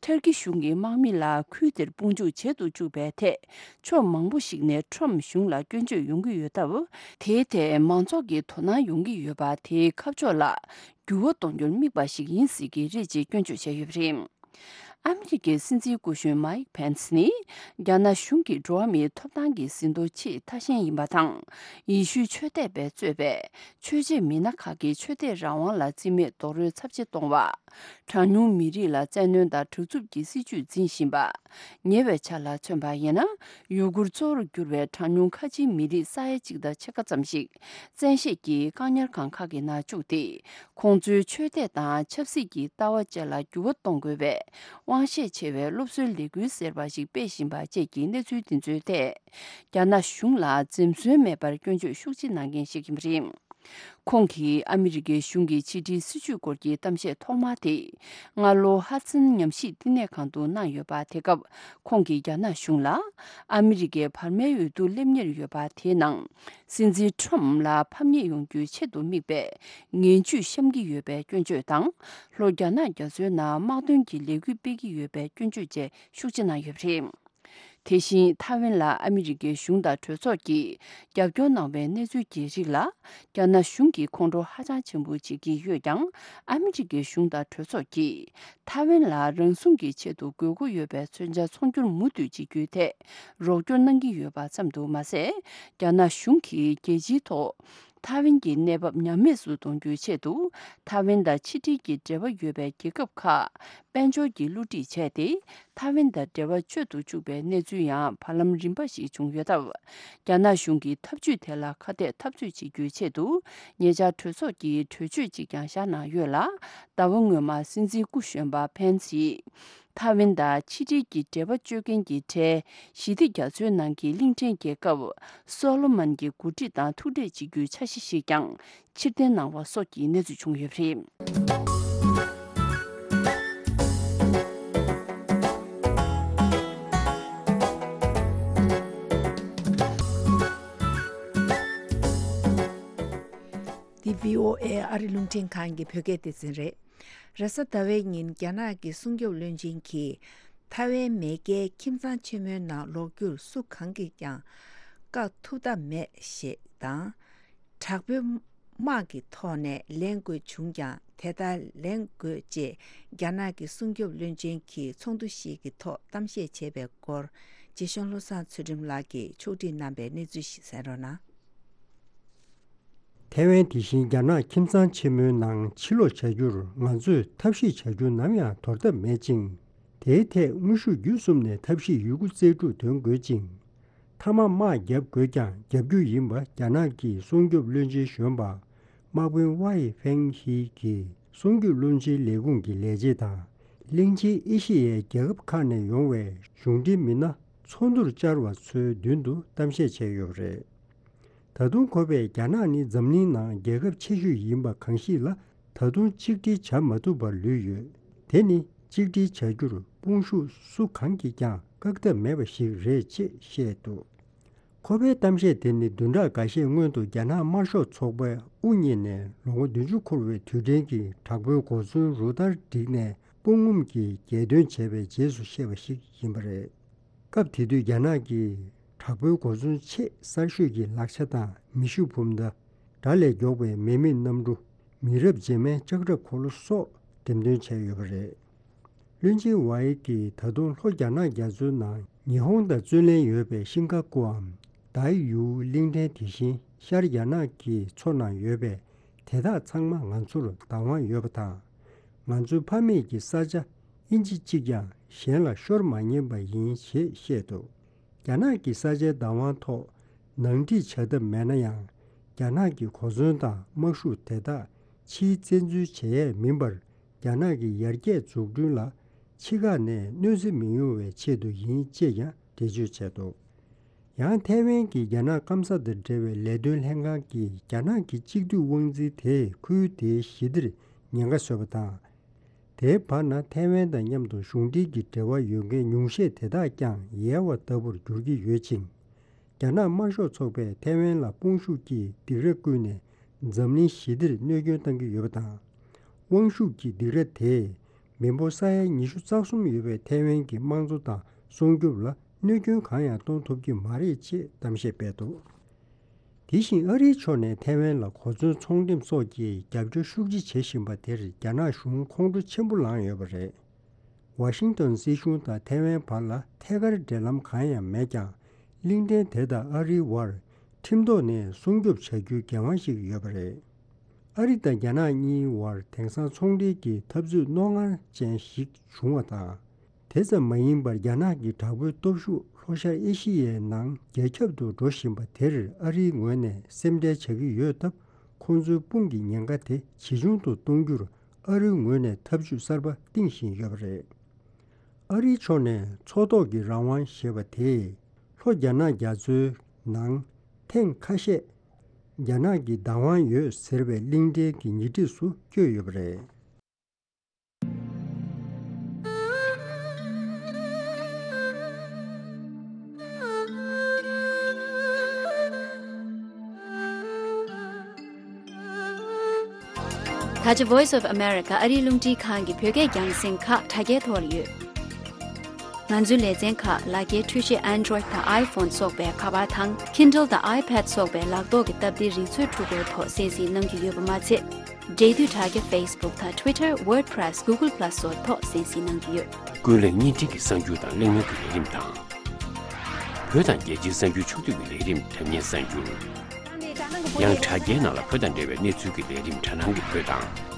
ཐར་ཀི་གཞུང་གི་དམག་མི་ལ་ཁུལ་དེར་དཔུང་འཇུག་བྱེད་དུ་བཅུག་པའི་ཐད། ཕྱོགས་མང་པོ་ཞིག་ནས་ཁྲོམ་གཞུང་ལ་སྐྱོན་བརྗོད་ཡོང་གི་ཡོད་སྟབས། དེའི་ཐད་མང་ཚོགས་ཀྱི་དོ་སྣང་ཡོང་གི་ཡོད་པ། དེའི་ཁ་ཕྱོགས་ལ་འགྱུར་བ་གཏོང་རྒྱུར་དམིགས་པ་ཞིག་ཡིན་སྲིད་ཀྱི་རེད་ཅེས་སྐྱོན་བརྗོད་བྱས་ཡོད་པ་རེད། ཨ་མི་རི་ཀའི་སྲིད་འཛིན་སྐུ་གཞོན་མའིག་ཕེན་སི་ནི། རྒྱ་ནག་གཞུང་གིས་འགྲོ་བ་མིའི་ཐོབ་ཐང་གི་ཟིན་ཐོ་ཆེས་ཐ་ཞན་ཡིན་པ་དང་། ཡེ་ཤུའི་ཆོས་དད་པས་གཙོས་པའི་ཆོས་བྱེད་མི་སྣ་ཁག་གི་ཆོས་དད་རང་དབང་ལ་བརྩི་མེད་རྡོག་རོལ་ཚབས་ཆེ་གཏོང་བ། གྲངས་ཉུང་མི་རིགས་ལ་བཙན་གནོན་དང་དྲག་རྩུབ་ཀྱི་སྲིད་བྱུས་འཛིན་བཞིན་པ། ཉེ་བའི་ཆར་ལ་མཚོན་པ་ཡིན་ན། ཡུ་གུར་གཙོ་བོར་གྱུར་བའི་གྲངས་ཉུང་ཁ་ཆེའི་མི་རིགས་ས་ཡ་གཅིག་དང་ཕྱེད་ཀ་ཙམ་ཞིག་བཙན་ཤེད་ཀྱིས་བཀག་ཉར་ཁང་ཁག་གི་ནང་བཅུག་སྟེ། ཁོང་ཚོའི་ཆོས་དད་དང་ཆབ་སྲིད་ཀྱི་ལྟ་བ་བཅས་ལ་འགྱུར་བ་གཏོང་དགོས་པའི་དབང་ཤེད་ཆེ་བའི་སློབ་གསོའི་ལས་འགུལ་ཟེར་བ་ཞིག་སྤེལ་བཞིན་པ་བཅས་ཀྱི་གནས་ཚུལ་འདི་ཚོའི་ཐད། རྒྱ་ནག་གཞུང་ལ་འཛེམ་ཟོན་མེད་པར་སྐྱོན་བརྗོད་ཤུགས་ཆེ་གནང་མཁན་ཞིག་ཡིན་པ་རེད། ཁོང་གིས་ཨ་མི་རི་ཀའི་གཞུང་གི་ཕྱི་འབྲེལ་སྲིད་བྱུས་སྐོར་གྱི་གཏམ་བཤད་ཐོག་མ་དེ། སྔ་ལོ་ཧ་ཙིན་ཉམས་ཞིབ་བསྟི་གནས་ཁང་དུ་གནང་ཡོད་པ། དེ་སྐབས་ཁོང་གིས་རྒྱ་ནག་གཞུང་ལ། ཨ་མི་རི་ཀའི་བར་མའི་འོས་བསྡུ་སླེབས་ཉེར་ཡོད་པ་དེའི་ནང་། སྲིད་འཛིན་ཁྲོམ་ལ་ཕམ་ཉེས་ཡོང་རྒྱུའི་ཆེད་དུ་དམིགས་པའི་ངན་ཇུས་བཤམས་ཀྱི་ཡོད་པའི་སྐྱོན་བརྗོད་དང་། ལྷོ་རྒྱ་ནག་རྒྱ་མཚོའི་ནང་དམག་དོན་གྱི་ལས་འགུལ་སྤེལ་གྱི་ཡོད་པའི་སྐྱོན་བརྗོད་བཅས་ཤུགས་ཆེ་གནང་ཡོད་པ་རེད། དེ་བཞིན་ཐའེ་ཝན་ལ་ཨ་མི་རི་ཀའི་གཞུང་དང་གྲོས་ཚོགས་ཀྱིས་རྒྱབ་སྐྱོར་གནང་བའི་གནས་ཚུལ་གྱི་རིགས་ལ། རྒྱ་ནག་གཞུང་གིས་ཁོང་ཁྲོ་ཧ་ཅང་ཆེན་པོ་བྱེད་ཀྱི་ཡོད་ཀྱང་། ཨ་མི་རི་ཀའི་གཞུང་དང་གྲོས་ཚོགས་ཀྱིས་ཐའེ་ཝན་ལ་རང་སྲུང་གི་ཆེད་དུ་དགོས་མཁོ་ཡོད་པའི་མཚོན་ཆ་ཚོང་སྒྱུར་མུ་མཐུད་བྱེད་རྒྱུའི་ཐད་རོགས་སྐྱོར་གནང་གི་ཡོད་པ་ཙམ་དུ་མ་ཟད། རྒྱ་ནག་གཞུང་གིས་རྒྱལ་སྤྱིའི་ཐོག་ཐའེ་ཝན་གྱི་གནས་བབ་ཉམས་དམས་སུ་གཏོང་རྒྱུའི་ཆེད་དུ། ཐའེ་ཝན་དང་ཕྱི་འབྲེལ་གྱི་འབྲེལ་བ་ཡོད་པའི་རྒྱལ་ཁབ་ཁག་དཔལ་འབྱོར་གྱི་བསླུ་བྲིད་བྱས་ཏེ། ཐའེ་ཝན་དང་འབྲེལ་བ་གཅོད་དུ་བཅུག་པའི་གནས་ཚུལ་ཡང་བར་ལམ་རིམ་པ་ཞིག་བྱུང་ཡོད་སྟབས། རྒྱ་ནག་གཞུང་གིས་ཐབས་ཇུས་དེ་ལ་ཁ་གཏད་འཐབ་རྩོད་བྱེད་རྒྱུའི་ཆེད་དུ། ཉེ་ཆར་གྲོས་ཚོགས་ཀྱིས་གྲོས་ཆོད་ཅིག་ཀྱང་བཞག་གནང་ཡོད་ལ། ཟླ་བ་སྔོན་མ་སྲིད་འཛིན་སྐུ་གཞོན་པ་ཕན་སིས། ཐའེ་ཝན་དང་ཕྱི་འབྲེལ་གྱི་འབྲེལ་བ་གཅོད་མཁན་གྱི་གྲས་ཞི་བདེ་རྒྱ་མཚོའི་ནང་གི་གླིང་ཕྲན་རྒྱལ་ཁབ་སོ་ལོ་མོན་གྱི་འགོ་ཁྲིད་དང་ཐུག་འཕྲད་བྱེད་རྒྱུའི་འཆར་གཞི་ཞིག་ཀྱང་ཕྱིར་འཐེན་གནང་བ་སོགས་ཀྱི་གནས་ཚུལ་བྱུང་ཡོད་པ་རེད། འདི་བྷི་ཨོ་ཨེ་ཨ་རི་རླུང་འཕྲིན་ཁང་གི་བོད་སྐད་སྡེ་ཚན་རེད། རེས་གཟའ་ཟླ་བའི་ཉིན་རྒྱ་ནག་གི་སྲུང་སྐྱོབ་བློན་ཆེན་གྱིས། ཐའེ་ཝན་མེས་རྒྱལ་ཁྱིམ་ཚང་ཆེན་མོའི་ནང་ལོག་རྒྱུར་སུ་གང་གིས་ཀྱང་བཀག་ཐུབ་ཐབས་མེད་ཞེས་དང་། དྲག་པོའི་དམག་གི་ཐོག་ནས་ལེན་དགོས་བྱུང་ཀྱང་དེ་ལྟར་ལེན་དགོས་ཅེས་རྒྱ་ནག་གི་སྲུང་སྐྱོབ་བློན་ཆེན་གྱིས་ཚོགས་འདུ་ཞིག་གི་ཐོག་གཏམ་བཤད་བྱས་པའི་སྐོར། རྗེ་གཞུང་བློ་བཟང་ཚུལ་ཁྲིམས་ལགས་ཀྱིས་ཕྱོགས་སྒྲིག་གནང་པའི་གནས་ཚུལ་ཞིག་གསན་རོགས་གནང་། ཐའེ་ཝན་དེ་བཞིན་རྒྱ་ནག་ཁྱིམ་ཚང་ཆེན་མོའི་ནང་ཕྱིར་ལོག་བྱ་རྒྱུར་ང་ཚོས་ཐབས་ཤེས་བྱ་རྒྱུ་ནམ་ཡང་དོར་ཐབས་མེད་ཅིང་། དེའི་ཐད་དངོས་ཤུགས་བརྒྱུད་གསུམ་ནས་ཐབས་ཤེས་ཡོད་རྒུ་རྩལ་སྤྲུགས་འདོན་དགོས་ཅིང་། མཐའ་མ་དམག་བརྒྱབ་དགོས་ཀྱང་རྒྱབ་རྒྱུ་ཡིན་པ་རྒྱ་ནག་གི་སྲུང་སྐྱོབ་བློན་ཆེན་གཞོན་པ་དམག་དཔོན་ཝའེ་ཧྥེང་ཧི་གིས་སྲུང་སྐྱོབ་བློན་ཆེན་ལས་ཁུངས་ཀྱི་ལས་བྱེད་དང་གླིང་ཆེན་ཨེ་ཤེ་ཡའི་རྒྱལ་ཁབ་ཁག་ནས་ཡོང་བའི་གཞུང་འབྲེལ་མི་སྣ་ཚོགས་འདུར་བཅར་བ་ཚོའི་མདུན་དུ་གཏམ་བཤད་བྱས་ཡོད་པ་རེད། ད་དུང་ཁོ་པས་རྒྱ་ནག་ནི་འཛམ་གླིང་ནང་རྒྱལ་ཁབ་ཆེ་ཤོས་ཡིན་པ་གང་ཞིག་ལ་ད་དུང་གཅིག་སྒྲིལ་བྱ་མ་ཐུབ་པར་ལུས་ཡོད། དེ་ནི་གཅིག་སྒྲིལ་བྱ་རྒྱུར་དཔུང་ཤུགས་སུ་གང་གིས་ཀྱང་བཀག་ཐབས་མེད་པ་ཞིག་རེད་ཅེས་བཤད་འདུག་ཁོ་པའི་གཏམ་བཤད་དེ་ནི་བདུན་ཕྲག་འགའ་ཤས་སྔོན་དུ་རྒྱ་ནག་དམར་ཤོག་ཚོགས་པས་དབུ་བརྙེས་ནས་ལོ་ངོ་བདུན་ཅུ་འཁོར་བའི་དུས་དྲན་གྱི་དྲག་པོའི་གོ་མཚོན་རུ་སྟར་བསྒྲིགས་ནས་དཔུང་ངོམ་གྱིས་རྒྱལ་སྟོན་བྱས་པའི་རྗེས་སུ་བཤད་པ་ཞིག་ཡིན་པ་རེད། སྐབས་དེ་དུས་རྒྱ་ནག་གི་དྲག་པོའི་གོ་མཚོན་ཆེས་གསར་ཤོས་ཀྱི་ལག་ཆ་དང་མེ་ཤུགས་འབུམ་མདའ། དགྲ་ལས་མགྱོགས་པའི་མེ་མེད་གནམ་གྲུ། མི་རབས་རྗེས་མའི་ལྕགས་ཁྲབ་འཁོར་ལོ་སོགས་འགྲེམས་སྟོན་བྱས་ཡོད་པ་རེད། བློན་ཆེན་ཝའེ་གིས་ད་དུང་ལྷོ་རྒྱ་ནག་རྒྱ་མཚོའི་ནང་ཉི་ཧོང་དང་རྩོད་གླེང་ཡོད་པའི་ཤིང་ཀ་ཀུའམ། དཱའི་ཡུའུ་གླིང་ཕྲན་དེ་བཞིན་ཤར་རྒྱ་ནག་གི་མཚོ་ནང་ཡོད་པའི་དེ་དག་ཚང་མ་ང་ཚོར་བདག་དབང་ཡོད་པ་དང་། ང་ཚོའི་ཕ་མེས་ཀྱི་ས་ཆ་ཨིན་ཅི་གཅིག་ཀྱང་གཞན་ལ་ཤོར་མ་ཉན་པ་ཡིན་ཞེས་བཤད་འདུག་རྒྱ་ནག་གི་ས་ཆའི་བདག་དབང་ཐོག་ནང་འགྲིག་བྱ་ཐབས་མེད་ན་ཡང་། རྒྱ་ནག་གི་གོ་མཚོན་དང་དམག་ཤུགས་དེ་དག་ཕྱིའི་བཙན་འཛུལ་བྱེད་ཡས་མིན་པར། རྒྱ་ནག་གི་ཡར་རྒྱས་འཛུགས་སྐྲུན་ལ་ཕྱི་ཁ་ནས་གནོད་འཚེ་མི་ཡོང་བའི་ཆེད་དུ་ཡིན་ཅེས་ཀྱང་འགྲེལ་བརྗོད་བྱས་འདུག། ཡང་ཐའེ་ཝན་གྱི་རྒྱ་ནག་སྐམ་ས་དང་འབྲེལ་བའི་ལས་དོན་ལྷན་ཁང་གིས། རྒྱ་ནག་གི་གཅིག་སྡུད་དབང་འཛིན་དེས་ཁུལ་དེའི་ཞི་བདེར་ཉེན་ཁ་བཟོས་པ་དང་། དེའི་བར་ན་ཐའེ་ཝན་དང་མཉམ་དུ་གཞུང་འབྲེལ་གྱི་འབྲེལ་བ་ཡོད་མཁན་ཉུང་ཤས་དེ་དག་ཀྱང་ཡལ་བ་ལྟ་བུར་འགྱུར་གྱི་ཡོད་ཅིང་། རྒྱ་ནག་དམར་ཤོག་ཚོགས་པས་ཐའེ་ཝན་ལ་དཔུང་ཤུགས་ཀྱིས་སྡིགས་ར་བསྐུལ་ནས་འཛམ་གླིང་ཞི་བདེར་གནོད་སྐྱོན་བཏང་གི་ཡོད་པ་དང་། དབང་ཤུགས་ཀྱི་སྡིགས་ར་དེས་མི་འབོར་ས་ཡ་ཉི་ཤུ་རྩ་གསུམ་ཡོད་པའི་ཐའེ་ཝན་གྱི་དམངས་གཙོ་དང་སྲུང་སྐྱོབ་ལ་གནོད་སྐྱོན་གང་ཡང་གཏོང་ཐུབ་ཀྱི་མ་རེད་ཅེས་གཏམ་བཤད་སྤེལ་འདུག། དེ་བཞིན་ཨ་རིའི་ཕྱོགས་ནས་ཐའེ་ཝན་ལ་གོ་མཚོན་ཚོང་འགྲེམས་སོགས་ཀྱི་རྒྱབ་སྐྱོར་ཤུགས་ཆེ་བྱེད་བཞིན་པ་དེར་རྒྱ་ནག་གཞུང་ཁོང་ཁྲོ་ཆེན་པོ་ལངས་ཡོད་པ་རེད། ཝ་ཤིང་ཏོན་སྲིད་གཞུང་དང་ཐའེ་ཝན་བར་ལ་ཐད་ཀར་འབྲེལ་ལམ་གང་ཡང་མེད་ཀྱང་། གླིང་ཕྲན་དེ་དང་ཨ་རིའི་བར་ཁྲིམས་ཐོག་ནས་སྲུང་སྐྱོབ་བྱ་རྒྱུའི་འགན་དབང་ཞིག་ཡོད་པ་རེད། ཨ་རི་དང་རྒྱ་ནག་གཉིས་བར་དེང་སང་ཚོང་འབྲེལ་གྱི་འཐབ་རྩོད་རྣོ་ངར་ཅན་ཞིག་བྱུང་བ་དང་། དེ་ཙམ་མ་ཡིན་པར་རྒྱ་ནག་གི་དྲག་པོའི་སྟོབས་ཤུགས་ལྷོ་ཤར་ཨེ་ཤི་ཡའི་ནང་རྒྱ་ཁྱབ་ཏུ་འགྲོ་བཞིན་པ་དེར་ཨ་རིའི་ངོས་ནས་སེམས་ཁྲལ་བྱ་གི་ཡོད་སྟབས། ཁོང་ཚོའི་དཔུང་གི་ཉེན་ཁ་དེ་ཇེ་ཆུང་དུ་གཏོང་རྒྱུར་ཨ་རིའི་ངོས་ནས་ཐབས་ཇུས་གསར་པ་བཏིང་བཞིན་ཡོད་པ་རེད། ཨ་རིའི་ཕྱོགས་ནས་མཚོ་ཐོག་གི་རང་དབང་ཞེས་པ་དེས་ལྷོ་རྒྱ་ནག་རྒྱ་མཚོའི་ནང་ཐེངས་ཁ་ཤས་རྒྱ་ནག་གི་བདག་དབང་ཡོད་ཟེར་བའི་གླིང་ཕྲན་གྱི་ཉེ་འཁྲིས་སུ་བསྐྱོད་ཡོད་པ་རེད། ད་ཆ་Voice of America ཨ་རིའི་རླུང་འཕྲིན་ཁང་གི་བོད་སྐད་རྒྱང་སྲིང་ཁག་དྲ་རྒྱའི་ཐོག་ལ་ཡོད། ང་ཚོའི་ལེ་ཚན་ཁག་ལག་འཁྱེར་འཕྲུལ་ཆས་Android དང་iPhone སོགས་པའི་ཁ་པར་དང་Kindle དང་iPad སོགས་པའི་ལག་ཐོག་གི་སྟབས་བདེའི་རིག་མཛོད་འཕྲུལ་འཁོར་ཐོག་གསན་གཟིགས་གནང་རྒྱུ་ཡོད་པ་མ་ཚད། འབྲེལ་མཐུད་དྲ་རྒྱ་Facebook དང་Twitter, WordPress, Google Plus སོགས་ཐོག་གསན་གཟིགས་གནང་རྒྱུ་ཡོད། ཀུན་གླེང་བརྙན་འཕྲིན་གྱི་གསར་འགྱུར་དང་གླེང་མོལ་གྱི་ལས་རིམ་དང་། བོད་དང་རྒྱལ་སྤྱིའི་གསར་འགྱུར་ཕྱོགས་བསྡུས་ཀྱི་ལས་རིམ་དྲ་བརྙན་གསར་འགྱུར། ཡང་དྲ་རྒྱའི་ནང་ལ་བོད་དང་འབྲེལ་བའི་གནས་ཚུལ་གྱི་ལས་རིམ་དྲ་སྣང་གི་བོད་དང་།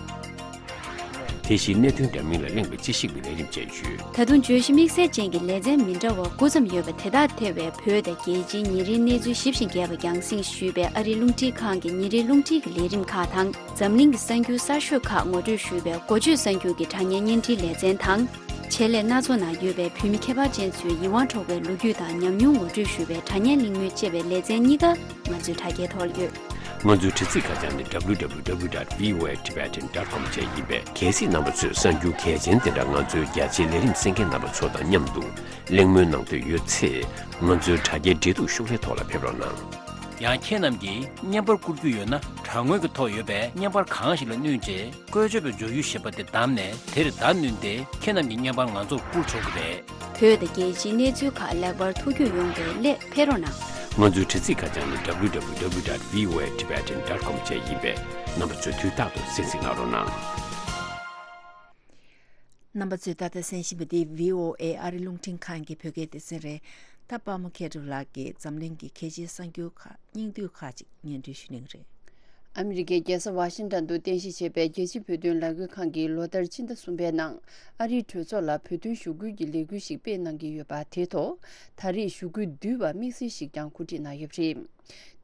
དེ་བཞིན་གནད་དོན་འདྲ་མིན་ལ་གླེང་བའི་དཔྱད་ཞིབ་ཀྱི་ལས་རིམ་བཅས་ཡོད། ད་དུང་བརྗོད་གཞི་དམིགས་བསལ་ཅན་གྱི་ལེ་ཚན་མི་འདྲ་བ་དགུ་ཙམ་ཡོད་པ་དེ་དག་ཐེ་བའི་བོད་དང་རྒྱལ་སྤྱིའི་ཉིན་རེའི་གནས་ཚུལ་ཞིབ་ཅིང་རྒྱས་པ་རྒྱང་སྲིང་ཞུས་པའི་ཨ་རིའི་རླུང་འཕྲིན་ཁང་གི་ཉིན་རེའི་རླུང་འཕྲིན་གྱི་ལས་རིམ་ཁག་དང་། འཛམ་གླིང་གི་གསར་འགྱུར་གསར་ཤོས་ཁག་ངོ་སྤྲོད་ཞུས་པའི་འགོ་བརྗོད་གསར་འགྱུར་གྱི་དྲ་བརྙན་བརྙན་འཕྲིན་ལེ་ཚན་དང་། ཆེད་ལས་སྣ་ཚོགས་ནང་ཡོད་པའི་བོད་མི་ཁྱད་པར་ཅན་ཚོའི་ཡིད་དབང་འཕྲོག་པའི་ལོ་རྒྱུས་དང་ཉམས་མྱོང་ངོ་སྤྲོད་ཞུ་བའི་དྲ་བརྙན་གླེང་མོལ་ཅེས་པའི་ལེ་ཚན་གཉིས་ཀ་ང་ཚོའི་དྲ་རྒྱའི་ཐོག་ལ་ཡོད། ང་ཚོའི་དྲ་ཚིགས་ཁ་བྱང་ནི་W W W dot V O A Tibetan dot com བཅས་ཡིན་པས། གལ་སྲིད་རྣམ་པ་ཚོས་གསར་འགྱུར་གལ་ཆེན་དེ་འདྲ་ང་ཚོའི་རྒྱ་ཆེའི་ལས་རིམ་གསན་མཁན་རྣམ་པ་ཚོ་དང་མཉམ་དུ་གླེང་མོལ་གནང་འདོད་ཡོད་ཚེ། ང་ཚོའི་དྲ་རྒྱའི་འབྲེལ་གཏུག་ཤོག་ལྷེ་ཐོག་ལ་ཕེབས་རོགས་གནང་། ཡང་ཁྱེད་རྣམས་ཀྱིས་བརྙན་པར་བསྐུར་རྒྱུ་ཡོད་ན། དྲ་ངོས་ཀྱི་ཐོག་ཡོད་པའི་བརྙན་པར་གང་ཞིག་ལ་བསྣུན་རྗེས། བཀོལ་སྤྱོད་པའི་སྦྱོར་ཡུལ་ཞེས་པ་དེ་བདམས་ནས། དེར་བརྡ་བསྣུན་ཏེ་ཁྱེད་རྣམས་ཀྱི་བརྙན་པར་ང་ཚོར་བསྐུར་ཆོག་གི་རེད། བོད་དང་རྒྱལ་སྤྱིའི་གནས་ཚུལ་ཁག་ལེགས་པར་ཐུགས་རྒྱུས་ཡོང་བའི་སླད་ཕེབས་རོགས་གནང་། ང་ཚོའི་དྲ་ཚིགས་ཁ་བྱང་ནི་W W W dot V O A Tibetan dot com བཅས་ཡིན་པས། རྣམ་པ་ཚོས་དུས་རྟག་ཏུ་གསན་གཟིགས་གནང་རོགས་གནང་། རྣམ་པ་ཚོས་ད་ལྟ་གསན་བཞིན་པ་འདི་V O A ཨ་རི་རླུང་འཕྲིན་ཁང་གི་བོད་སྐད་སྡེ་ཚན་རེད། ད་པདྨ་མཁས་གྲུབ་ལགས་ཀྱིས་འཛམ་གླིང་གི་གལ་ཆེའི་གསར་འགྱུར་ཁག་སྙིང་བསྡུས་ཁག་ཅིག་སྙན་སྒྲོན་ཞུ་གནང་གི་རེད། ཨ་མི་རི་ཀའི་རྒྱལ་ས་ཝ་ཤིང་ཏོན་དུ་རྟེན་གཞི་བྱས་པའི་རྒྱལ་སྤྱིའི་བོད་དོན་ལས་འགུལ་ཁང་གིས་ལོ་ལྟར་ཕྱི་ཟླ་གསུམ་པའི་ནང་ཨ་རིའི་གྲོས་ཚོགས་ལ་བོད་དོན་ཞུ་སྐུལ་གྱི་ལས་འགུལ་ཞིག་སྤེལ་གནང་གི་ཡོད་པ། དེའི་ཐོག་ད་རེས་ཞུ་སྐུལ་བསྡུས་པ་དམིགས་བསལ་ཞིག་ཀྱང་གོ་སྒྲིག་གནང་ཡོད་པ་རེད།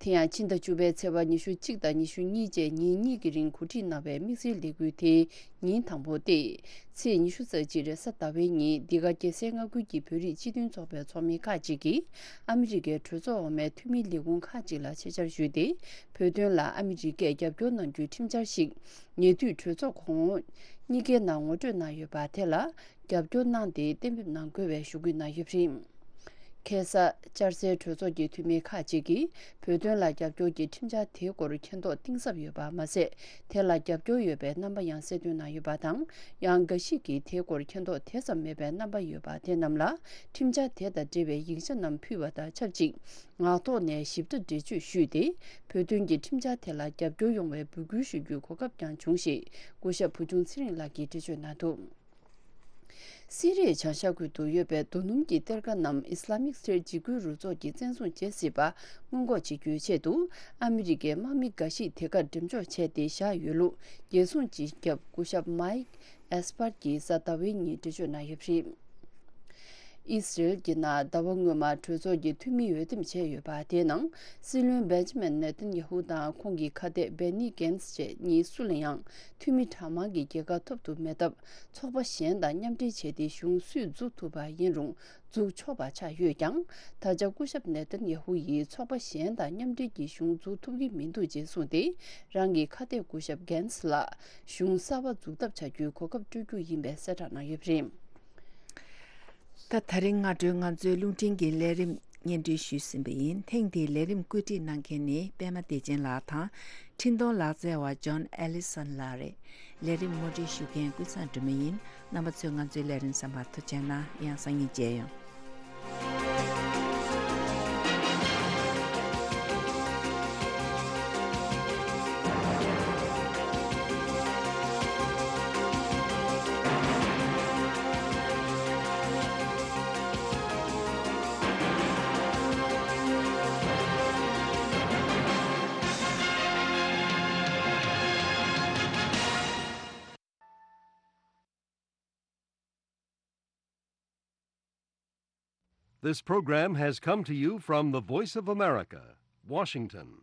དེ་ཡང་ཕྱི་ཟླ་བཅུ་པའི་ཚེས་པ་ཉི་ཤུ་གཅིག་དང་ཉི་ཤུ་གཉིས་བཅས་ཉིན་གཉིས་ཀྱི་རིང་གོ་སྒྲིག་གནང་བའི་དམིགས་བསལ་ལས་འགུལ་དེའི་ཉིན་དང་པོ་སྟེ། ཚེས་ཉི་ཤུ་རྩ་གཅིག་རེས་གཟའ་ཟླ་བའི་ཉིན་འདི་ག་རྒྱལ་སའི་མངའ་ཁུལ་གྱི་བོད་རིགས་སྤྱི་མཐུན་ཚོགས་པའི་ཚོགས་མི་ཁག་ཅིག་གིས་ཨ་མི་རི་ཀའི་གྲོས་ཚོགས་འོག་མའི་འཐུས་མིའི་ལས་ཁུངས་ཁག་ཅིག་ལ་ཆེད་བཅར་ཞུས་ཏེ། བོད་དོན་ལ་ཨ་མི་རི་ཀས་རྒྱབ་སྐྱོར་གནང་རྒྱུའི་ཁྲིམས་འཆར་ཞིག་ཉེ་དུས་གྲོས་ཚོགས་གོང་འོག་གཉིས་ཀའི་ནང་ངོ་སྤྲོད་གནང་ཡོད་པ་དེ་ལ། རྒྱབ་སྐྱོར་གནང་སྟེ་གཏན་འབེབས་གནང་དགོས་པའི་ཞུ་སྐུལ་གནང་ཡོད་པ་རེད། ཁ་སང་བཅར་སའི་གྲོས་ཚོགས་ཀྱི་འཐུས་མི་ཁག་ཅིག་གིས་བོད་དོན་ལ་རྒྱབ་སྐྱོར་གྱི་ཁྲིམས་འཆར་དེའི་སྐོར་མཁྱེན་རྟོགས་གཏིང་ཟབ་ཡོད་པ་མ་ཟད། དེ་ལ་རྒྱབ་སྐྱོར་ཡོད་པའི་རྣམ་པ་ཡང་གསལ་སྟོན་གནང་ཡོད་པ་དང་། ཡང་འགའ་ཞིག་གིས་དེའི་སྐོར་མཁྱེན་རྟོགས་དེ་ཙམ་མེད་པའི་རྣམ་པ་ཡོད་པ་དེ་རྣམས་ལ་ཁྲིམས་འཆར་དེ་དང་འབྲེལ་བའི་ཡིག་ཆ་རྣམས་ཕུལ་བ་དང་ཆབས་ཅིག་ངག་ཐོག་ནས་ཞིབ་ཕྲ་འགྲེལ་བརྗོད་ཞུས་ཏེ། བོད་དོན་གྱི་ཁྲིམས་འཆར་དེ་ལ་རྒྱབ་སྐྱོར་ཡོང་བའི་འབོད་སྐུལ་ཞུ་རྒྱུའི་གོ་སྐབས་ཀྱང་བྱུང་ཞེས་སྐུ་ཞབས་བུ་ཆུང་ཚེ་རིང་ལགས་ཀྱིས་འགྲེལ་བརྗོད་གནང་འདུག། སི་རིའི་བྱང་ཤར་ཁུལ་དུ་ཡོད་པའི་རྡོ་སྣུམ་གྱི་གཏེར་ཁ་རྣམས་ཨི་སི་ལ་མིག་སི་ཊེཊ་འཇིགས་སྐུལ་རུ་ཚོགས་ཀྱིས་བཙན་བཟུང་བྱེད་སྲིད་པ་སྔོན་འགོག་བྱེད་རྒྱུའི་ཆེད་དུ། ཨ་མི་རི་ཀའི་དམག་མི་འགའ་ཞིག་དེ་གར་འགྲེམས་འཇོག་བྱས་ཏེ་བཞག་ཡོད་ལུགས། རྒྱལ་སྲུང་སྤྱི་ཁྱབ་སྐུ་ཞབས་མཱིག་ཨེས་པར་གྱིས་གཟའ་ཟླ་བའི་ཉིན་འགྲེལ་བརྗོད་གནང་ཡོད་པ་རེད། ཨི་སི་རེལ་གྱི་ནང་ཟླ་བ་སྔོན་མ་གྲོས་ཚོགས་ཀྱི་འཐུས་མི་འོས་འདེམས་བྱས་ཡོད་པ། དེའི་ནང་སྲིད་བློན་བེན་ཇི་མིན་ནེ་ཐན་ཡ་ཧུ་དང་ཁོང་གི་ཁ་གཏད་བེ་ནི་གན་སི་བཅས་གཉིས་སུ་ལ་ཡང་འཐུས་མི་གྲངས་མང་གི་རྒྱལ་ཁ་ཐོབ་ཐུབ་མེད་སྟབས། ཚོགས་པ་གཞན་དང་མཉམ་འབྲེལ་བྱས་ཏེ་གཞུང་སུས་འཛུགས་ཐུབ་པ་ཡིན་རུང་འཛུགས་ཆོག་པ་ཆགས་ཡོད་ཀྱང་། ད་ཆ་སྐུ་ཞབས་ནེ་ཐན་ཡ་ཧུ་ཡིས་ཚོགས་པ་གཞན་དང་མཉམ་འབྲེལ་གྱིས་གཞུང་འཛུགས་ཐུབ་ཀྱི་མི་འདུག་ཅེས་གསུངས་ཏེ། རང་གི་ཁ་གཏད་སྐུ་ཞབས་གན་སི་ལ་གཞུང་གསར་པ་འཛུགས་ཐབས་བྱ་རྒྱུའི་གོ་སྐབས་སྤྲོད་རྒྱུ་ཡིན་པའི་གསལ་བསྒྲགས་གནང་ཡོད་པ་རེད། ད། ད་རིང་སྔ་དྲོའི་ང་ཚོའི་རླུང་འཕྲིན་གྱི་ལས་རིམ་སྙན་སྒྲོན་ཞུས་ཟིན་པ་ཡིན། ཐེངས་འདིའི་ལས་རིམ་བཀོད་སྒྲིག་གནང་མཁན་ནི་པད་མ་བདེ་ཆེན་ལགས་དང་། འཕྲིན་གཏོང་ལག་རྩལ་བ་ཇོན་ཨེ་ལི་སོན་ལགས་རེད། ལས་རིམ་ངོ་སྤྲོད་ཞུ་མཁན་ཀུན་བཟང་སྒྲོལ་མ་ཡིན། རྣམ་པ་ཚོས་ང་ཚོའི་ལས་རིམ་གསན་པར་ཐུགས་རྗེ་གནང་། ཡང་སང་ཉིན་མཇལ་ཡོང་། This program has come to you from the Voice of America, Washington.